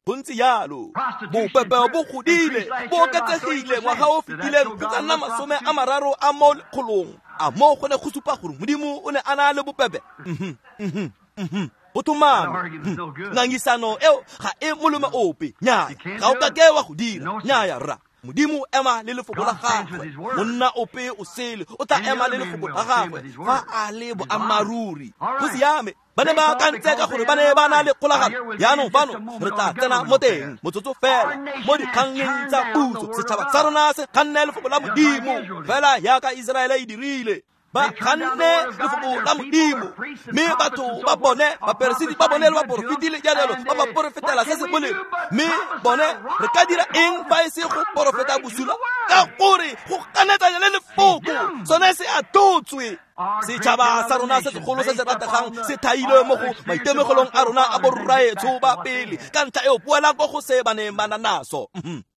Go ntse jalo, bopepe bo godile, bo oketsegile ngwaga o fetileng go ka nna 30 a mo lekgolong. A mo go ne go supa gore Modimo o ne a na le bopepe? Go thomame, ngangisano eo ga e molome ope. Nnyaya, ga o ka ke wa go dira. Nnyaya rra. Modimo ema le lefoko la gagwe. Monna ope o sele o tla ema le lefoko la gagwe fa a le boammaaruri. Go siame. Ba ne ba akantse ka gore ba ne ba na le kgolagano. Jaanong fano re tla tsena mo teng motsotso fela mo dikgangeng tsa puso. Setšhaba sa rona se kganne lefoko la Modimo fela jaaka Iseraele e dirile. Ba kganne lefoko la Modimo, mme batho ba bone, baperesiti ba bone le baporofeti le jalo ba ba porofetela se se molemo. Mme bone re ka dira eng fa e se go porofeta bosula? Ka gore go ganetsanya le lefoko sone se a totswe. Setšhaba sa rona se segolo se se rategang se thailwe mo go maitemogelong a rona a borraetsho ba pele, ka ntlha eo boelang ko go se ba neng ba na naso.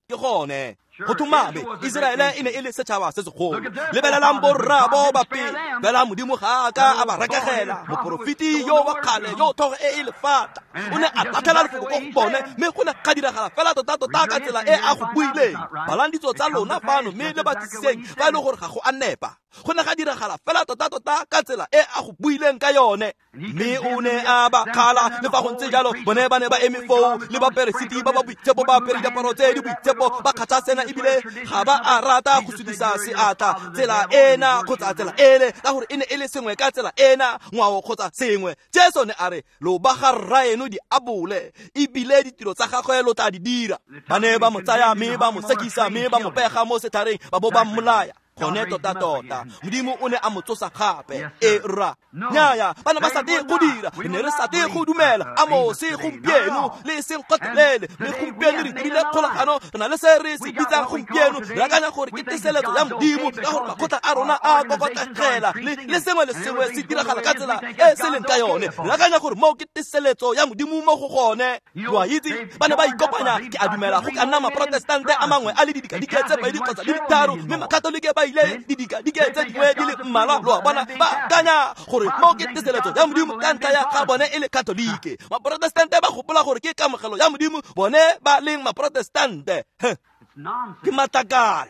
Ke gone go thomame Iseraele e ne e le setšhaba se segolo. Lebelelang borraabo ba pele, fela Modimo ga a ka a ba rekegela. Moporofeti yo wa kgale yo tlhogo e e lefata o ne a latlhela lefoko ko go bone, mme go ne ga diragala fela tota-tota ka tsela e a go buileng. Balang ditso tsa lona fano mme le batlisiseng fa e le gore ga go a nepa. Go ne ga diragala fela tota-tota ka tsela e a go buileng ka yone. Mme o ne a ba kgala, le fa go ntse jalo bone ba ne ba eme foo le baperesiti ba ba boitshepo, ba apere diaparo tse di boitshepo, ba kgatlha sena ebile ga ba a rata go sudisa seatla tsela ena kgotsa tsela ele, ka gore e ne e le sengwe ka tsela ena, ngwao kgotsa sengwe. Jesu ne a re, lo ba ga rraeno diabole, ebile ditiro tsa gagwe lo tla di dira. Ba ne ba mo tsaya mme ba mo sekisa mme ba mo pega mo setlhareng ba bo ba mmolaya. Gone tota-tota Modimo o ne a mo tsosa gape. E rra nnyaya, ba ne ba sa te go dira, re ne re sa te go dumela Amose gompieno le e seng kgotlelele. Mme gompieno re dirile kgolagano, re na le se re se bitsang gompieno, re akanya gore ke teseletso ya Modimo, ka gore makgotla a rona a kokotlegela le sengwe le sengwe se diragala ka tsela e se leng ka yone. Re akanya gore moo ke teseletso ya Modimo mo go gone. Lo a itse, ba ne ba ikopanya, ke a dumela go ka nna maprotestante a mangwe a le didikadike tse pedi kgotsa di le tharo, mme makatolike ba ile didikadike tse dingwe di le mmalwa. Lo a bona, ba akanya gore mo ke teseletso ya Modimo ka ntlha ya ga bone e le katolike. Maprotestante ba gopola gore ke kamogelo ya Modimo, bone ba leng maprotestante. Ke matlakala,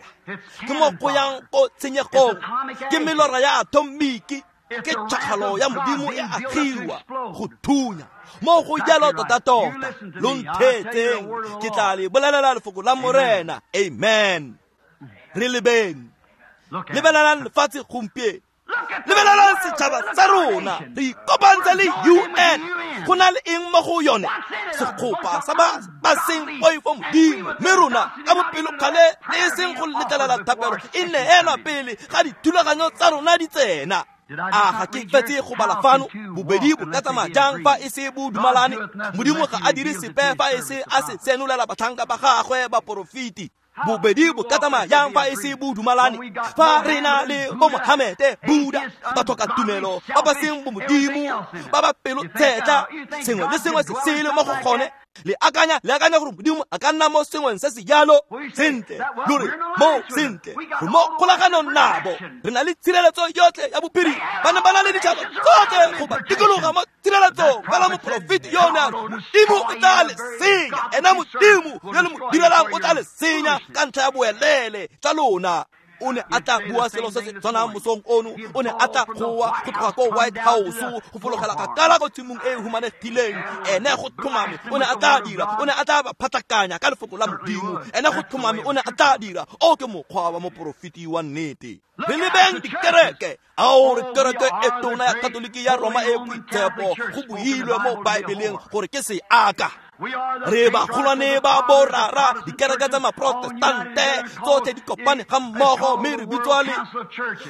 ke mo go yang ko tshenyegong, ke melora ya atomiki, ke tšhakgalo ya Modimo e agiwa go thunya mo go jalo tota-tota. Lo ntheetseng, ke tla le bolelela lefoko la Morena. Amen. Re lebeng, lebelelang lefatshe gompieno, lebelelang setšhaba sa rona. Re ikopantse le UN. Go na le eng mo go yone? Sekgopa sa ba seng poifo Modimo. Mme rona ka bopelokgale le e seng go letlelela thapelo e neelwa pele ga dithulaganyo tsa rona di tsena. A ga ke fetse go bala fano? Bobedi bo ka tsamaya jang fa e se bo dumalane? Modimo ga a dire sepe fa e se a se senolela batlhanka ba gagwe baporofeti. Bobedi bo ka tsamaya jang fa e se bo dumalane? Fa re na le bo Mohamete, Buddha, batho ka tumelo ba ba seng bo Modimo, ba ba pelo tshetla, sengwe le sengwe se sele mo go gone. Le akanya gore Modimo a ka nna mo sengweng se se jalo? Sentle, lo re mo sentle, re mo kgolaganong nabo, re na le tshireletso yotlhe ya bophirima. Ba ne ba na le ditšhaba tsotlhe go ba dikologa mo tshireletsong. Fela moporofeti yo ne a re, Modimo o tla le senya, ena Modimo yo le mo direlang o tla le senya ka ntlha ya boelele tsa lona. O ne a tla bua selo se se tshwanang mosong ono. O ne a tla goa go tloga ko White House go fologela kgakala ko tshimong e e humanegileng. Ene go tlhomame o ne a tla dira, o ne a tla ba phatlakanya ka lefoko la Modimo. Ene go tlhomame o ne a tla dira. O ke mokgwa wa moporofeti wa nnete. Re lebeng dikereke. Ao re kereke e tona ya Katoliki ya Roma e boitshepo, go builwe mo Baebeleng gore ke seaka. Re bagolwane ba borara, dikereke tsa maprotestante tsotlhe di kopane ga mmogo, mme re bitswa le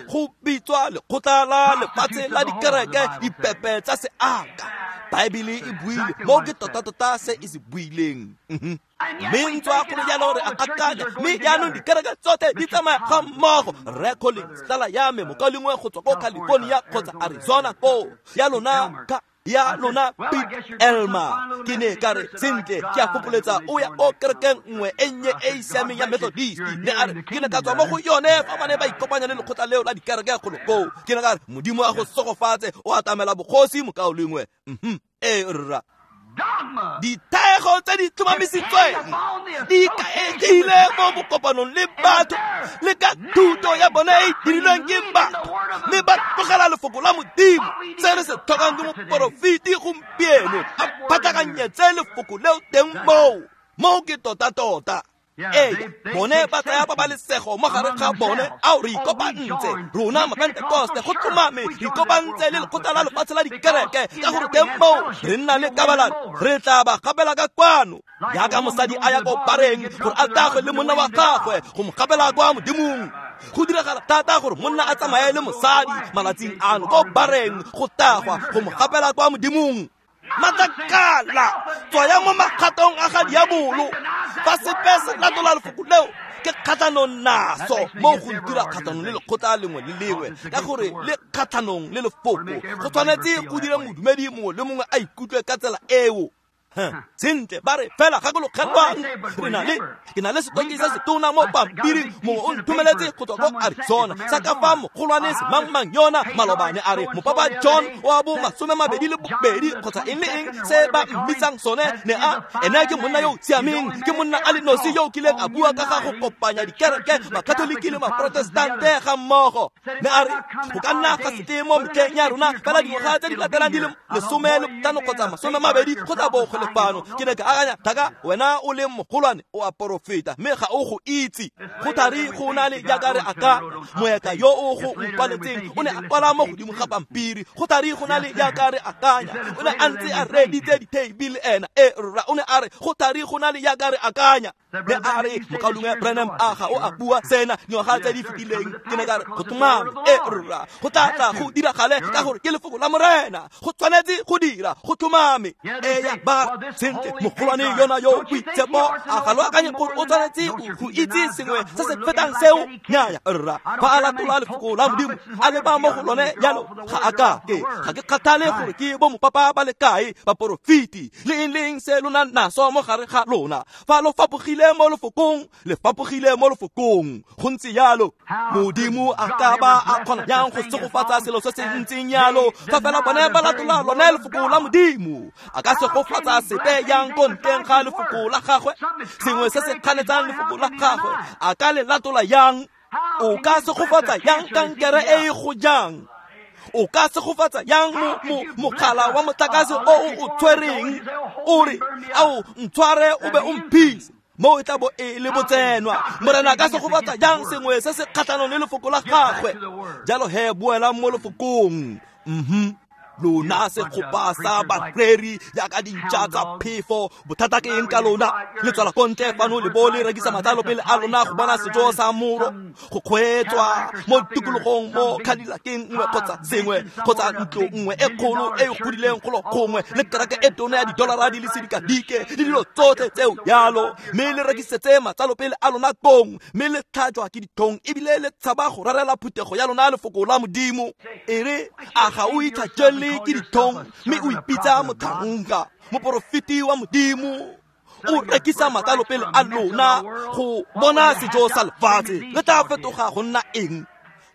go bitswa lekgotla la lefatshe la dikereke, dipepe tsa seaka. Baebele e buile mo ke tota-tota se e se buileng. Mme ntswa go le jalo re a akanya, mme jaanong dikereke tsotlhe di tsamaya ga mmogo. Rre Collins, tsala ya me, mokaulengwe go tswa ko California kgotsa Arizona koo, ya lona ka ya lona Pete Elma. Ke ne ka re, sentle, ke a fopholetsa o ya ko kerekeng nngwe e nnye e e siameng ya Methodist. Ne a re, ke ne ka tswa mo go yone fa ba ne ba ikopanya le lekgotla leo la dikereke golo koo. Ke ne ka re, Modimo a go segofatse, o atamela bogosi mokaulengwe. E rra. Dithaego tse di tlhomamisitsweng di ikaegile mo bokopanong le batho le ka thuto ya bone e dirilweng ke batho, mme ba tlogela lefoko la Modimo. Se re se tlhokang ke moporofeti gompieno a phatlakanyetse lefoko leo teng moo. Moo ke tota-tota. Ee, bone ba tsaya pabalesego mo gare ga bone. Ao, re ikopantse rona Mapentekoste, go tlhomame re ikopantse le lekgotla la lefatshe la dikereke, ka gore teng moo re nna le kabalano, re tla ba gapela ka kwano. Jaaka mosadi a ya ko bareng gore a tagwe le monna wa gagwe go mo gapela kwa Modimong. Go diragala thata gore monna a tsamaye le mosadi malatsing ano ko bareng go tagwa go mo gapela kwa Modimong. Matlakala, tswaya mo makgatong a ga diabolo. Fa sepe se latola lefoko leo, ke kgatlhanong naso mo go ntira kgatlhanong le lekgotla lengwe le lengwe, ka gore le kgatlhanong le lefoko. Go tshwanetse go dira modumedi mongwe le mongwe a ikutlwe ka tsela eo. Sentle, ba re fela gakologelwang, re na le ke na le setoki se setona mo pampiring, mongwe o nthomeletse go tswa ko Arizona sa ka fa mogolwane semangmang yona malobane a re mopapa John wa bo 22 kgotsa eng le eng se ba mmitsang sone, ne a ene ke monna yo o siameng, ke monna a le nosi yo o kileng a bua ka ga go kopanya dikereke Makatoliki le Maprotestante ga mmogo. Ne a re go ka nna ga se tle mo metlheng ya rona fela dingwaga tse di latelang di le 15 kgotsa 20 kgotsa bokgole fano. Ke ne ka akanya, thaka wena o le mogolwane o a porofeta mme ga o go itse. Go thari go na le jaaka re aka moeka yo o go nkwaletseng o ne a kwala mo godimo ga pampiri. Go thari go na le jaaka re akanya, o ne a ntse a reeditse ditheipi le ena. E rra, o ne a re go thari go na le jaaka re akanya. Ne a re mokaulengwe Branham a ga o a bua sena dingwaga tse di fetileng. Ke ne ka re go tlhomame, e rra, go tla tla go diragale ka gore ke lefoko la Morena, go tshwanetse go dira, go tlhomame. Eya, ba sentle mogolwane yona yo boitshepo a ga lo akanye gore o tshwanetse go itse sengwe se se fetang seo? Nnyaya rra, fa a latola lefoko la Modimo a leba mo go lone jalo, ga a ka ke ga ke kgathale gore ke bo mopapa ba le kae baporofeti le eng le eng se lona naso mo gare ga lona. Fa lo fapogile mo lefokong, le fapogile mo lefokong. Go ntse jalo. Modimo a ka ba a kgona jang go segofatsa selo se se ntseng jalo fa fela bone ba latola lone lefoko la Modimo? A ka segofatsa sepe yang ko ntleng ga lefoko la gagwe? Sengwe se se kganetsang lefoko la gagwe a ka le latola yang? O ka segofatsa yang kankere e e go jang? O ka segofatsa yang mogala wa motlakase o o tshwereng? O re ao ntshware o be o mphise, mo e tla bo e le botsenwa. Morena ka segofatsa jang sengwe se se kgatlhanong le lefoko la gagwe? Jalo he, boelang mo lefokong. Lona segopa sa bareri jaaka dintša tsa phefo, bothata ke eng ka lona? Le tswela ko ntle fano le bo le rekisa matlalo pele a lona go bona sejo sa moro, go kgweetswa mo tikologong mo Cadillaceng nngwe kgotsa sengwe, kgotsa ntlo nngwe e kgolo e e godileng golo gongwe, le kereke e tona ya didolara di le sedikadike le dilo tsotlhe tseo jalo, mme le rekisetse matlalo pele a lona kong, mme le tlhajwa ke ditlhong ebile le tshaba go rerela phuthego ya lona lefoko la Modimo. E re a ga o itlhajele ke ditlhong mme o ipitsa motlhanka, moporofeti wa Modimo? O rekisa matlalo pele a lona go bona sejo sa lefatshe. Le tla fetoga go nna eng?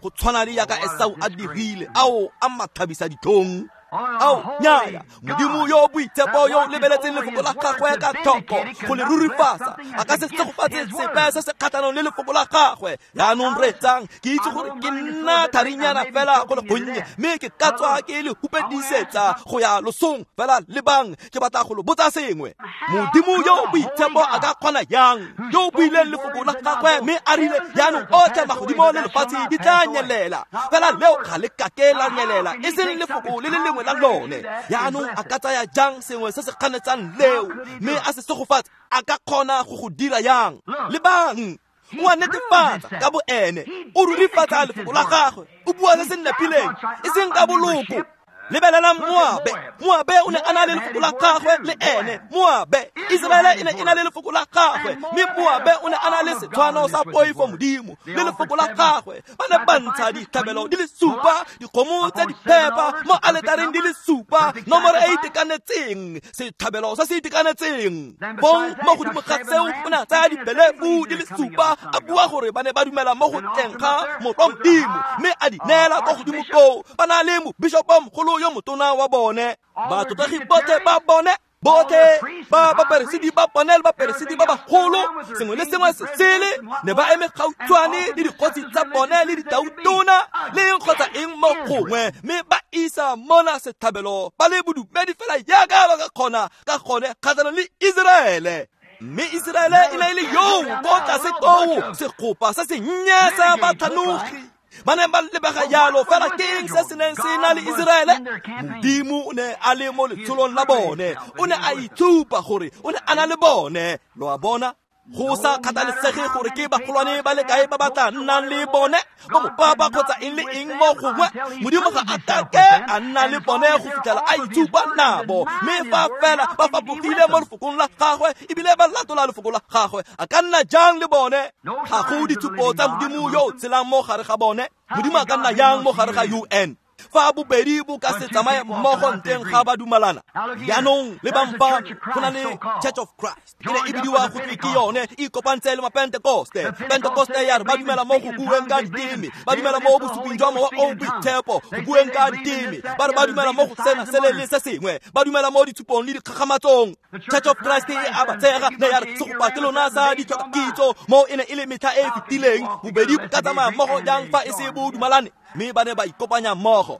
Go tshwana le jaaka Esau a dirile. Ao a mathabisa ditlhong. Ao nnyaya, Modimo yo boitshepo yo o lebeletseng lefoko la gagwe ka tlhoko go le rurifatsa, a ka se segofatse sepe se se kgatlhanong le lefoko la gagwe. Jaanong reetsang, ke itse gore ke nna tharinyana fela go le gonnye, mme ke ka tswa ke le hupedisetsa go ya losong fela. Lebang, ke batla go lo botsa sengwe. Modimo yo boitshepo a ka kgona yang, yo o buileng lefoko la gagwe mme a rile jaanong otlhe magodimo le lefatshe di tla nyelela, fela leo ga le kake la nyelela, e seng lefoko le le lengwe la lone. Jaanong a ka tsaya jang sengwe se se kganetsang leo mme a se segofatse? A ka kgona go go dira yang? Lebang, o a netefatsa ka bo ene, o rurifatsa lefoko la gagwe, o bua se se nepileng, e seng ka boloko. Lebelelang Moabe. Moabe o ne a na le lefoko la gagwe le ene. Moabe, Iseraele e ne e na le lefoko la gagwe, mme Moabe o ne a na le setshwano sa poifo Modimo le lefoko la gagwe. Ba ne ba ntsha ditlhabelo di le supa, dikgomo tse di phepa mo aletareng di le supa, nomoro e itekanetseng, setlhabelo se se itekanetseng. Bong mo godimo ga seo o ne a tsaya dibelefu di le supa, a bua gore ba ne ba dumela mo go tleng ga morwa Modimo, mme a di neela kwa godimo koo. Ba na le mobishopo mogolo yo motona wa bone, batlotlegi botlhe ba bone, botlhe ba baperesiti ba bone le baperesiti ba bagolo, sengwe le sengwe se sele, ne ba eme gautshwane le dikgosi tsa bone le ditautona le eng kgotsa eng mo gongwe, mme ba isa mona setlhabelo ba le bodumedi fela jaaka ba ka kgona ka gone kgatlhanong le Iseraele. Mme Iseraele e ne e le yoo ko tlase koo, segopa se sennye sa batlhanogi. Ba ne ba lebega jalo, fela ke eng se se neng se na le Iseraele? Modimo o ne a le mo letsholong la bone, o ne a itshupa gore o ne a na le bone. Lo a bona? Go sa kgathalesege gore ke bagolwane ba le kae ba ba tla nnang le bone, bo mopapa kgotsa eng le eng mo gongwe, Modimo ga a kake a nna le bone go fitlhela a itshupa nabo. Mme fa fela ba fapogile mo lefokong la gagwe ebile ba latola lefoko la gagwe, a ka nna jang le bone? Ga go ditshupo tsa Modimo yo o tshelang mo gare ga bone. Modimo a ka nna jang mo gare ga UN? Fa bobedi bo ka se tsamaye mmogo nteng ga ba dumalana. Jaanong lebang fano, go na le Church of Christ, e ne e bidiwa go twe ke yone, e ikopantse le Mapentekoste. Pentekoste ya re ba dumela mo go bueng ka diteme, ba dumela mo bosuping jwa Mowa o o Boitshepo, go bueng ka diteme, ba re ba dumela mo go sena sele le se sengwe, ba dumela mo ditshupong le dikgakgamatsong. Church of Christ e a ba tshega, ne ya re segopa ke lona sa ditlhokakitso, mo e ne e le metlha e e fetileng. Bobedi bo ka tsamaya mmogo jang fa e se bo dumalane? Mme ba ne ba ikopanya mmogo.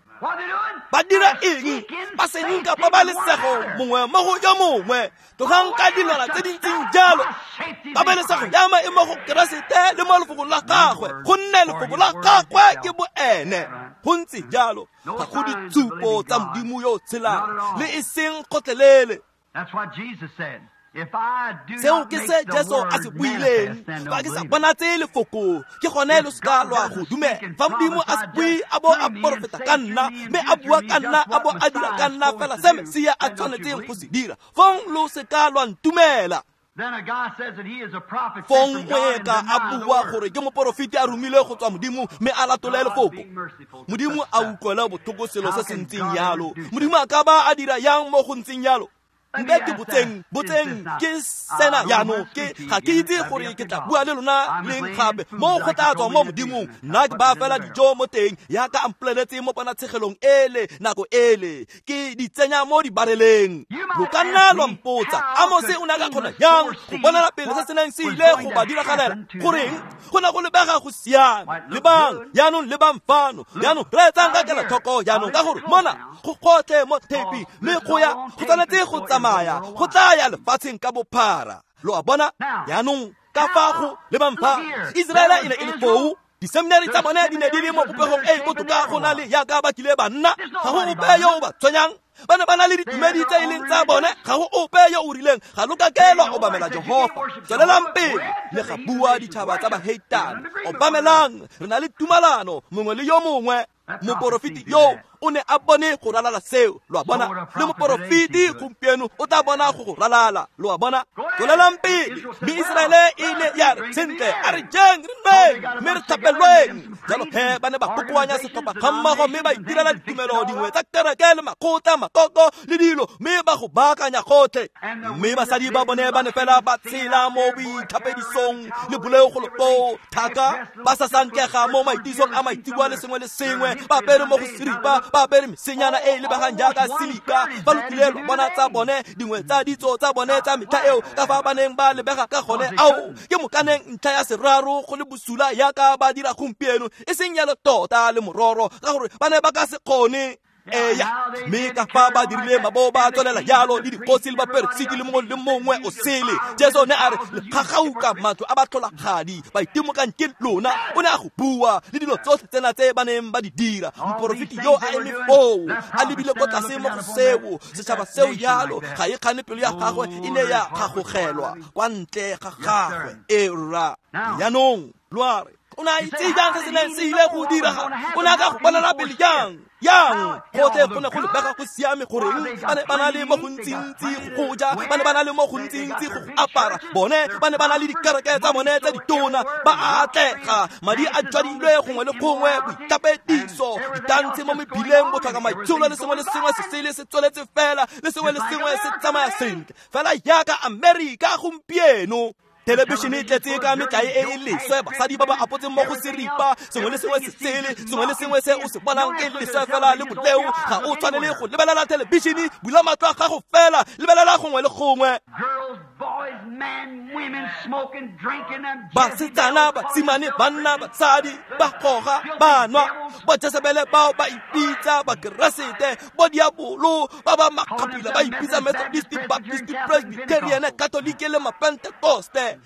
Ba dira eng? Ba senka pabalesego mongwe mo go yo mongwe. Tlogang ka dilwana tse di ntseng jalo. Pabalesego ya maemo go Keresete le mo lefokong la gagwe, gonne lefoko la gagwe ke boene. Go ntse jalo, ga go ditshupo tsa Modimo yo o tshelang, le e seng gotlhelele. Seo ke se Jesu a se buileng. Fa ke sa bonatse lefoko, ke gone lo seka lwa go dumela. Fa Modimo a se bue, a bo a porofeta ka nna, mme a bua ka nna, a bo a dira ka nna fela se Mesia a tshwanetseng go se dira, fong lo seka lwa ntumela. Fong moeka a bua gore ke moporofeti a romilwe go tswa Modimo, mme a latole lefoko. Modimo a utlwela botlhoko selo se se ntseng jalo. Modimo a ka ba a dira yang mo go ntseng jalo? Mpe ke botseng ke sena jaanong, ke ga ke itse gore ke tla bua le lona leng gape. Mo go tla tswa mo Modimong, nna ke ba fela dijo mo teng yaka a mpoleletse mo ponatshegelong ele nako ele, ke di tsenya mo dibareleng. Lo ka nna lwa mpotsa, Amose o ne a ka kgona jang go bonela pele se se neng se ile go ba diragalela? Goreng go ne go lebega go siame? Lebang jaanong, lebang fano jaanong, reetsang ka kelotlhoko jaanong, ka gore mona go gotlhe mo theipi, mme go ya go tshwanetse go tsamaya, go tla ya lefatsheng ka bophara. Lo a bona? Jaanong ka fa go lebang fa, Iseraele e ne e le foo. Diseminari tsa bone di ne di le mo popegong e e botoka go na le yaka ba kile ba nna. Ga go ope yo o ba tshwenyang. Ba ne ba na le ditumedi tse e leng tsa bone. Ga go ope yo o rileng ga lo ka ke lwa obamela Jehofa. Tswelelang pele le ga bua ditšhaba tsa baheitane. Obamelang, re na le tumalano mongwe le yo mongwe. Moporofeti yo o ne a bone go ralala seo, lo a bona. Le moporofeti gompieno o tla bona go go ralala, lo a bona. Tswelelang pele. Mme Iseraele e ne ya re, sentle, a re jeng, re nweng, mme re tlhapelweng. Jalo he ba ne ba kokoanya setlhopha ga mmogo, mme ba itirela ditumelo dingwe tsa kereke le makgotla, makoko le dilo, mme ba go baakanya gotlhe. Mme basadi ba bone ba ne fela ba tshela mo boitlhapedisong le boleo go koo thaka, ba sa sankega mo maitisong a maitseboa le sengwe le sengwe, ba apere mo go seripa, ba apere mesenyana e e lebegang jaaka silika. Ba lokile lwa bona tsa bone, dingwe tsa ditso tsa bone tsa metlha eo, ka fa ba neng ba lebega ka gone. Ao, ke mokaneng ntlha ya seraro go le bosula yaka ba dira gompieno, e seng yalo tota le mororo, ka gore ba ne ba ka se kgone. Eya, mme ka fa ba dirile mabo ba tswelela jalo le dikgosi le baperesiti le mongwe le mongwe o sele. Jesu ne a re, le kgagauka matlo a batlholagadi, baitimokang ke lona. O ne a go bua le dilo tsotlhe tsena tse ba neng ba di dira. Moporofeti yo a eme foo, a lebile ko tlase mo go seo, setšhaba seo jalo, ga e kgane pelo ya gagwe e ne ya kgagogelwa kwa ntle ga gagwe. E rra, jaanong lo a re, o ne a itse jang se se neng se ile go diragala? O ne a ka go bonela pele jang? Yang gotlhe go ne go lebega go siame. Goreng ba ne ba na le mo gontsintsi go ja, ba ne ba na le mo gontsintsi go apara, bone ba ne ba na le dikereke tsa bone tse ditona, ba atlega, madi a jwadilwe gongwe le gongwe, boitlhapediso, ditantshe mo mebileng, botlhoka maitsholo le sengwe le sengwe se sele se tsweletse fela, le sengwe le sengwe se tsamaya sentle fela yaka Amerika gompieno. Thelebišene e tletse ka metlae e e leswe, basadi ba ba apotseng mo go seripa, sengwe le sengwe se sele, sengwe le sengwe se o se bonang ke leswe fela le boleo. Ga o tshwanele go lebelela thelebišene, bula matlho a gago fela, lebelela gongwe le gongwe. Basetsana, basimane, banna, basadi, ba goga, ba nwa, ba Jezebele bao ba ipitsa Bakeresete, bo diabolo ba ba makgapila ba ipitsa Methodist, Baptist, Presbyterian, Catholic le Mapentekoste.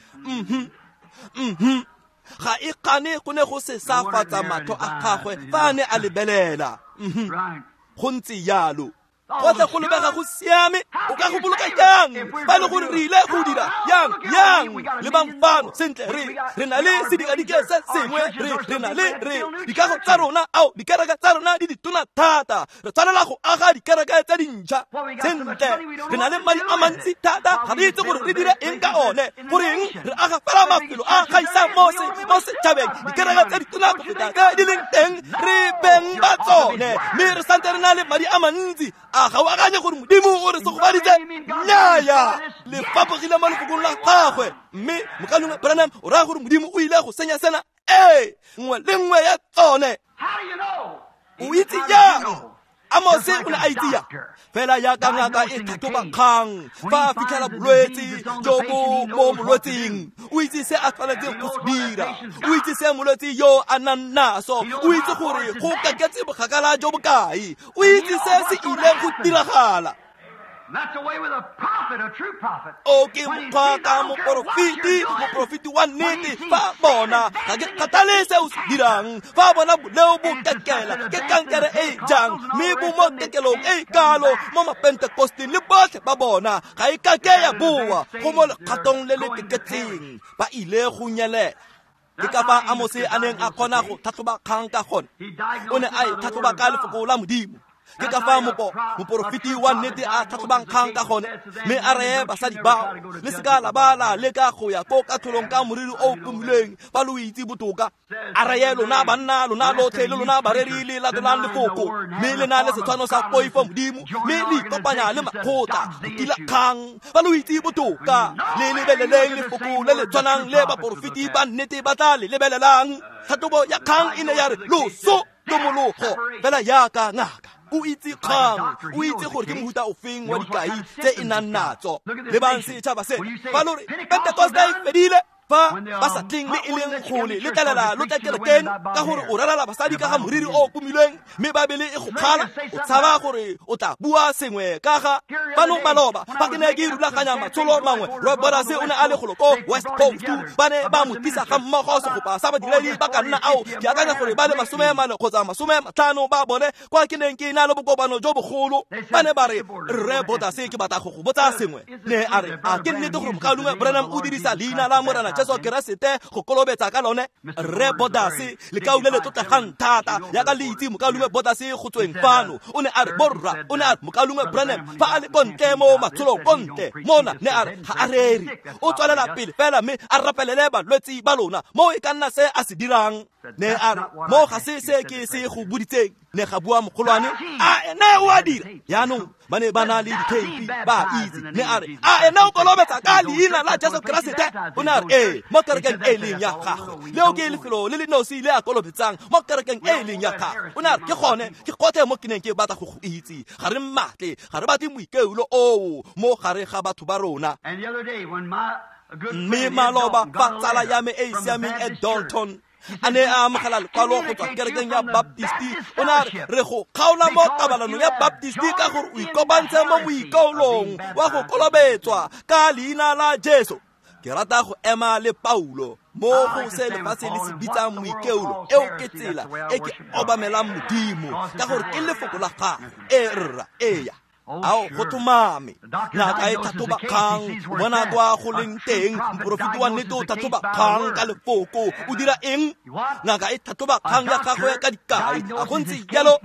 Ga e kgane go ne go se safatsa matlho a gagwe fa a ne a lebelela. Go ntse jalo. Gotlhe go lebega go siame, o ka go boloka jang fa e le gore re ile go dira yang yang lebang fano sentle re na le sedikadike se sengwe, re na le re dikago tsa rona, ao dikereke tsa rona di ditona thata, re tshwanela go aga dikereke tse dintšha. Sentle, re na le madi a mantsi thata, ga re itse gore re dire eng ka one. Goreng re aga fela mafelo a gaisang mo setšhabeng, dikereke tse ditona go feta tse di leng teng, re beng ba tsone, mme re santse re na le madi a mantsi. A ga o akanye gore Modimo o re segofaditse? Nnyaya, le fapogile mo lefokong la gagwe. Mme mokalengwe Branham o raya gore Modimo o ile go senya sena? Ee, nngwe le nngwe ya tsone. O itse jang? Amose o ne a itse jang? Fela jaaka ngaka e tlhatlhoba kgang fa a fitlhela bolwetse jo bo mo molwetseng, o itse se a tshwanetseng go se dira, o itse se molwetse yo a nang naso, o itse gore go kaketse bokgakala jo bokae, o itse se se ileng go diragala. O ke mokgwa ka moporofeti, moporofeti wa nnete. Fa bona, ga ke kgathale se o se dirang, fa bona boleo bo kekela, ke kankere e jang, mme bo mo kekelong e kalo mo Mapentekosteng le botlhe ba bona, ga e kake ya boa go mo lekgatong le le keketseng, ba ile go nyelela. Ke ka fa Amose a neng a kgona go tlhatlhoba kgang ka gone. O ne a e tlhatlhoba ka lefoko la Modimo. Ke ka fa moporofeti wa nnete a tlhatlhobang kgang ka gone, mme a reye basadi bao, le seka la ba la leka go ya ko katlholong ka moriri o pomilweng fa lo itse botoka. A reye lona banna, lona lotlhe le lona bareri le latelang lefoko, mme le na le setshwano sa poifo Modimo, mme le ikopanya le makgotla go tila kgang fa lo itse botoka. Le lebeleleng lefoko le le tshwanang le baporofeti ba nnete ba tla le lebelelang. Tlhatlhobo ya kgang e ne ya re loso lomologo, fela jaaka ngaka o itse kgang, o itse gore ke mohuta ofeng wa dikai tse e nang natso. Lebang setšhaba se, fa lo re Pentekoste e fedile, fa ba sa tleng le e leng kgole le tlalela lo tla kerekeng ka gore o rerela basadi ka ga moriri o pomilweng, mme Baebele e go kgala, o tshaba gore o tla bua sengwe ka ga fano maloba. Fa ke ne ke rulaganya matsholo mangwe, Roy Borders o ne a le golo ko West Coast, ba ne ba mo tlisa ga mmogo segopa sa badiredi ba ka nna ao, ke akanya gore ba le 40 kgotsa 50 ba bone, kwa ke neng ke na le bokopano jo bogolo. Ba ne ba re, Rre Borders, ke batla go go botsa sengwe. Ne a re, a ke nnete gore mokalengwe Branham o dirisa leina la Morena Jesu Keresete go kolobetsa ka lone? Rre Borders, lekau le le tlotlegang thata jaaka le itse mokalengwe Borders go tsweng fano, o ne a re, borra, o ne a re mokalengwe Branham fa a le kontle mo matsholong kontle mona, ne a re ga a rere, o tswelela pele fela mme a rapelele balwetsi ba lona, mo e ka nna se a se dirang. Ne a re, mo ga se se ke se go boditseng. Ne ga bua mogolwane, a ene o a dira. Jaanong ba ne ba na le ditheipi, ba itse. Ne a re, a ene o kolobetsa ka leina la Jesu Keresete? O ne a re, ee, mo kerekeng e leng ya gagwe. Leo ke lefelo le le nosi le a kolobetsang mo kerekeng e leng ya gagwe. O ne a re, ke gone, ke gotlhe mo ke neng ke batla go go itse. Ga re mmatle, ga re batle moikeolo oo mo gare ga batho ba rona. Mme maloba fa tsala ya me e e siameng e Dalton a ne a amogela lekwalo go tswa kerekeng ya Baptisti, o ne a re, re go kgaola mo kabalanong ya Baptisti ka gore o ikopantshe mo moikaolong wa go kolobetswa ka leina la Jesu. Ke rata go ema le Paulo mo go se lefatshe le se bitsang moikeolo, eo ke tsela e ke obamelang Modimo ka gore ke lefoko la gagwe. E rra, eya. Ao go tlhomame, ngaka e tlhatlhoba kgang, o bona kwa go leng teng. Moporofeti wa nnete o tlhatlhoba kgang ka lefoko. O dira eng? Ngaka e tlhatlhoba kgang ya gagwe ka dikai. A go ntse jalo?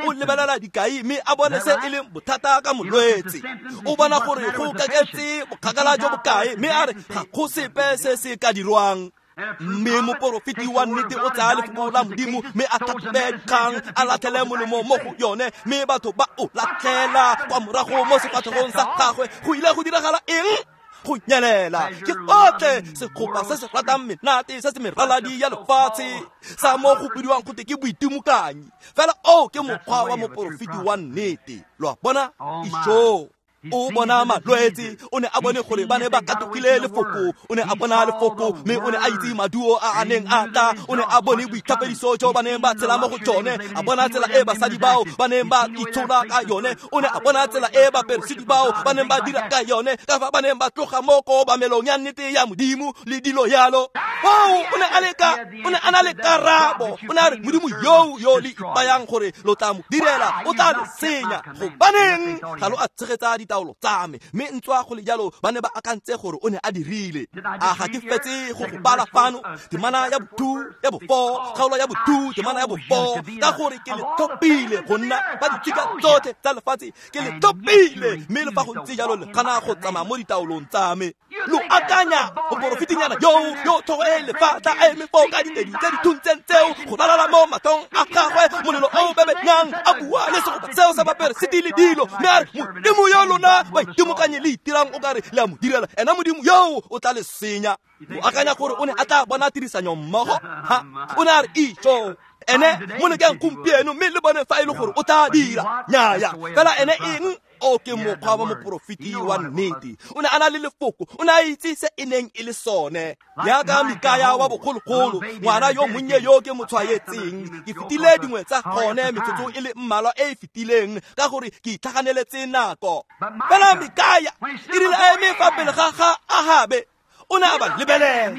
O lebelela dikai mme a bone se e leng bothata ka molwetse. O bona gore go kaketse bokgakala jo bokae, mme a re ga go sepe se se ka dirwang. Mme moporofeti wa nnete o tsaya lefoko la Modimo mme a tlhatlhobe kgang, a latlhele molemo mo go yone, mme batho ba o latlhela kwa morago mo sefatlhegong sa gagwe. Go ile go diragala eng? Go nyelela. Ke gotlhe segopa se se ratang menate se se meraladi ya lefatshe sa mo go bidiwang gote ke boitimokanyi. Fela oo ke mokgwa wa moporofeti wa nnete. Lo a bona? Ijoo. O bona malwetse, o ne a bone gore ba ne ba katogile lefoko, o ne a bona lefoko, mme o ne a itse maduo a a neng a tla, o ne a bone boitlhapediso jo ba neng ba tshela mo go tsone, a bona tsela e basadi bao ba neng ba itshola ka yone, o ne a bona tsela e baperesiti bao ba neng ba dira ka yone, ka fa ba neng ba tloga mo kobamelong ya nnete ya Modimo le dilo yalo. O ne a na le karabo, o ne a re Modimo yo le ipayang gore lo tla mo direla, o tla le senya. Gobaneng ga lo a tshegetsa ditaolo tsa me? Mme ntswa go le jalo ba ne ba akantse gore o ne a dirile. A ga ke fetse go go bala fano temana ya bo-2 ya bo-4, kgaolo ya bo-2 temana ya bo-4, ka gore ke le tlhophile go nna ba ditshika tsotlhe tsa lefatshe, ke le tlhophile, mme le fa go ntse jalo le gana go tsamaya mo ditaolong tsa me. Lo akanya moporofetinyana yo tlhogo e lefatla a eme foo ka ditedi tse di thuntseng tseo go ralala mo matlhong a gagwe, molelo o bebenyang, a bua le segopa seo sa baperesiti le dilo, mme a re Modimo yo lona baitimokanye le itirang o kare le a mo direla, ena Modimo yo o tla le senya. O akanya gore o ne a tla bona tirisanyo mmogo? Ha, o ne a re itso ene mo lekeng gompieno, mme le bone fa e le gore o tla dira. Nnyaya, fela ene eng? O ke mokgwa wa moporofeti wa nnete. O ne a na le lefoko, o ne a itse se e neng e le sone. Jaaka Mikaya wa bogologolo, ngwana yo monnye yo ke mo tshwaetseng, ke fetile dingwe tsa gone metsotso e le mmalwa e e fetileng, ka gore ke itlhaganeletse nako. Fela Mikaya e rile a eme fa pele ga ga Ahabe, o ne a ba lebelela,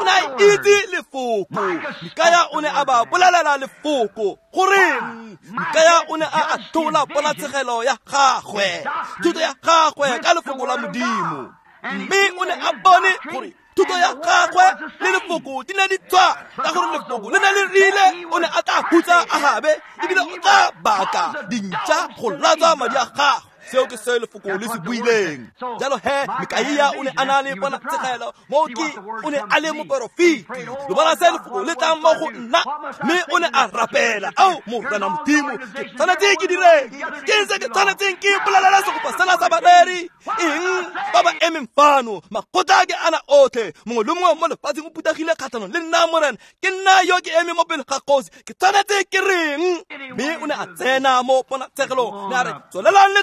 o ne a itse lefoko. Mikaya o ne a ba bolelela lefoko. Goreng? Mikaya o ne a athola ponatshegelo ya gagwe, thuto ya gagwe ka lefoko la Modimo, mme o ne a bone gore thuto ya gagwe le lefoko di ne di tswa, ka gore lefoko le ne le rile o ne a tla hutsa Ahabe, ebile o tla baka dintša go latswa madi a gagwe. Seo ke se lefoko le se buileng. Jalo he Mikaia o ne a na le ponatshegelo, mo ke o ne a le moporofeti. Lo bona se lefoko le tlang mo go nna, mme o ne a rapela, ao Morena Modimo, ke tshwanetse ke direng? Ke eng se ke tshwanetseng ke bolelela segopa sena sa bareri? Eng ba ba emeng fano? Makgotla ke ana otlhe, mongwe le mongwe mo lefatsheng o phuthegile kgatlhanong le nna, Morena. Ke nna yo ke eme mo pele ga kgosi, ke tshwanetse ke reng? Mme o ne a tsena mo ponatshegelong, ne a re tswelelang le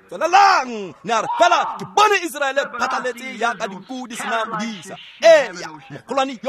tswelelang, ne a re fela ke bone Iseraele phatlaletse yaka dinku di sena modisa. Eya, mogolwane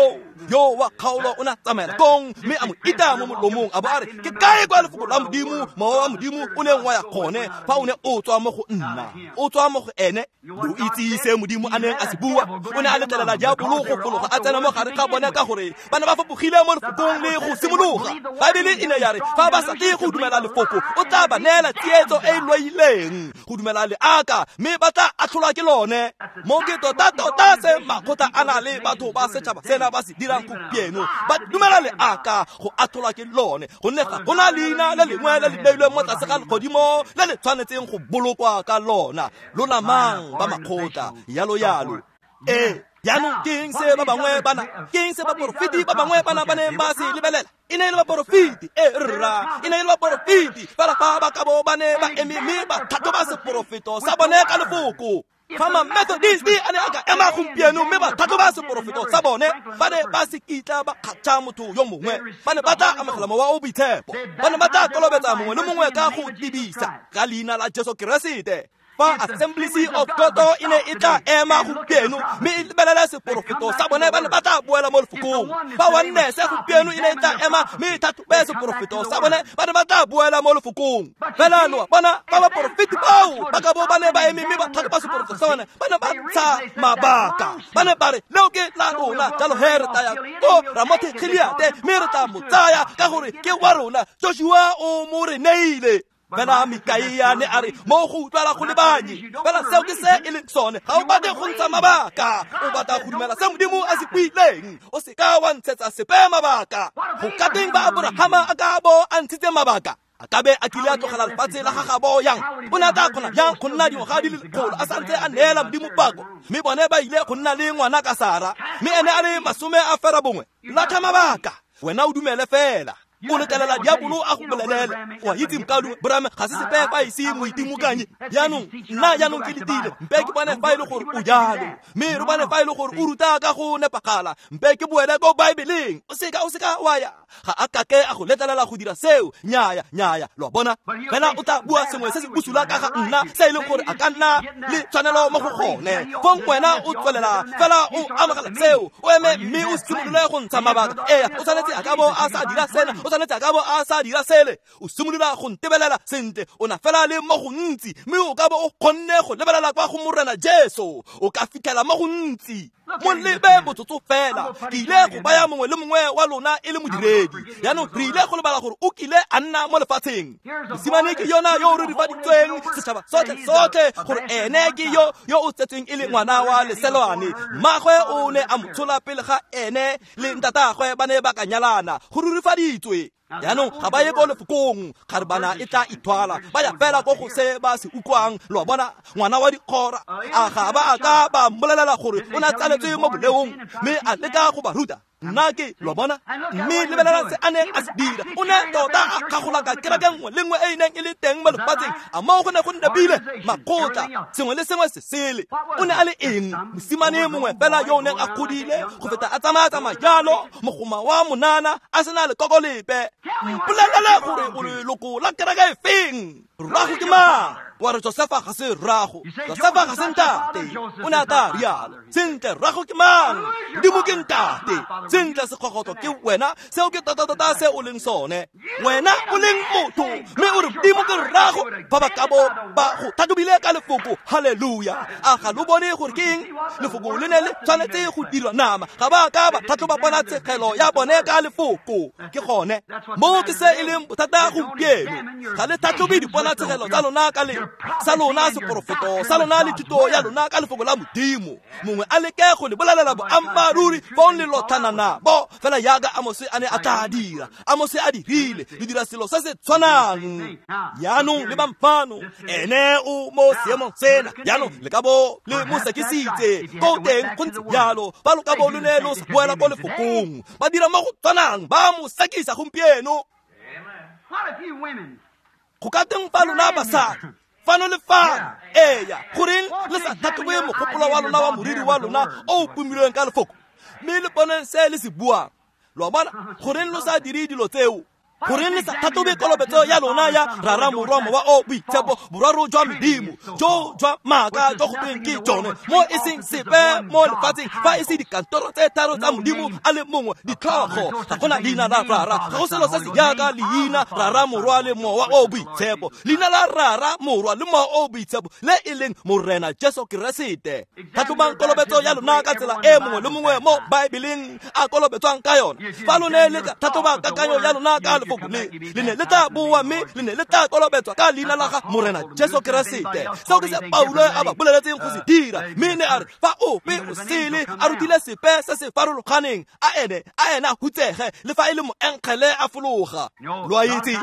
yo wa kgaolo o ne a tsamaela kong, mme a mo ita mo molomong, a bo a re ke kae kwa lefoko la Modimo, mowa wa Modimo o neng wa ya gone fa o ne o tswa mo go nna, o tswa mo go ene. Lo itse se Modimo a neng a se bua. O ne a letlelela diabolo go fologa a tsena mo gare ga bone, ka gore ba ne ba fapogile mo lefokong le go simologa. Baebele e ne ya re fa ba sa tle go dumela lefoko, o tla ba neela tsietso e e loileng go dumela leaka, mme ba tla atlholwa ke lone. Mo ke tota-tota se makgotla a na le batho ba setšhaba sena ba se dirang gompieno, ba dumela leaka go atlholwa ke lone, gonne ga gona leina le lengwe le le beilweng mo tlase ga legodimo le le tshwanetseng go bolokwa ka lona. Lona mang ba makgotla, yalo yalo. Ee, jaanong ke eng se ba bangwe bana, ke eng se baporofeti ba bangwe bana ba neng ba se lebelela? E ne e le baporofeti, e rra, e ne e le baporofeti, fela fa ba ka bo ba ne ba eme mme ba tlhatlhoba seporofeto sa bone ka lefoko. Fa ma-Methodist a ne a ka ema gompieno mme ba tlhatlhoba seporofeto sa bone, ba ne ba se kitla ba kgatšha motho yo mongwe, ba ne ba tla amogela mowa o boitshepo, ba ne ba tla kolobetsa mongwe le mongwe ka go tibisa ka leina la Jesu Keresete. Fa Assemblies of God e ne e tla ema gompieno mme e lebelela seporofeto sa bone, ba ne ba tla boela mo lefokong. Fa Oneness gompieno e ne e tla ema mme e tlhatlhobe seporofeto sa bone, ba ne ba tla boela mo lefokong. Fela lo bona ba baporofeti bao ba ka bo ba ne ba eme mme ba tlhatlhoba seporofeto sa bone, ba ne ba ntsha mabaka, ba ne ba re leo ke la rona, jalo he re tla ya ko Ramothe Gileate mme re tla mo tsaya ka gore ke wa rona, Joshua o mo re neile. Fela Mikaia ne a re mo go utlwala go lebanye, fela seo ke se e leng sone. Ga o batle go ntsha mabaka, o batla go dumela se Modimo a se buileng. O se ka wa ntshetsa sepe mabaka. Go ka teng ba Aborahama a ka bo a ntshitse mabaka, a ka be a kile a tlogela lefatshe la gagabo yang? O ne a tla kgona jang go nna dingwaga di le lekgolo a santse a neela Modimo pako? Mme bone ba ile go nna le ngwana ka Sara, mme ene a le 70. Latlha mabaka, wena o dumele fela. O letlelela diabolo a go bolelele wa itse mokadu Branham ga se sepe fa ise moitimokanye jaanong nna jaanong ke letile mpe ke bone fa e le gore o jalo mme re bone fa e le gore o ruta ka go nepagala mpe ke boele ko Baebeleng o seka wa ya ga a kake a go letlelela go dira seo nnyaya nnyaya lo bona fela o tla bua sengwe se se bosula ka ga nna se e leng gore a ka nna le tshwanelo mo go gone fong wena o tswelela fela o amogela seo o eme mme o simolole go ntsha mabaka ee o tshwanetse a ka bo a sa dira sena o tshwanetse a ka bo a sa dira sele o simolola go ntebelela sentle o na fela le mo gontsi mme o ka bo o kgonne go lebelela kwa go Morena Jesu o ka fitlhela mo gontsi mo lebe motsotso fela ke ile go baya mongwe le mongwe wa lona e le modiredi jaanong re ile go lebala gore o kile a nna mo lefatsheng mosimane ke yona yo o rurifaditsweng setšhaba sotlhe sotlhe gore ene ke yo yo o tsetsweng e le ngwana wa leselwane mmagwe o ne a mo tshola pele ga ene le ntatagwe ba ne ba ka nyalana go rurifaditswe jaanong ga ba ye ko lefokong kgarebana e tla ithwala ba ya fela ko go se ba se utlwang lo bona ngwana wa dikgora a ga ba a ka ba mmolelela gore o ne a tsaletswe mo boleong mme a leka go ba ruta nna ke lo bona mme lebelela se a neng a se dira o ne tota a kgagolaka kereke nngwe le nngwe e e neng e le teng mo lefatsheng a moo go ne go nepile makgotla sengwe le sengwe se sele o ne a le eng mosimane mongwe fela yo o neng a godile go feta a tsamaya-tsamaya jalo mogoma wa monana a sena lekoko lepe mpolelele gore o leloko la kereke e feng rrago ke mang wa re Josefa ga se rrago Josefa ga se ntate o ne a tla rialo sentle rrago ke mang Modimo ke ntate sentle sekgogotlo ke wena seo ke tota-tota se o leng sone wena o leng motho mme o re Modimo ke rrago fa ba ka bo ba go tlhatlhobile ka lefoko halleluja a ga lo bone gore ke eng lefoko le ne le tshwanetse go dirwa nama ga ba ka ba tlhatlhoba ponatshegelo ya bone ka lefoko ke gone moo ke se e leng bothata gompieno ga le tlhatlhobe diponatshegelo tsa lona ka le sa lona seporofeto sa lona le thuto ya lona ka lefoko la Modimo mongwe a leke go le bolelela boammaaruri fong le lotlhana nabo fela jaaka Amose a ne a tla dira Amose a dirile le dira selo se se tshwanang jaanong le bamfano ene o mo seemong sena jaanong le ka bo le mo sekisitse ko teng go ntse jalo ba lo ka bo lo ne lo sa boela ko lefokong ba dira mo go tshwanang ba mo sekisa gompieno go ka teng fa lona basadi fano le fano eya goreng le sa tlhatlhobe mogopolo wa lona wa moriri wa lona o o pomilweng ka lefoko mme le boneng se le se buang lo bona goreng lo sa dire dilo tseo goreng le sa tlhatlhobe kolobetso ya lona ya rara morwa mowa o boitshepo boraro jwa Modimo jo jwa maaka jo go tweng ke jone mo e seng sepe mo lefatsheng fa e se dikantoro tse tharo tsa Modimo a le mongwe ditlhogo ga gona leina la rara ga go selo se se jaaka leina rara morwa le mowa o boitshepo leina la rara morwa le mowa o boitshepo le e leng Morena Jesu Keresete tlhatlhobang kolobetso ya lona ka tsela e mongwe le mongwe mo Baebeleng a kolobetswang ka yona fa lone le ka tlhatlhoba kakanyo ya lona ka le ne le tla boa mme le ne le tla kolobetswa ka leina la ga Morena Jesu Keresete seo ke se Paulo a ba boleletseng go se dira mme ne a re fa ope o sele a rutile sepe se se farologaneng a ene a hutsege le fa e le moenkgele a fologa lo a itse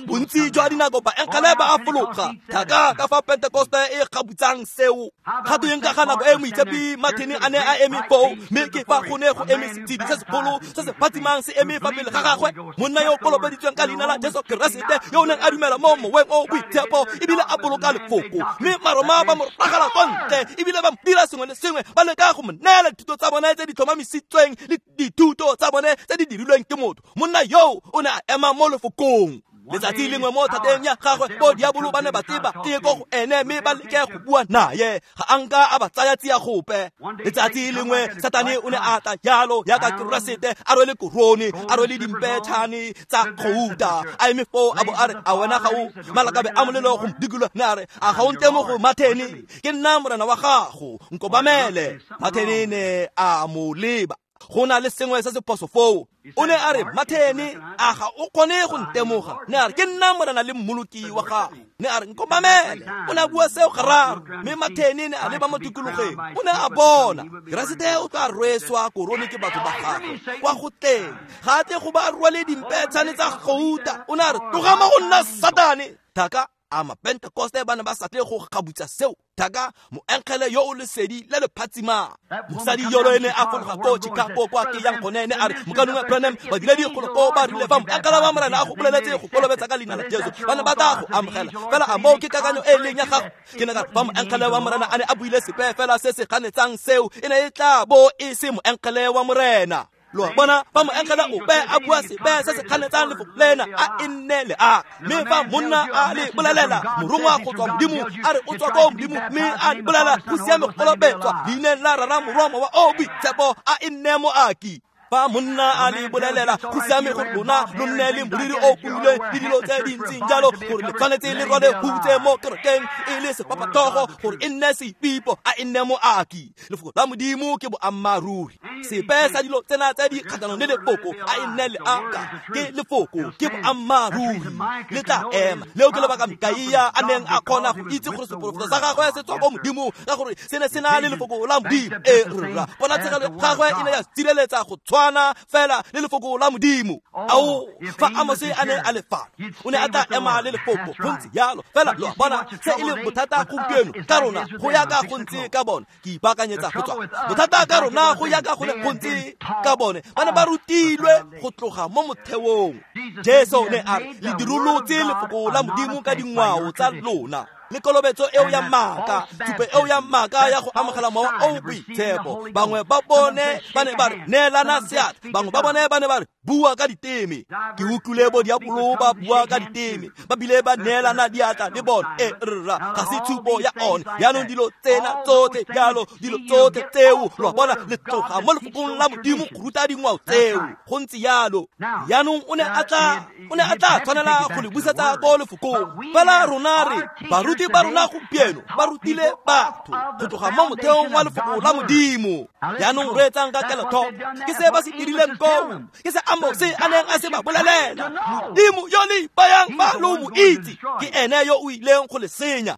bontsi jwa dinako baenkgele ba a fologa thaka ka fa Pentekoste e gabutsang seo ga tweng ka ga nako e moitshepi Martin a ne a eme foo mme ke fa go ne go eme setshedi se segolo se se phatsimang se eme fa pele ga gagwe monna yo kolobeditsweng ka leina la Jesu Keresete yo o neng a dumela mo moweng o boitshepo ebile a boloka lefoko mme Maroma ba mo ragela kwa ntle ebile ba mo dira sengwe le sengwe ba leka go mo neela dithuto tsa bone tse di tlhomamisitsweng le dithuto tsa bone tse di dirilweng ke motho monna yoo o ne a ema mo lefokong letsatsi lengwe mo thateng ya gagwe bo diabolo ba ne ba tseba teko go ene mme ba leke go bua naye ga a nka a ba tsaya tsia gope letsatsi lengwe Satane o ne a tla jalo jaaka Keresete a rwele korone a rwele dimpetšhane tsa gouta a eme foo a bo a re a wena ga o malakabe a molelo go modikolo ne a re a ga o ntemo go Mathene ke nna morena wa gago nkobamele Mathene ne a mo leba go na le sengwe se se phoso foo o ne a re Mathene a ga o kgone go ntemoga ne a re ke nna morena le mmoloki wa gago ne a re nkobamele o ne a bua seo gararo mme Mathene ne a leba mo tikologeng o ne a bona Keresete o tla rweswa korone ke batho ba gagwe kwa go teng ga a tle go ba rwale dimpetshane tsa gouta o ne a re tloga mo go nna Satane thaka A Mapentekoste ba ne ba sa tle go gabutsa seo thaka moengele yo o lesedi le le phatsimang. Mosadi yolo ene a fologa ko Chicago kwa ke yang gone ene a re mokalongwe Branham badiredi golo ko ba rile fa moengele wa Morena a go boleletse go kolobetsa ka leina la Jesu ba ne ba tla go amogela fela a moo ke kakanyo e leng ya gago. Ke ne ka fa moengele wa Morena a ne a buile sepe fela se se ganetsang seo e ne e tla bo e se moengele wa Morena. Lo bona fa moengele ope a bua sepe se se ganetsang lefoko lena a e nne le a mme fa monna a le bolelela morongwa go tswa Modimo a re o tswa ko Modimo mme a le bolela go siame go kolobetswa leineng la Rara Morwa Mowa o Boitshepo a e nne moaki. Fa monna a le bolelela go siame gore lona lo nne le moriri o puleng le dilo tse di ntseng jalo gore le tshwanetse le rwale hutse mo kerekeng e le sepapatlhogo gore e nne seipipo a e nne moaki. Lefoko la Modimo ke boammaaruri. Sepe sa dilo tsena tse di kgatlhanong le lefoko a e nne leaka ke lefoko ke boammaaruri le tla ema. Leo ke lebaka Mikaia a neng a kgona go itse gore seporofeto sa gagwe se tswa ko Modimo ka gore se ne se na le lefoko la Modimo. E rra ponatshegelo ya gagwe e ne ya sireletsa go fela le lefoko la Modimo. Ao fa Amose a ne a le fa o ne a tla ema le lefoko go ntse jalo fela. Lo bona se e leng bothata gompieno ka rona go ya ka go ntse ka bone. Ke ipaakanyetsa go tswa bothata ka rona go ya ka go ntse ka bone. Ba ne ba rutilwe go tloga mo motheong. Jesu ne a re le dirolotse lefoko la Modimo ka dingwao tsa lona le kolobetso eo ya maaka, thupe eo ya maaka ya go amogela Mowa o Boitshepo. Bangwe ba bone ba ne ba re neelana seatla, bangwe ba bone ba ne ba re bua ka diteme. Ke utlwile bo diabolo ba bua ka diteme, ba bile ba neelana diatla le bone. E rra ga se tshupo ya one. Jaanong dilo tsena tsotlhe jalo dilo tsotlhe tseo lo bona le tloga mo lefokong la Modimo go ruta dingwao tseo go ntse jalo. Jaanong o ne a tla tshwanela go le busetsa ko lefokong. Fela rona re baruti ba rona gompieno ba rutile batho go tloga mo motheong wa lefoko la Modimo. Jaanong reetsang ka kelotlhoko ke se ba se dirileng koo, ke se Amose a neng a se ba bolelela. Modimo yo le ipayang fa lo mo itse ke ene yo o ileng go le senya.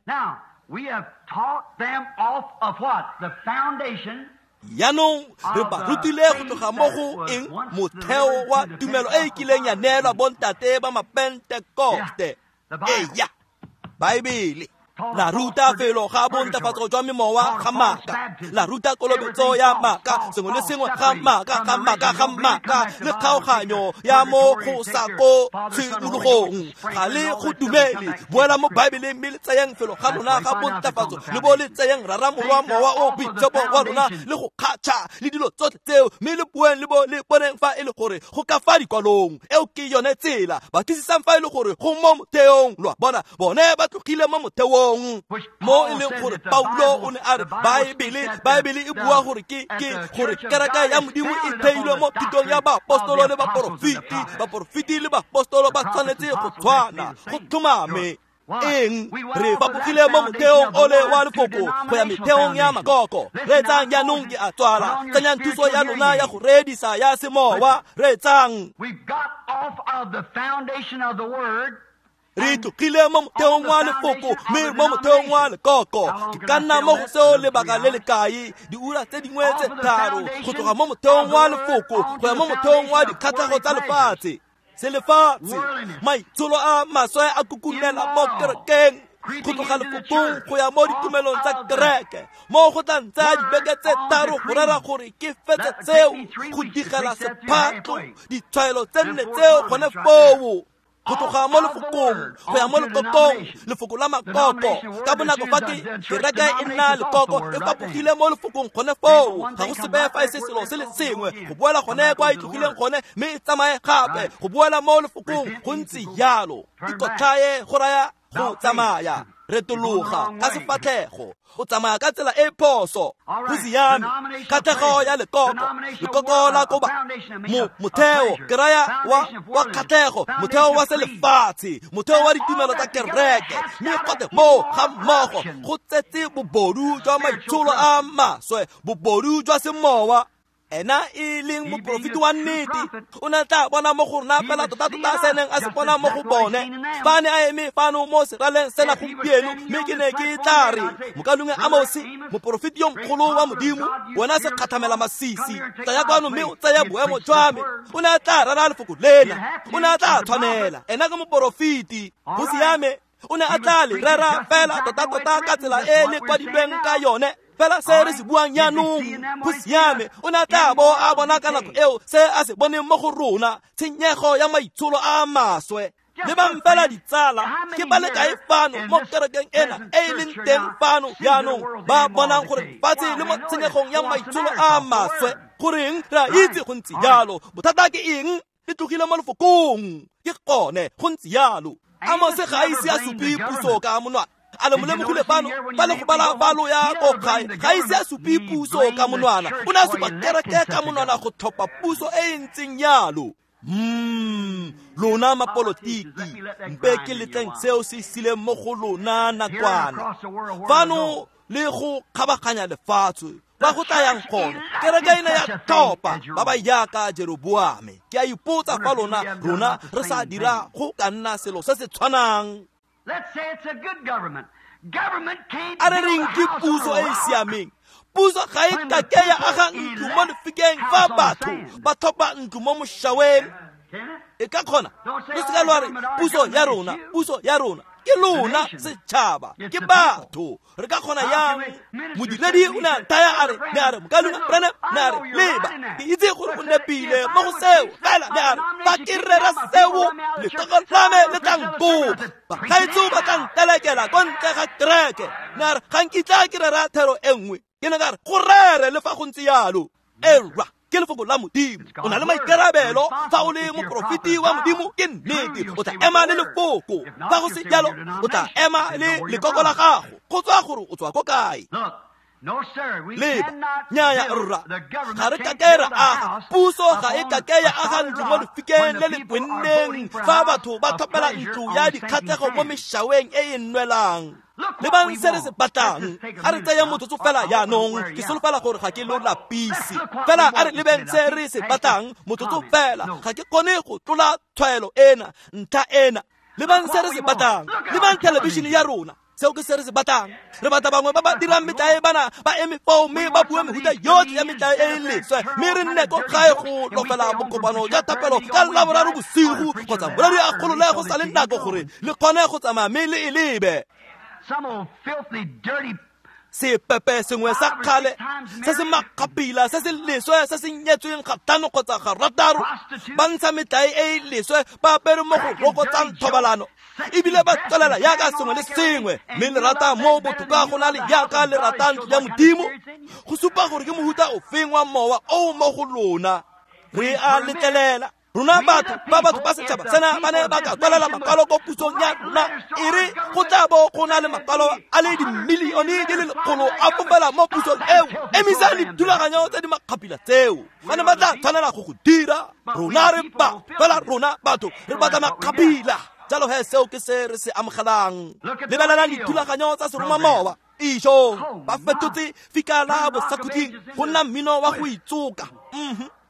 Jaanong re ba rutile go tloga mo go eng motheo wa tumelo e e kileng ya neelwa bontate ba Mapentekoste. Eya Baebele la ruta felo ga bontafatso jwa memowa ga maaka, la ruta kolobetso ya maaka, sengwe le sengwe ga maaka ga maaka ga maaka le kgaoganyo ya mo go sa ko tshimologong. Ga le go dumele. Boela mo Baebeleng mme le tseyeng felo ga lona ga bontafatso le bo le tseyeng Rara Morwa Mowa o Boitshepo wa lona le go kgatšha le dilo tsotlhe tseo mme le bueng le bo le boneng fa e le gore go ka fa dikwalong. Eo ke yone tsela. Batlisisang fa e le gore go mo motheong. Lo a bona bone ba tlogile mo motheong mo e leng gore Paulo o ne a re Baebele e bua gore ke gore kereke ya Modimo e theilwe mo thutong ya baapostolo le baporofeti. Baporofeti le baapostolo ba tshwanetse go tshwana go tlhomame. Eng re fapogile mo motheong ole wa lefoko go ya metheong ya makoko. Reetsang jaanong ke a tswala. Tsenyang thuso ya lona ya go reedisa ya semowa. Reetsang. Re tlogile mo motheong wa lefoko mme mo motheong wa lekoko. Ke ka nna mo go seo lebaka le le kae diura tse dingwe tse tharo go tloga mo motheong wa lefoko go ya mo motheong wa dikgatlhego tsa lefatshe. Selefatshe maitsholo a maswe a kukunela mo kerekeng go tloga lefokong go ya mo ditumelong tsa kereke mo go tla ntsaya dibeke tse tharo go rera gore ke fetse tseo go digela sephatlo ditshwaelo tse nne tseo gone foo. Go tloga mo lefokong go ya mo lekokong, lefoko la makoko. Ka bonako fa ke kereke e nna lekoko e fapogile mo lefokong gone foo. Ga go sepe fa e se selo se le sengwe go boela gone kwa e tlogileng gone mme e tsamaye gape go boela mo lefokong go ntse jalo. Ikotlhaye go raya go tsamaya. Retologa ka sefatlhego o tsamaya ka tsela e phoso. Go siame. Kgatlhego ya lekoko, lekoko la koba motheo ke raya wa kgatlhego, motheo wa selefatshe, motheo wa ditumelo tsa kereke mme gote moo ga mmogo go tsetse bobodu jwa maitsholo a maswe, bobodu jwa semowa. Ena e leng moporofeti wa nnete o ne tla bona mo go rona fela tota-tota se neng a se bona mo go bone. Fa ne a eme fano mo seraleng sena gompieno mme ke ne ke tla re mokalongwe Amose moporofeti yo mogolo wa Modimo wena se kgathamela masisi tsaya kwano mme o tseye boemo jwa me. O ne a tla rera lefoko lena, o ne a tla tshwanela. Ena ke moporofeti. Go siame. O ne a tla le rera fela tota-tota ka tsela e le kwadilweng ka yone, fela se re se buang jaanong. Go siame, o ne a tla bo a bona ka nako eo se a se boneng mo go rona, tshenyego ya maitsholo a maswe. Lebang fela ditsala, ke ba le kae fano mo kerekeng ena e e leng teng fano jaanong ba bonang gore lefatshe le mo tshenyegong ya maitsholo a maswe. Goreng re a itse go ntse jalo? Bothata ke eng? Le tlogile mo lefokong. Ke gone go ntse jalo. Amose ga a ise a supe puso ka monwana. A le mo lemogile fano fa le go bala palo ya ko gae, ga ise a supe puso ka monwana. O ne a supa kereke ka monwana go tlhopha puso e e ntseng jalo. Lona mapolotiki, mpe ke letleng seo se sileng mo go lona nakwana. Fano le go kgabaganya lefatshe ba go tlayang gone, kereke ena ya tlhopha ba ba jaaka Jeroboame. Ke a ipotsa fa lona rona re sa dira go ka nna selo se se tshwanang. A re reng ke puso e e siameng. Puso ga e kake ya aga ntlo mo lefikeng fa batho ba tlhopha ntlo mo mošaweng. E ka kgona? Lo seka lwa re puso ya rona, puso ya rona. Ke lona setšhaba, ke batho. Re ka kgona yang? Modiredi o ne a nthaya a re, ne a re, Mokaulengwe Branham, ne a re, leba, ke itse gore o nepile mo go seo, fela ne a re, fa ke rera seo, letsogo la me le tla nkopa, bagaetsho ba tla ntelekela ko ntle ga kereke. Ne a re, ga nkitla ke rera thero e nngwe. Ke ne ka re, go rere le fa go ntse jalo. Erra, ke lefoko la Modimo. O na le maikarabelo fa o le moprofeti wa Modimo, ke nnete. O tla ema le lefoko. Fa go se jalo, o tla ema le lekoko la gago. Go tswa gore o tswa ko kae. Leba, nnyaya rra, ga re kake ra aga. Puso ga e kake ya aga ntlo mo lefikeng le le kwenneng fa batho ba tlhopela ntlo ya dikgatlhego mo mešaweng e e nwelang. Lebang se re se batlang. A re tseye motsotso fela jaanong, ke solofela gore ga ke lo lapise. Fela a re lebeng se re se batlang motsotso fela, ga ke kgone go tlola tshwaelo ena, ntlha ena. Lebang se re se batlang. Lebang thelebišene ya rona. Seo ke se re se batlang. Re batla bangwe ba ba dirang metlae bana ba eme foo mme ba bue mehuta yotlhe ya metlae e e leswe, mme re nne ko gae go lofela bokopano jwa thapelo ka Laboraro bosigo kgotsa moreri a golole go sa le nako gore le kgone go tsamaya mme le e lebe. Sepepe sengwe sa kgale se se makgapila se se leswe se se nyetsweng ga tlhano kgotsa ga rataro, ba ntsha metlae e e leswe, ba apere mo go rokotsang thobalano, ebile ba tswelela jaaka sengwe le sengwe. Mme le rata mo botoka go na le jaaka le rata ntlo ya Modimo. Go supa gore ke mohuta ofeng wa mowa o mo go lona. Re a letlelela rona batho ba batho ba setšhaba sena ba ne ba ka tswelela makwalo ko pusong ya rona, e re go tla bo go na le makwalo a le dimilione di le lekgolo a fofela mo pusong eo. Emisa dithulaganyo tse di makgapila tseo, ba ne ba tla tshwanela go go dira. Rona re ba fela rona batho re batla makgapila. Jalo he seo ke se re se amogelang. Lebelelang dithulaganyo tsa seromamowa. Ijo, ba fetotse fika la bosakhutleng go nna mmino wa go itsoka.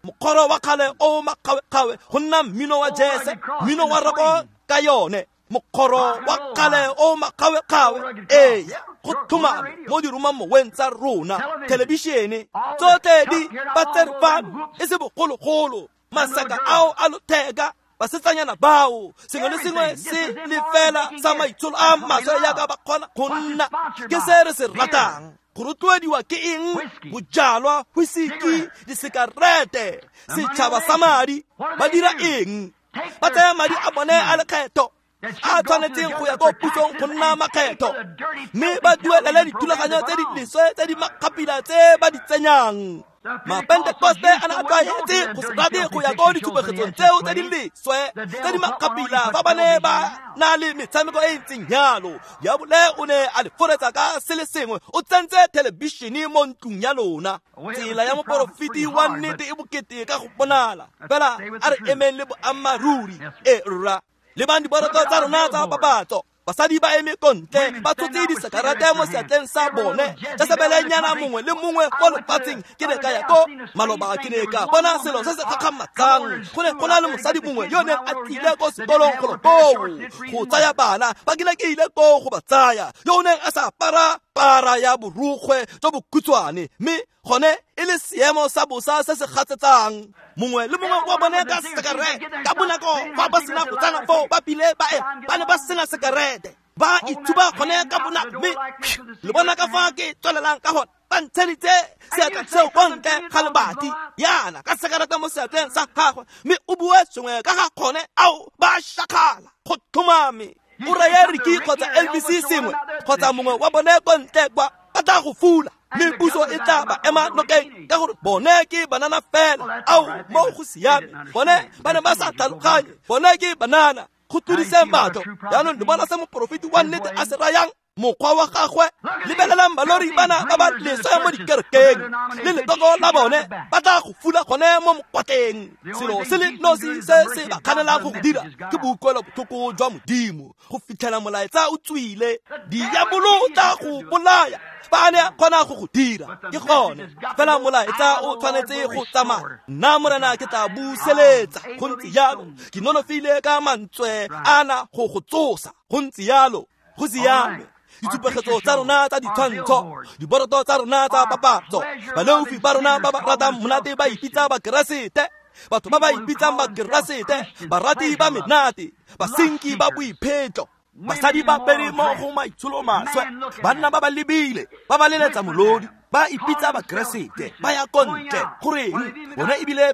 Mokgoro wa kgale o makgawe-kgawe go nna mmino wa jese, mmino wa roko ka yone. Mokgoro wa kgale o makgawe-kgawe, ee, go tlhomame mo diromamoweng tsa rona, thelebišene tsotlhe di ba tsere fano e se bogologolo. Masaka ao a lotheka, basetsanyana bao, sengwe le sengwe se le fela sa maitsholo a maswe jaaka ba kgona go nna. Ke se re se ratang. Go rotloediwa ke eng? Bojalwa, whisky, disekarete, setšhaba sa madi. Ba dira eng? Ba tsaya madi a bone a lekgetho a tshwanetseng go ya ko pusong go nna makgetho, mme ba duelele dithulaganyo tse di leswe tse di makgapila tse ba di tsenyang. Mapentekoste a ne a tlwaetse go se rate go ya ko ditshupegetsong tseo tse di leswe tse di makgapila fa ba ne ba na le metshameko e e ntseng jalo. Diabole o ne a le foretsa ka se le sengwe, o tsentse thelebišene mo ntlong ya lona. Tsela ya moporofeti wa nnete e bokete ka go bonala, fela a re emeng le boammaaruri. E rra, lebang diboroto tsa rona tsa papatso. Basadi ba eme ko ntle ba tshotse disekarete mo seatleng sa bone. Jesebelenyana mongwe le mongwe mo lefatsheng. Ke ne ka ya ko maloba, ke ne ka bona selo se se gakgamatsang. Go ne go na le mosadi mongwe yo neng a tlile ko sekolong golo koo go tsaya bana ba ke ne ke ile koo go ba tsaya, yo o neng a sa apara para ya borukgwe jo bokhutshwane, mme gone e le seemo sa bosa se se gatsetsang. Mongwe le mongwe wa bone ka sekarete. Ka bonako fa ba sena go tsena foo ba bile ba e ba ne ba sena sekarete. Ba ithuba gone ka bonako, mme le bona ka fa ke tswelelang ka gone. Ba ntsheditse seatla seo ko ntle ga lebati yana ka sekarata mo seatleng sa gagwe, mme o bue sengwe ka ga kgone ao ba shakgala go tlhomame. O reye Ricky kgotsa LBC sengwe kgotsa mongwe wa bone ko ntle kwa, ba tla go fula, mme puso e tla ba ema nokeng ka gore bone ke banana fela. Ao mo go siame, bone ba ne ba sa tlhaloganye, bone ke banana. Go tlodiseng batho jaanong le bona se moporofeti wa nnete a se rayang mokgwa wa gagwe. Lebelelang balori bana ba ba leswe mo dikerekeng le letoko la bone, ba tla go fula gone mo mokwatleng. Selo se le nosi se se ba kganelang go go dira ke boikuelo botlhoko jwa Modimo go fitlhela molaetsa o tswile. Diabolo o tla go bolaya fa a ne a kgona go go dira, ke gone fela molaetsa o tshwanetse go tsamaya. Nna Morena ke tla buseletsa, go ntse jalo. Ke nonofile ka mantswe ana go go tsosa, go ntse jalo. Go siame. Ditshupegetso tsa rona tsa ditshwantsho, diboroto tsa rona tsa papatso, baleofi ba rona ba ba ratang monate ba ipitsa Bakeresete, batho ba ba ipitsang Bakeresete, barati ba menate, basenki ba boiphetlo, basadi ba pere mo go maitsholo maswe, banna ba ba lebile, ba ba leletsa molodi, ba ipitsa Bakeresete, ba ya ko ntle. Goreng? Bona ebile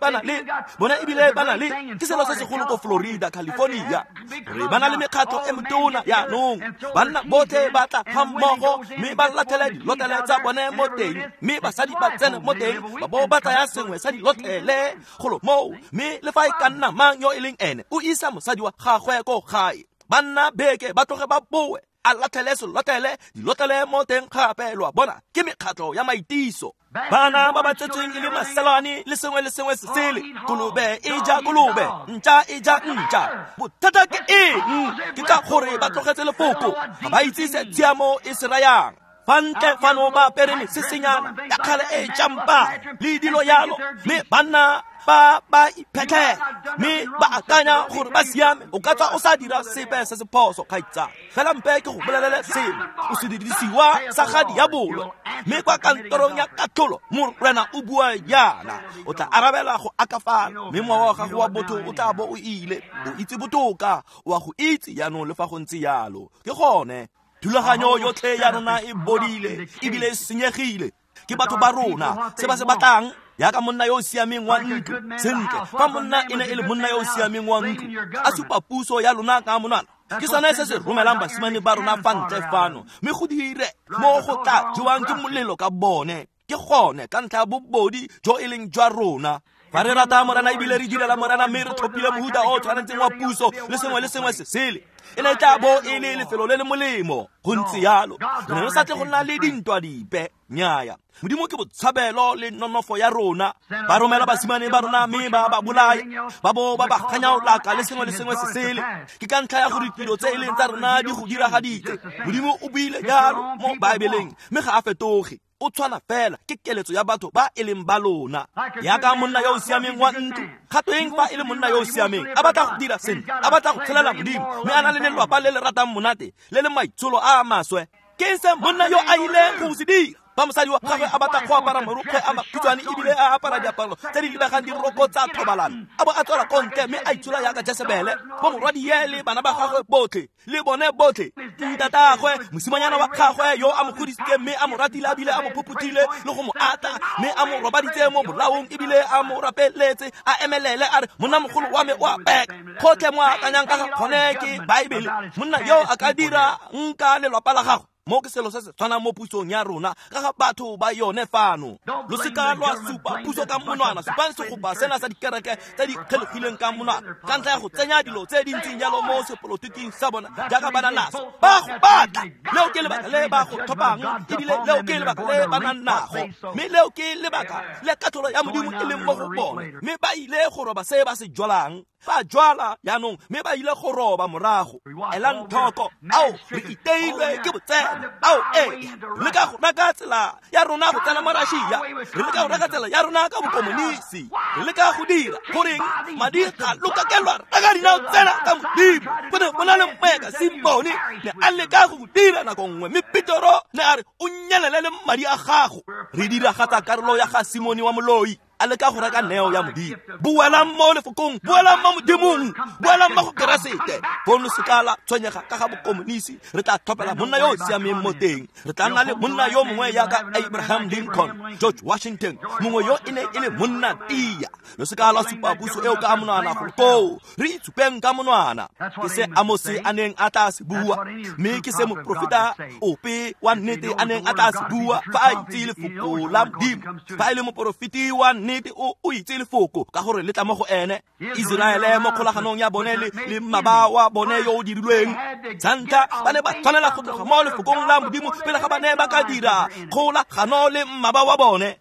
ba na le ke selo se segolo ko Florida, California, gore ba na le mekgatlho e metona yaanong. Banna botlhe ba tla ga mmogo mme ba latlhele dilotlele tsa bone mo teng, mme basadi ba tsene mo teng ba bo ba tsaya sengwe sa dilotlele golo moo, mme le fa e ka nna mang yo e leng ene o isa mosadi wa gagwe ko gae. Banna beke ba tloge ba boe, a latlhele selotlele, dilotlele mo teng gape. Lo a bona, ke mekgatlho ya maitiso. Bana ba ba tsetsweng e le maselane le sengwe le sengwe se sele, kolobe e ja kolobe, ntša e ja ntša. Bothata ke eng? Ke ka gore ba tlogetse lefoko, ga ba itse se tshiamo e se rayang. Fa ntle fano ba apere mesesenyana ya kgale e jampang le dilo yalo, mme banna ba ba iphetlhela mme ba akanya gore ba siame. O ka tswa o sa dira sepe se se phoso, kgaitsana, fela mpe ke go bolelele sengwe, o se dirisiwa sa ga diabolo. Mme kwa kantorong ya katlholo Morena o bua yana, o tla arabela go akafala, mme mowa wa gago wa botho o tla bo o ile. O itse botoka, o a go itse jaanong le fa go ntse jalo. Ke gone thulaganyo yotlhe ya rona e bodile ebile e senyegile. Ke batho ba rona se ba se batlang, yaka monna yo o siameng wa ntlo. Sentle, fa monna e ne e le monna yo o siameng wa ntlo, a supa puso ya lona ka monwana, ke sone se se romelang basimane ba rona fa ntle fano, mme go dire mo go tla jewang ke molelo ka bone. Ke gone ka ntlha ya bobodi jo e leng jwa rona. Fa re rata Morena ebile re direla Morena, mme re tlhophile mohuta o tshwanetseng wa puso le sengwe le sengwe se sele, e ne tla bo e le lefelo le le molemo. Go ntse jalo, re ne re sa tle go nna le dintwa dipe. Nnyaya, Modimo ke botshabelo le nonofo ya rona. Ba romela basimane ba rona mme ba ba bolaya, ba bo ba ba kganyaolaka le sengwe le sengwe se sele. Ke ka ntlha ya gore ditiro tse e leng tsa rona di go diragaditse. Modimo o buile jalo mo Baebeleng, mme ga a fetoge. O tshwana fela, ke keletso ya batho ba e leng ba lona. Yaka monna yo o siameng wa ntlo, gatweng fa e le monna yo o siameng, a batla go dira sentle, a batla go tshelela Modimo, mme a na le lelwapa le le ratang monate le le maitsholo a a maswe. Ke eng se monna yo a ileng go se dira? Fa mosadi wa gagwe a batla go apara marokgwe a makhutshwane ebile a apara diaparo tse di lebegang diroko tsa thobalano, a bo a tswela ko ntle mme a itshola yaka Jesebele, bo morwadie le bana ba gagwe botlhe le bone botlhe, ntatagwe, mosimanyana wa gagwe yo a mo godisitseng mme a mo ratile a bile a mo phophothile le go mo ata, mme a mo robaditse mo bolaong ebile a mo rapeletse, a emelele a re, monna mogolo wa me o a peka. Gotlhe mo akanyang ka ga gone ke Baebele. Monna yo a ka dira nka lelwapa la gagwe. Mo ke selo se se tshwanang mo pusong ya rona ka ga batho ba yone fano. Lo seka lwa supa puso ka monwana, supang segopa sena sa dikereke tse di kgelogileng ka monwana ka ntlha ya go tsenya dilo tse di ntseng jalo mo sepolotiking sa bona jaaka ba na naso. Ba go batla, leo ke lebaka le ba go tlhophang, ebile leo ke lebaka le ba nang nago, mme leo ke lebaka le katlholo ya Modimo e leng mo go bone. Mme ba ile go roba se ba se jwalang. Ba jwala jaanong, mme ba ile go roba morago. Elang tlhoko, ao re iteilwe ke botseno. Ao ee, re leka go reka tsela ya rona go tsena mo Russia, re leka go reka tsela ya rona ka bokomonisi, re leka go dira goreng madi ga lokakelwa reka dinao tsena ka Modimo. Go ne go na le moeka Simone ne a leka go dira nako nngwe, mme Petero ne a re o nyelele le madi a gago. Re diragatsa karolo ya ga Simone wa moloi. a leka go reka neo ya Modimo. Boelang mo lefokong, boelang mo Modimong, boelang mo go Keresete. Fong lo seka la tshwenyega ka ga bokomonisi, re tla tlhophela monna yo o siameng mo teng. Re tla nna le monna yo mongwe jaaka Abraham Lincoln, George Washington, mongwe yo e ne e le monna tia. Lo seka la supa puso eo ka monwana go koo, re itshupeng ka monwana. Ke se Amose a neng a tla se bua, mme ke se moprofeta ope wa nnete a neng a tla se bua fa a itse lefoko la Modimo. Fa e le moporofeti wa nnete o itse lefoko ka gore le tla mo go ene. Iseraele mo kgolaganong ya bone le mmaba wa bone yo o dirilweng, santlha ba ne ba tshwanela go tloga mo lefokong la Modimo pele ga ba ne ba ka dira kgolagano le mmaba wa bone.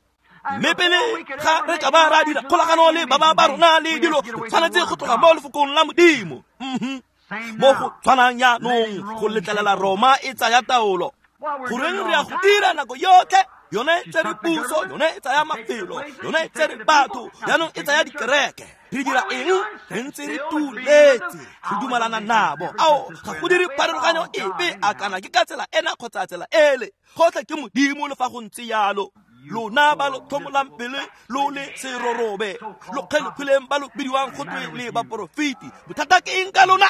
Mme pele ga re ka ba ra dira kgolagano le baba ba rona le dilo, re tshwanetse go tloga mo lefokong la Modimo. Mo go tshwanang jaanong go letlelela Roma e tsaya taolo. Goreng re ya go dira nako yotlhe? Yone e tsere puso, yone e tsaya mafelo, yone e tsere batho, jaanong e tsaya dikereke. Re dira eng? Re ntse re tuletse, re dumalana nabo. Ao, ga go dire pharologanyo epe a kana ke ka tsela ena kgotsa tsela ele. Gotlhe ke Modimo le fa go ntse jalo. Lona ba lo tlhomolang pele lo le serorobe, lo kgelogileng ba lo bidiwang go twe le baporofeti. Bothata ke eng ka lona?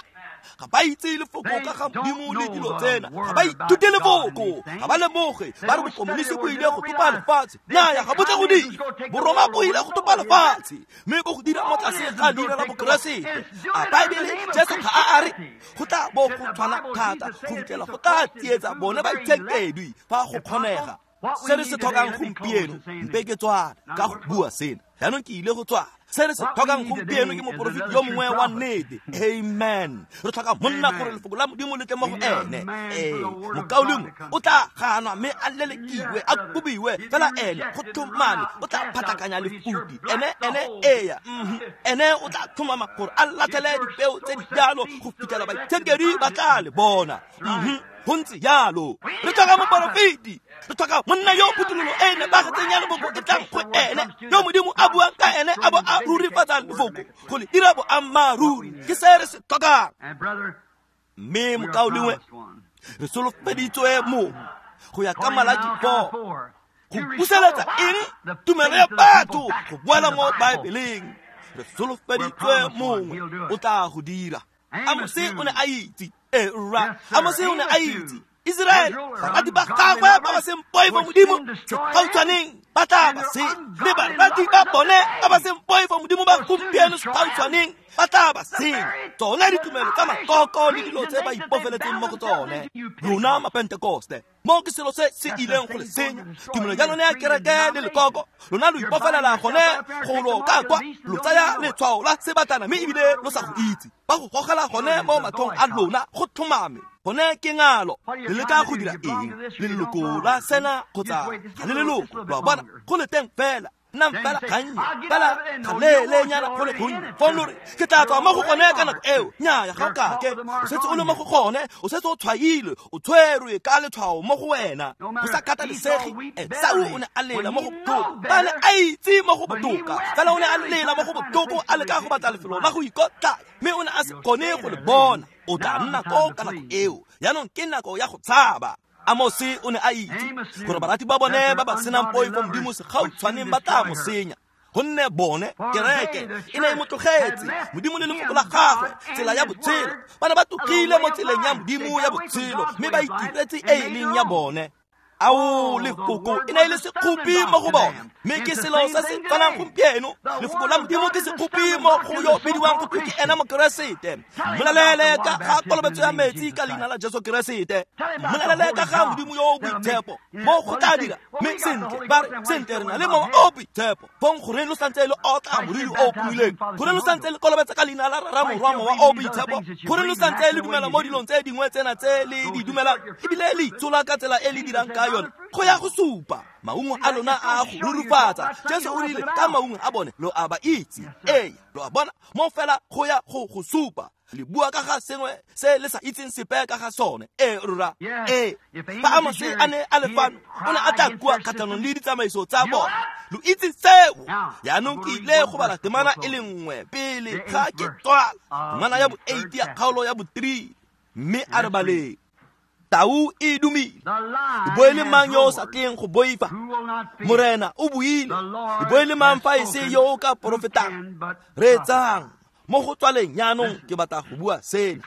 Ga ba itse lefoko ka ga Modimo le dilo tsena, ga ba ithute lefoko, ga ba lemoge. Ba re bokomonisi bo ile go topa lefatshe. Naya, ga bo tle go dira. Boroma bo ile go topa lefatshe, mme bo go dira mo tlase ga leina la Bokeresete. A Baebele Jesu ga a re go tla bo go tshwana thata go fitlhela go tla tsietsa bone ba itshekedwi fa go kgonega. Se re se tlhokang gompieno, mpe ke tswala ka go bua sena. Jaanong ke ile go tswala. Se re se tlhokang gompieno ke moporofeti yo mongwe wa nnete. Amen. Re tlhoka monna gore lefoko la Modimo le tle mo go ene. Ee, mokaulengwe o tla ganwa mme a lelekiwe, a kobiwe, fela ene go tlhomame o tla phatlakanya lefudi. Ene eya, ene o tla tlhomama gore a latlhele dipeo tse di jalo go fitlhela baitshenkedi ba tla le bona. Go ntse jalo. Re tlhoka moporofeti, re tlhoka monna yo phuthololo e nepagetseng ya lefoko e tlang go ene, yo Modimo a buang ka ene a bo a rurifatsa lefoko go le dira boammaaruri. Ke se re se tlhokang. Mme mokaulengwe, re solofeditswe mongwe go ya ka Malaki 4 go buseletsa eng? Tumelo ya batho go boela mo Baebeleng. Re solofeditswe mongwe o tla go dira. Amose o ne a itse. Amose o ne a itse. Israel, barati ba gagwe ba ba seng poifo Modimo segautshwaneng ba tla ba senya, le barati ba bone ba ba seng poifo Modimo ba gompieno segautshwaneng ba tla ba senya. Tsone ditumelo tsa makoko le dilo tse ba ipofeletseng mo go tsone. Lona Mapentekoste, mo ke selo se se ileng go le senya. Tumelo ya lone ya kereke le lekoko, lona lo ipofelela gone go lo ka kwa, lo tsaya letshwao la sebatana mme ebile lo sa go itse. Ba go gogela gone mo matlhong a lona go tlhomame. Gone ke ngalo. Le leka go dira eng? Le leloko la sena kgotsa ga le leloko? Lo a bona, go le teng fela. Nnang fela gannye, fela galeelenyana go le gonnye. Fong lo re, ke tla tswa mo go gone ka nako eo. Nnyaya, ga o kake. O setse o le mo go gone, o setse o tshwailwe, o tshwerwe ka letshwao mo go wena. Go sa kgathalesege, Esau o ne a lela mo go botlhoko. Ba ne a itse mo go botoka, fela o ne a lela mo go botlhoko a leka go batla lefelo la go ikotlaya, mme o ne a se kgone go le bona. O tla nna koo ka nako eo. Jaanong ke nako ya go tshaba. Amose o ne a itse gore barati ba bone ba ba senang poifo Modimo segautshwaneng ba tla mo senya. Gonne bone kereke e ne e mo tlogetse Modimo le lefoko la gagwe, tsela ya botshelo. Ba ne ba tlogile mo tseleng ya Modimo ya botshelo, mme ba itiretse e e leng ya bone. Ao, lefoko e ne e le sekgopi mo go bone, mme ke selo se se tshwanang gompieno. Lefoko la Modimo ke sekgopi mo go yo bidiwang go twe ke ena Mokeresete. Mmolalele ka ga kolobetso ya metsi ka leina la Jesu Keresete. Mmolalele ka ga Modimo yo o boitshepo mo go tla dira. Mme sentle ba re, sentle re na le mowa o boitshepo. Fong goreng lo santse le otla moriri o pomileng? Goreng lo santse le kolobetsa ka leina la Rara, Morwa, Mowa o boitshepo? Goreng lo santse le dumela mo dilong tse dingwe tsena tse le di dumelang, ebile le itshola ka tsela e le dirang ka yone? Go ya go supa maungo a lona a go rurufatsa. Jesu o rile ka maungo a bone lo a ba itse. Ee, lo a bona mo fela go ya go go supa. Le bua ka ga sengwe se le sa itseng sepe ka ga sone. Ee, rra. Ee, fa Amose a ne a le fano, o ne a tla kua kgatlhanong le ditsamaiso tsa bone. Lo itse seo. Jaanong ke ile go bala temana e le nngwe pele ga ke tswala. Temana ya bo 8 ya kgaolo ya bo 3, mme a re baleng. Tau e dumile. E bo e le mang yo o sa tleng go boifa? Morena o buile. E bo e le mang fa e se yo o ka porofetang? Reetsang mo go tswaleng jaanong ke batla go bua sena.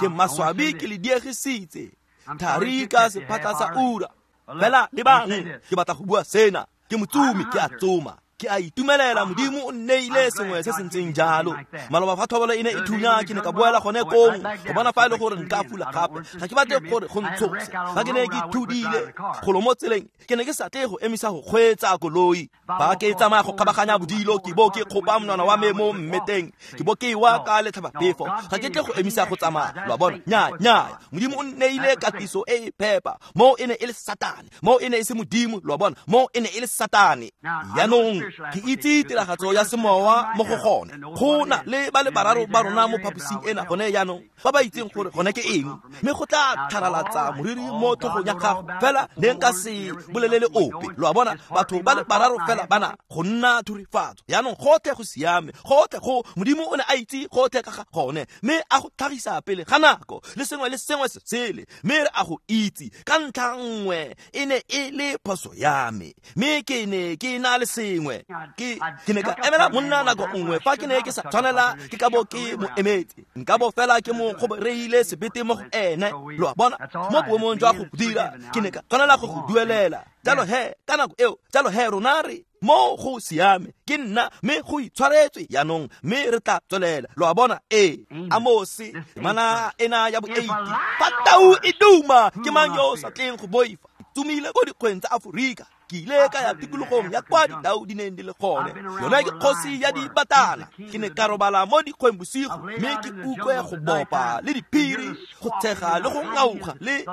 Ke maswabi ke le diegisitse thari ka sephatla sa ura. Fela lebang, ke batla go bua sena. Ke motsomi, ke a tsoma, ke a itumelela. Modimo o nneile sengwe se se ntseng jalo. Maloba fa thobolo e ne e thunya, ke ne ka boela gone kong go bona fa e le gore nka fula gape. Ga ke batle gore go ntshose. Fa ke ne ke thudile golo mo tseleng, ke ne ke sa tle go emisa go kgweetsa koloi. Fa ke tsamaya go kgabaganya bodilo, ke bo ke kgopa monwana wa me mo mmeteng, ke bo ke wa ka letlhabaphefo. Ga ke tle go emisa go tsamaya. Lo a bona? Nnyaa, nnyaa. Modimo o nneile katiso e e phepa. Mo e ne e le Satane, mo e ne e se Modimo. Lo a bona? Mo e ne e le Satane. Jaanong ke itse tiragatso ya semowa mo go gone. Go na le ba le bararo ba rona mo phaposing ena gone jaanong ba ba itseng gore gone ke eng, mme go tla tlharalatsa moriri mo tlhogong ya gago. Fela ne nka se bolelele ope. Lo a bona? Batho ba le bararo fela bana go nna thurifatso. Jaanong gotlhe go siame, gotlhe go Modimo o ne a itse gotlhe ka ga gone, mme a go tlhagisa pele ga nako le sengwe le sengwe se sele, mme re a go itse. Ka ntlha nngwe e ne e le phoso ya me, mme ke ne ke na le sengwe. Ke ne ka emela monna nako nngwe fa ke ne ke sa tshwanela ke ka bo ke mo emetse. Nka bo fela ke mo kgobereile sebete mo go ene. Lo a bona? Mo boemong jwa go dira, ke ne ka tshwanela go go duelela. Jalo he, ka nako eo, jalo he rona re mo go siame, ke nna, mme go itshwaretswe jaanong, mme re tla tswelela. Lo a bona? Ee. Amose, temana ena ya bo-8. Fa tau e duma, ke mang yo o sa tleng go boifa? Tsomile ko dikgweng tsa Aforika. Ke ile ka ya tikologong ya kwa ditau di neng di le gone. Yone ke kgosi ya dibatana. Ke ne ka robala mo dikgweng bosigo, mme ke utlwe go bopa le diphiri, go tshega le go ngauga le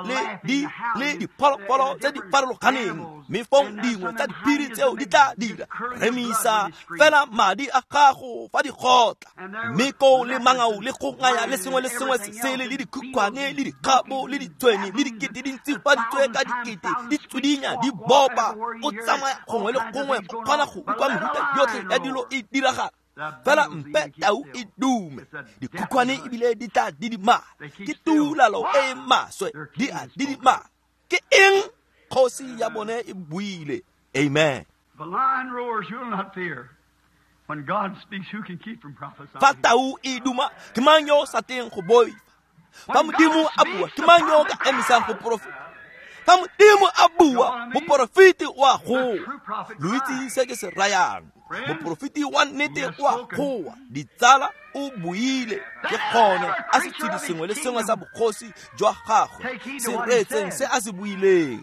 le diphologolo tse di farologaneng. Mme fong dingwe tsa diphiri tseo di tla dira remisa fela madi a gago fa di gotla. Mme koo le mangau le go ngaya le sengwe le sengwe se sele le dikhukhwane le dikgabo le ditshwene le dikete dintsi fa di tswe ka dikete di tswidinya di bopa. O tsamaya gongwe le gongwe, o kgona go utlwa mehuta yotlhe ya dilo e diragala. Fela mpe tau e dume, dikhukhwane ebile di tla didimala. Ke tuulalo e e maswe, di a didimala. Ke eng? Kgosi ya bone e buile. Amen. Fa tau e duma, ke mang yo o sa tleng go boifa? Fa Modimo a bua, ke mang yo o ka emisang go porofeta? Fa Modimo a bua, moporofeti o a goa. Lo itse se ke se rayang. Moporofeti wa nnete o a goa. Ditsala, o buile. Ke gone a setshedi sengwe le sengwe sa bogosi jwa gagwe se reetseng se a se buileng.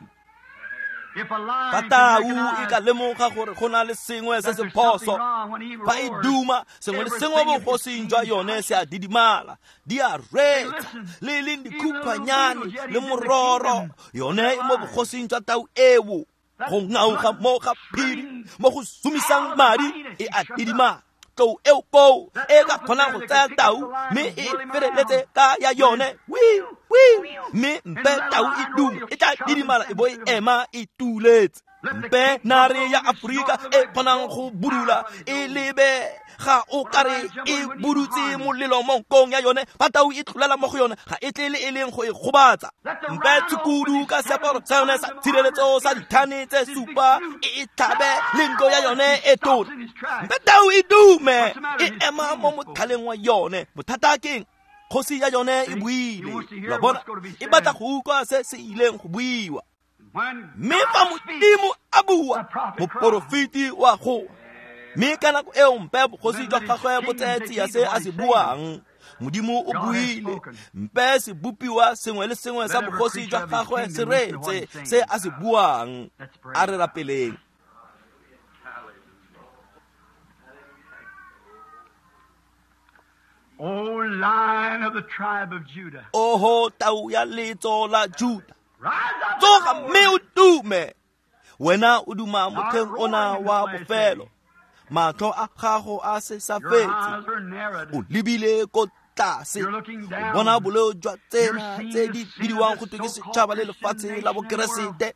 Fa tau e ka lemoga gore go na le sengwe se se phoso, fa e duma, sengwe le sengwe bogosing jwa yone se a didimala. Di a reetsa, le e leng dikhukhwanyane le mororo, yone e mo bogosing jwa tau eo. Go ngauga mo ga phiri, mo go sumisang madi, e a didimala. Tlou eo koo e ka kgonang go tsaya tau mme e feleletse ka ya yone, wi wi, mme mpe tau e dume, e tla didimala e bo e ema e tuletse. Mpe nare ya Aforika e kgonang go budula e lebe ga o kare e budutse molelo mo nkong ya yone, fa tau e tlolela mo go yone ga e tle le e leng go e gobatsa. Mpe tshukudu ka seaparo sa yone sa tshireletso sa dithane tse supa e e tlhabe le nko ya yone e tona. Mpe tau e dume e ema mo mothaleng wa yone. Bothata ke eng? Kgosi ya yone e buile. Lo a bona? E batla go utlwa se se ileng go buiwa. Mme fa Modimo a bua, moporofeti wa goa. Mme ka nako eo mpe bogosi jwa gagwe bo tseye tsia se a se buang. Modimo o buile. Mpe sebopiwa sengwe le sengwe sa bogosi jwa gagwe se reetse se a se buang. A re rapeleng. O Lion of the tribe of Judah. Oho tau ya letso la Juda, tsoga mme o dume. Wena o duma motlheng ona wa bofelo. Matlho a gago a se sa fetse. O lebile ko tlase, o bona boleo jwa tsena tse di bidiwang go twe ke setšhaba le lefatshe la bokeresete.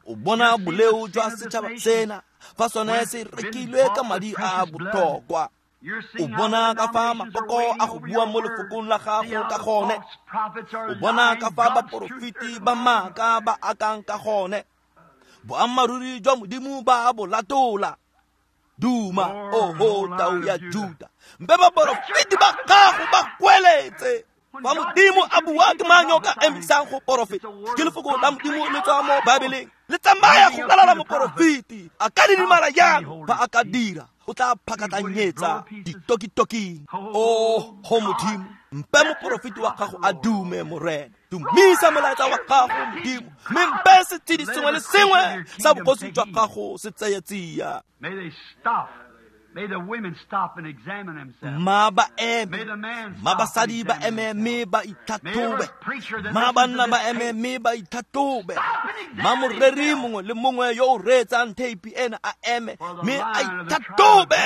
O bona boleo jwa setšhaba sena fa sone se rekilwe ka madi a botlhokwa. O bona ka fa makoko a go bua mo lefokong la gago ka gone. O bona ka fa baporofeti ba maaka ba akang ka gone. Boammaaruri jwa Modimo ba bo latola. Duma, oho tau ya Juda. Mpe baporofeti ba gago ba kweletse. Fa Modimo a bua ke mang yo ka emisang go porofeta? Ke lefoko la Modimo le tswa mo Baebeleng. Le tsamaya go lalala moporofeti. A ka didimala jang fa a ka dira? O tla phakatlanyetsa ditokitoking. Oh, ho Modimo, mpe moporofeti wa gago a dume, Morena. Dumisa molaetsa wa gago, Modimo, mme mpe setshedi sengwe le sengwe sa bogosi jwa gago se tseye tsia. Ma ba eme, ma basadi ba eme mme ba itlhatlhobe. Ma banna ba eme mme ba itlhatlhobe. Ma moreri mongwe le mongwe yo o reetsang theipi ena a eme mme a itlhatlhobe,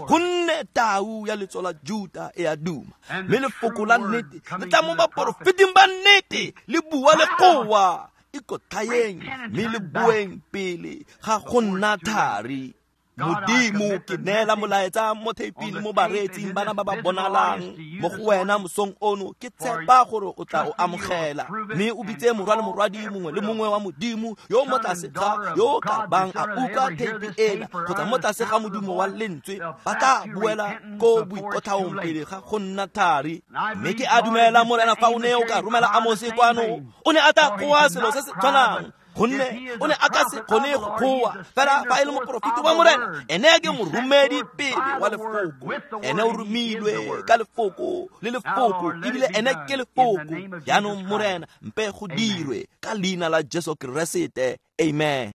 gonne tau ya letso la Juta e a duma. Mme lefoko la nnete le tla mo baporofeting ba nnete le bua le goa. Ikotlhaeng mme le boeng pele ga go nna thari. Modimo, ke neela molaetsa mo theiping mo bareetsing bana ba ba bonalang mo go wena mosong ono. Ke tshepa gore o tla o amogela, mme o bitse morwa le morwadi mongwe le mongwe wa Modimo yo mo tlase ga yo ka bang a utlwa theipi ena kgotsa mo tlase ga modumo wa lentswe, ba tla boela ko boikotlhaong pele ga go nna thari. Mme ke a dumela, Morena, fa o ne o ka romela Amose kwano, o ne a tla goa selo se se tshwanang, gonne o ne a ka se kgone go goa. Fela fa e le moporofeti wa Morena, ene ke moromedi pele wa lefoko. Ene o romilwe ka lefoko le lefoko, ebile ene ke lefoko. Jaanong, Morena, mpe go dirwe ka leina la Jesu Keresete. Amen.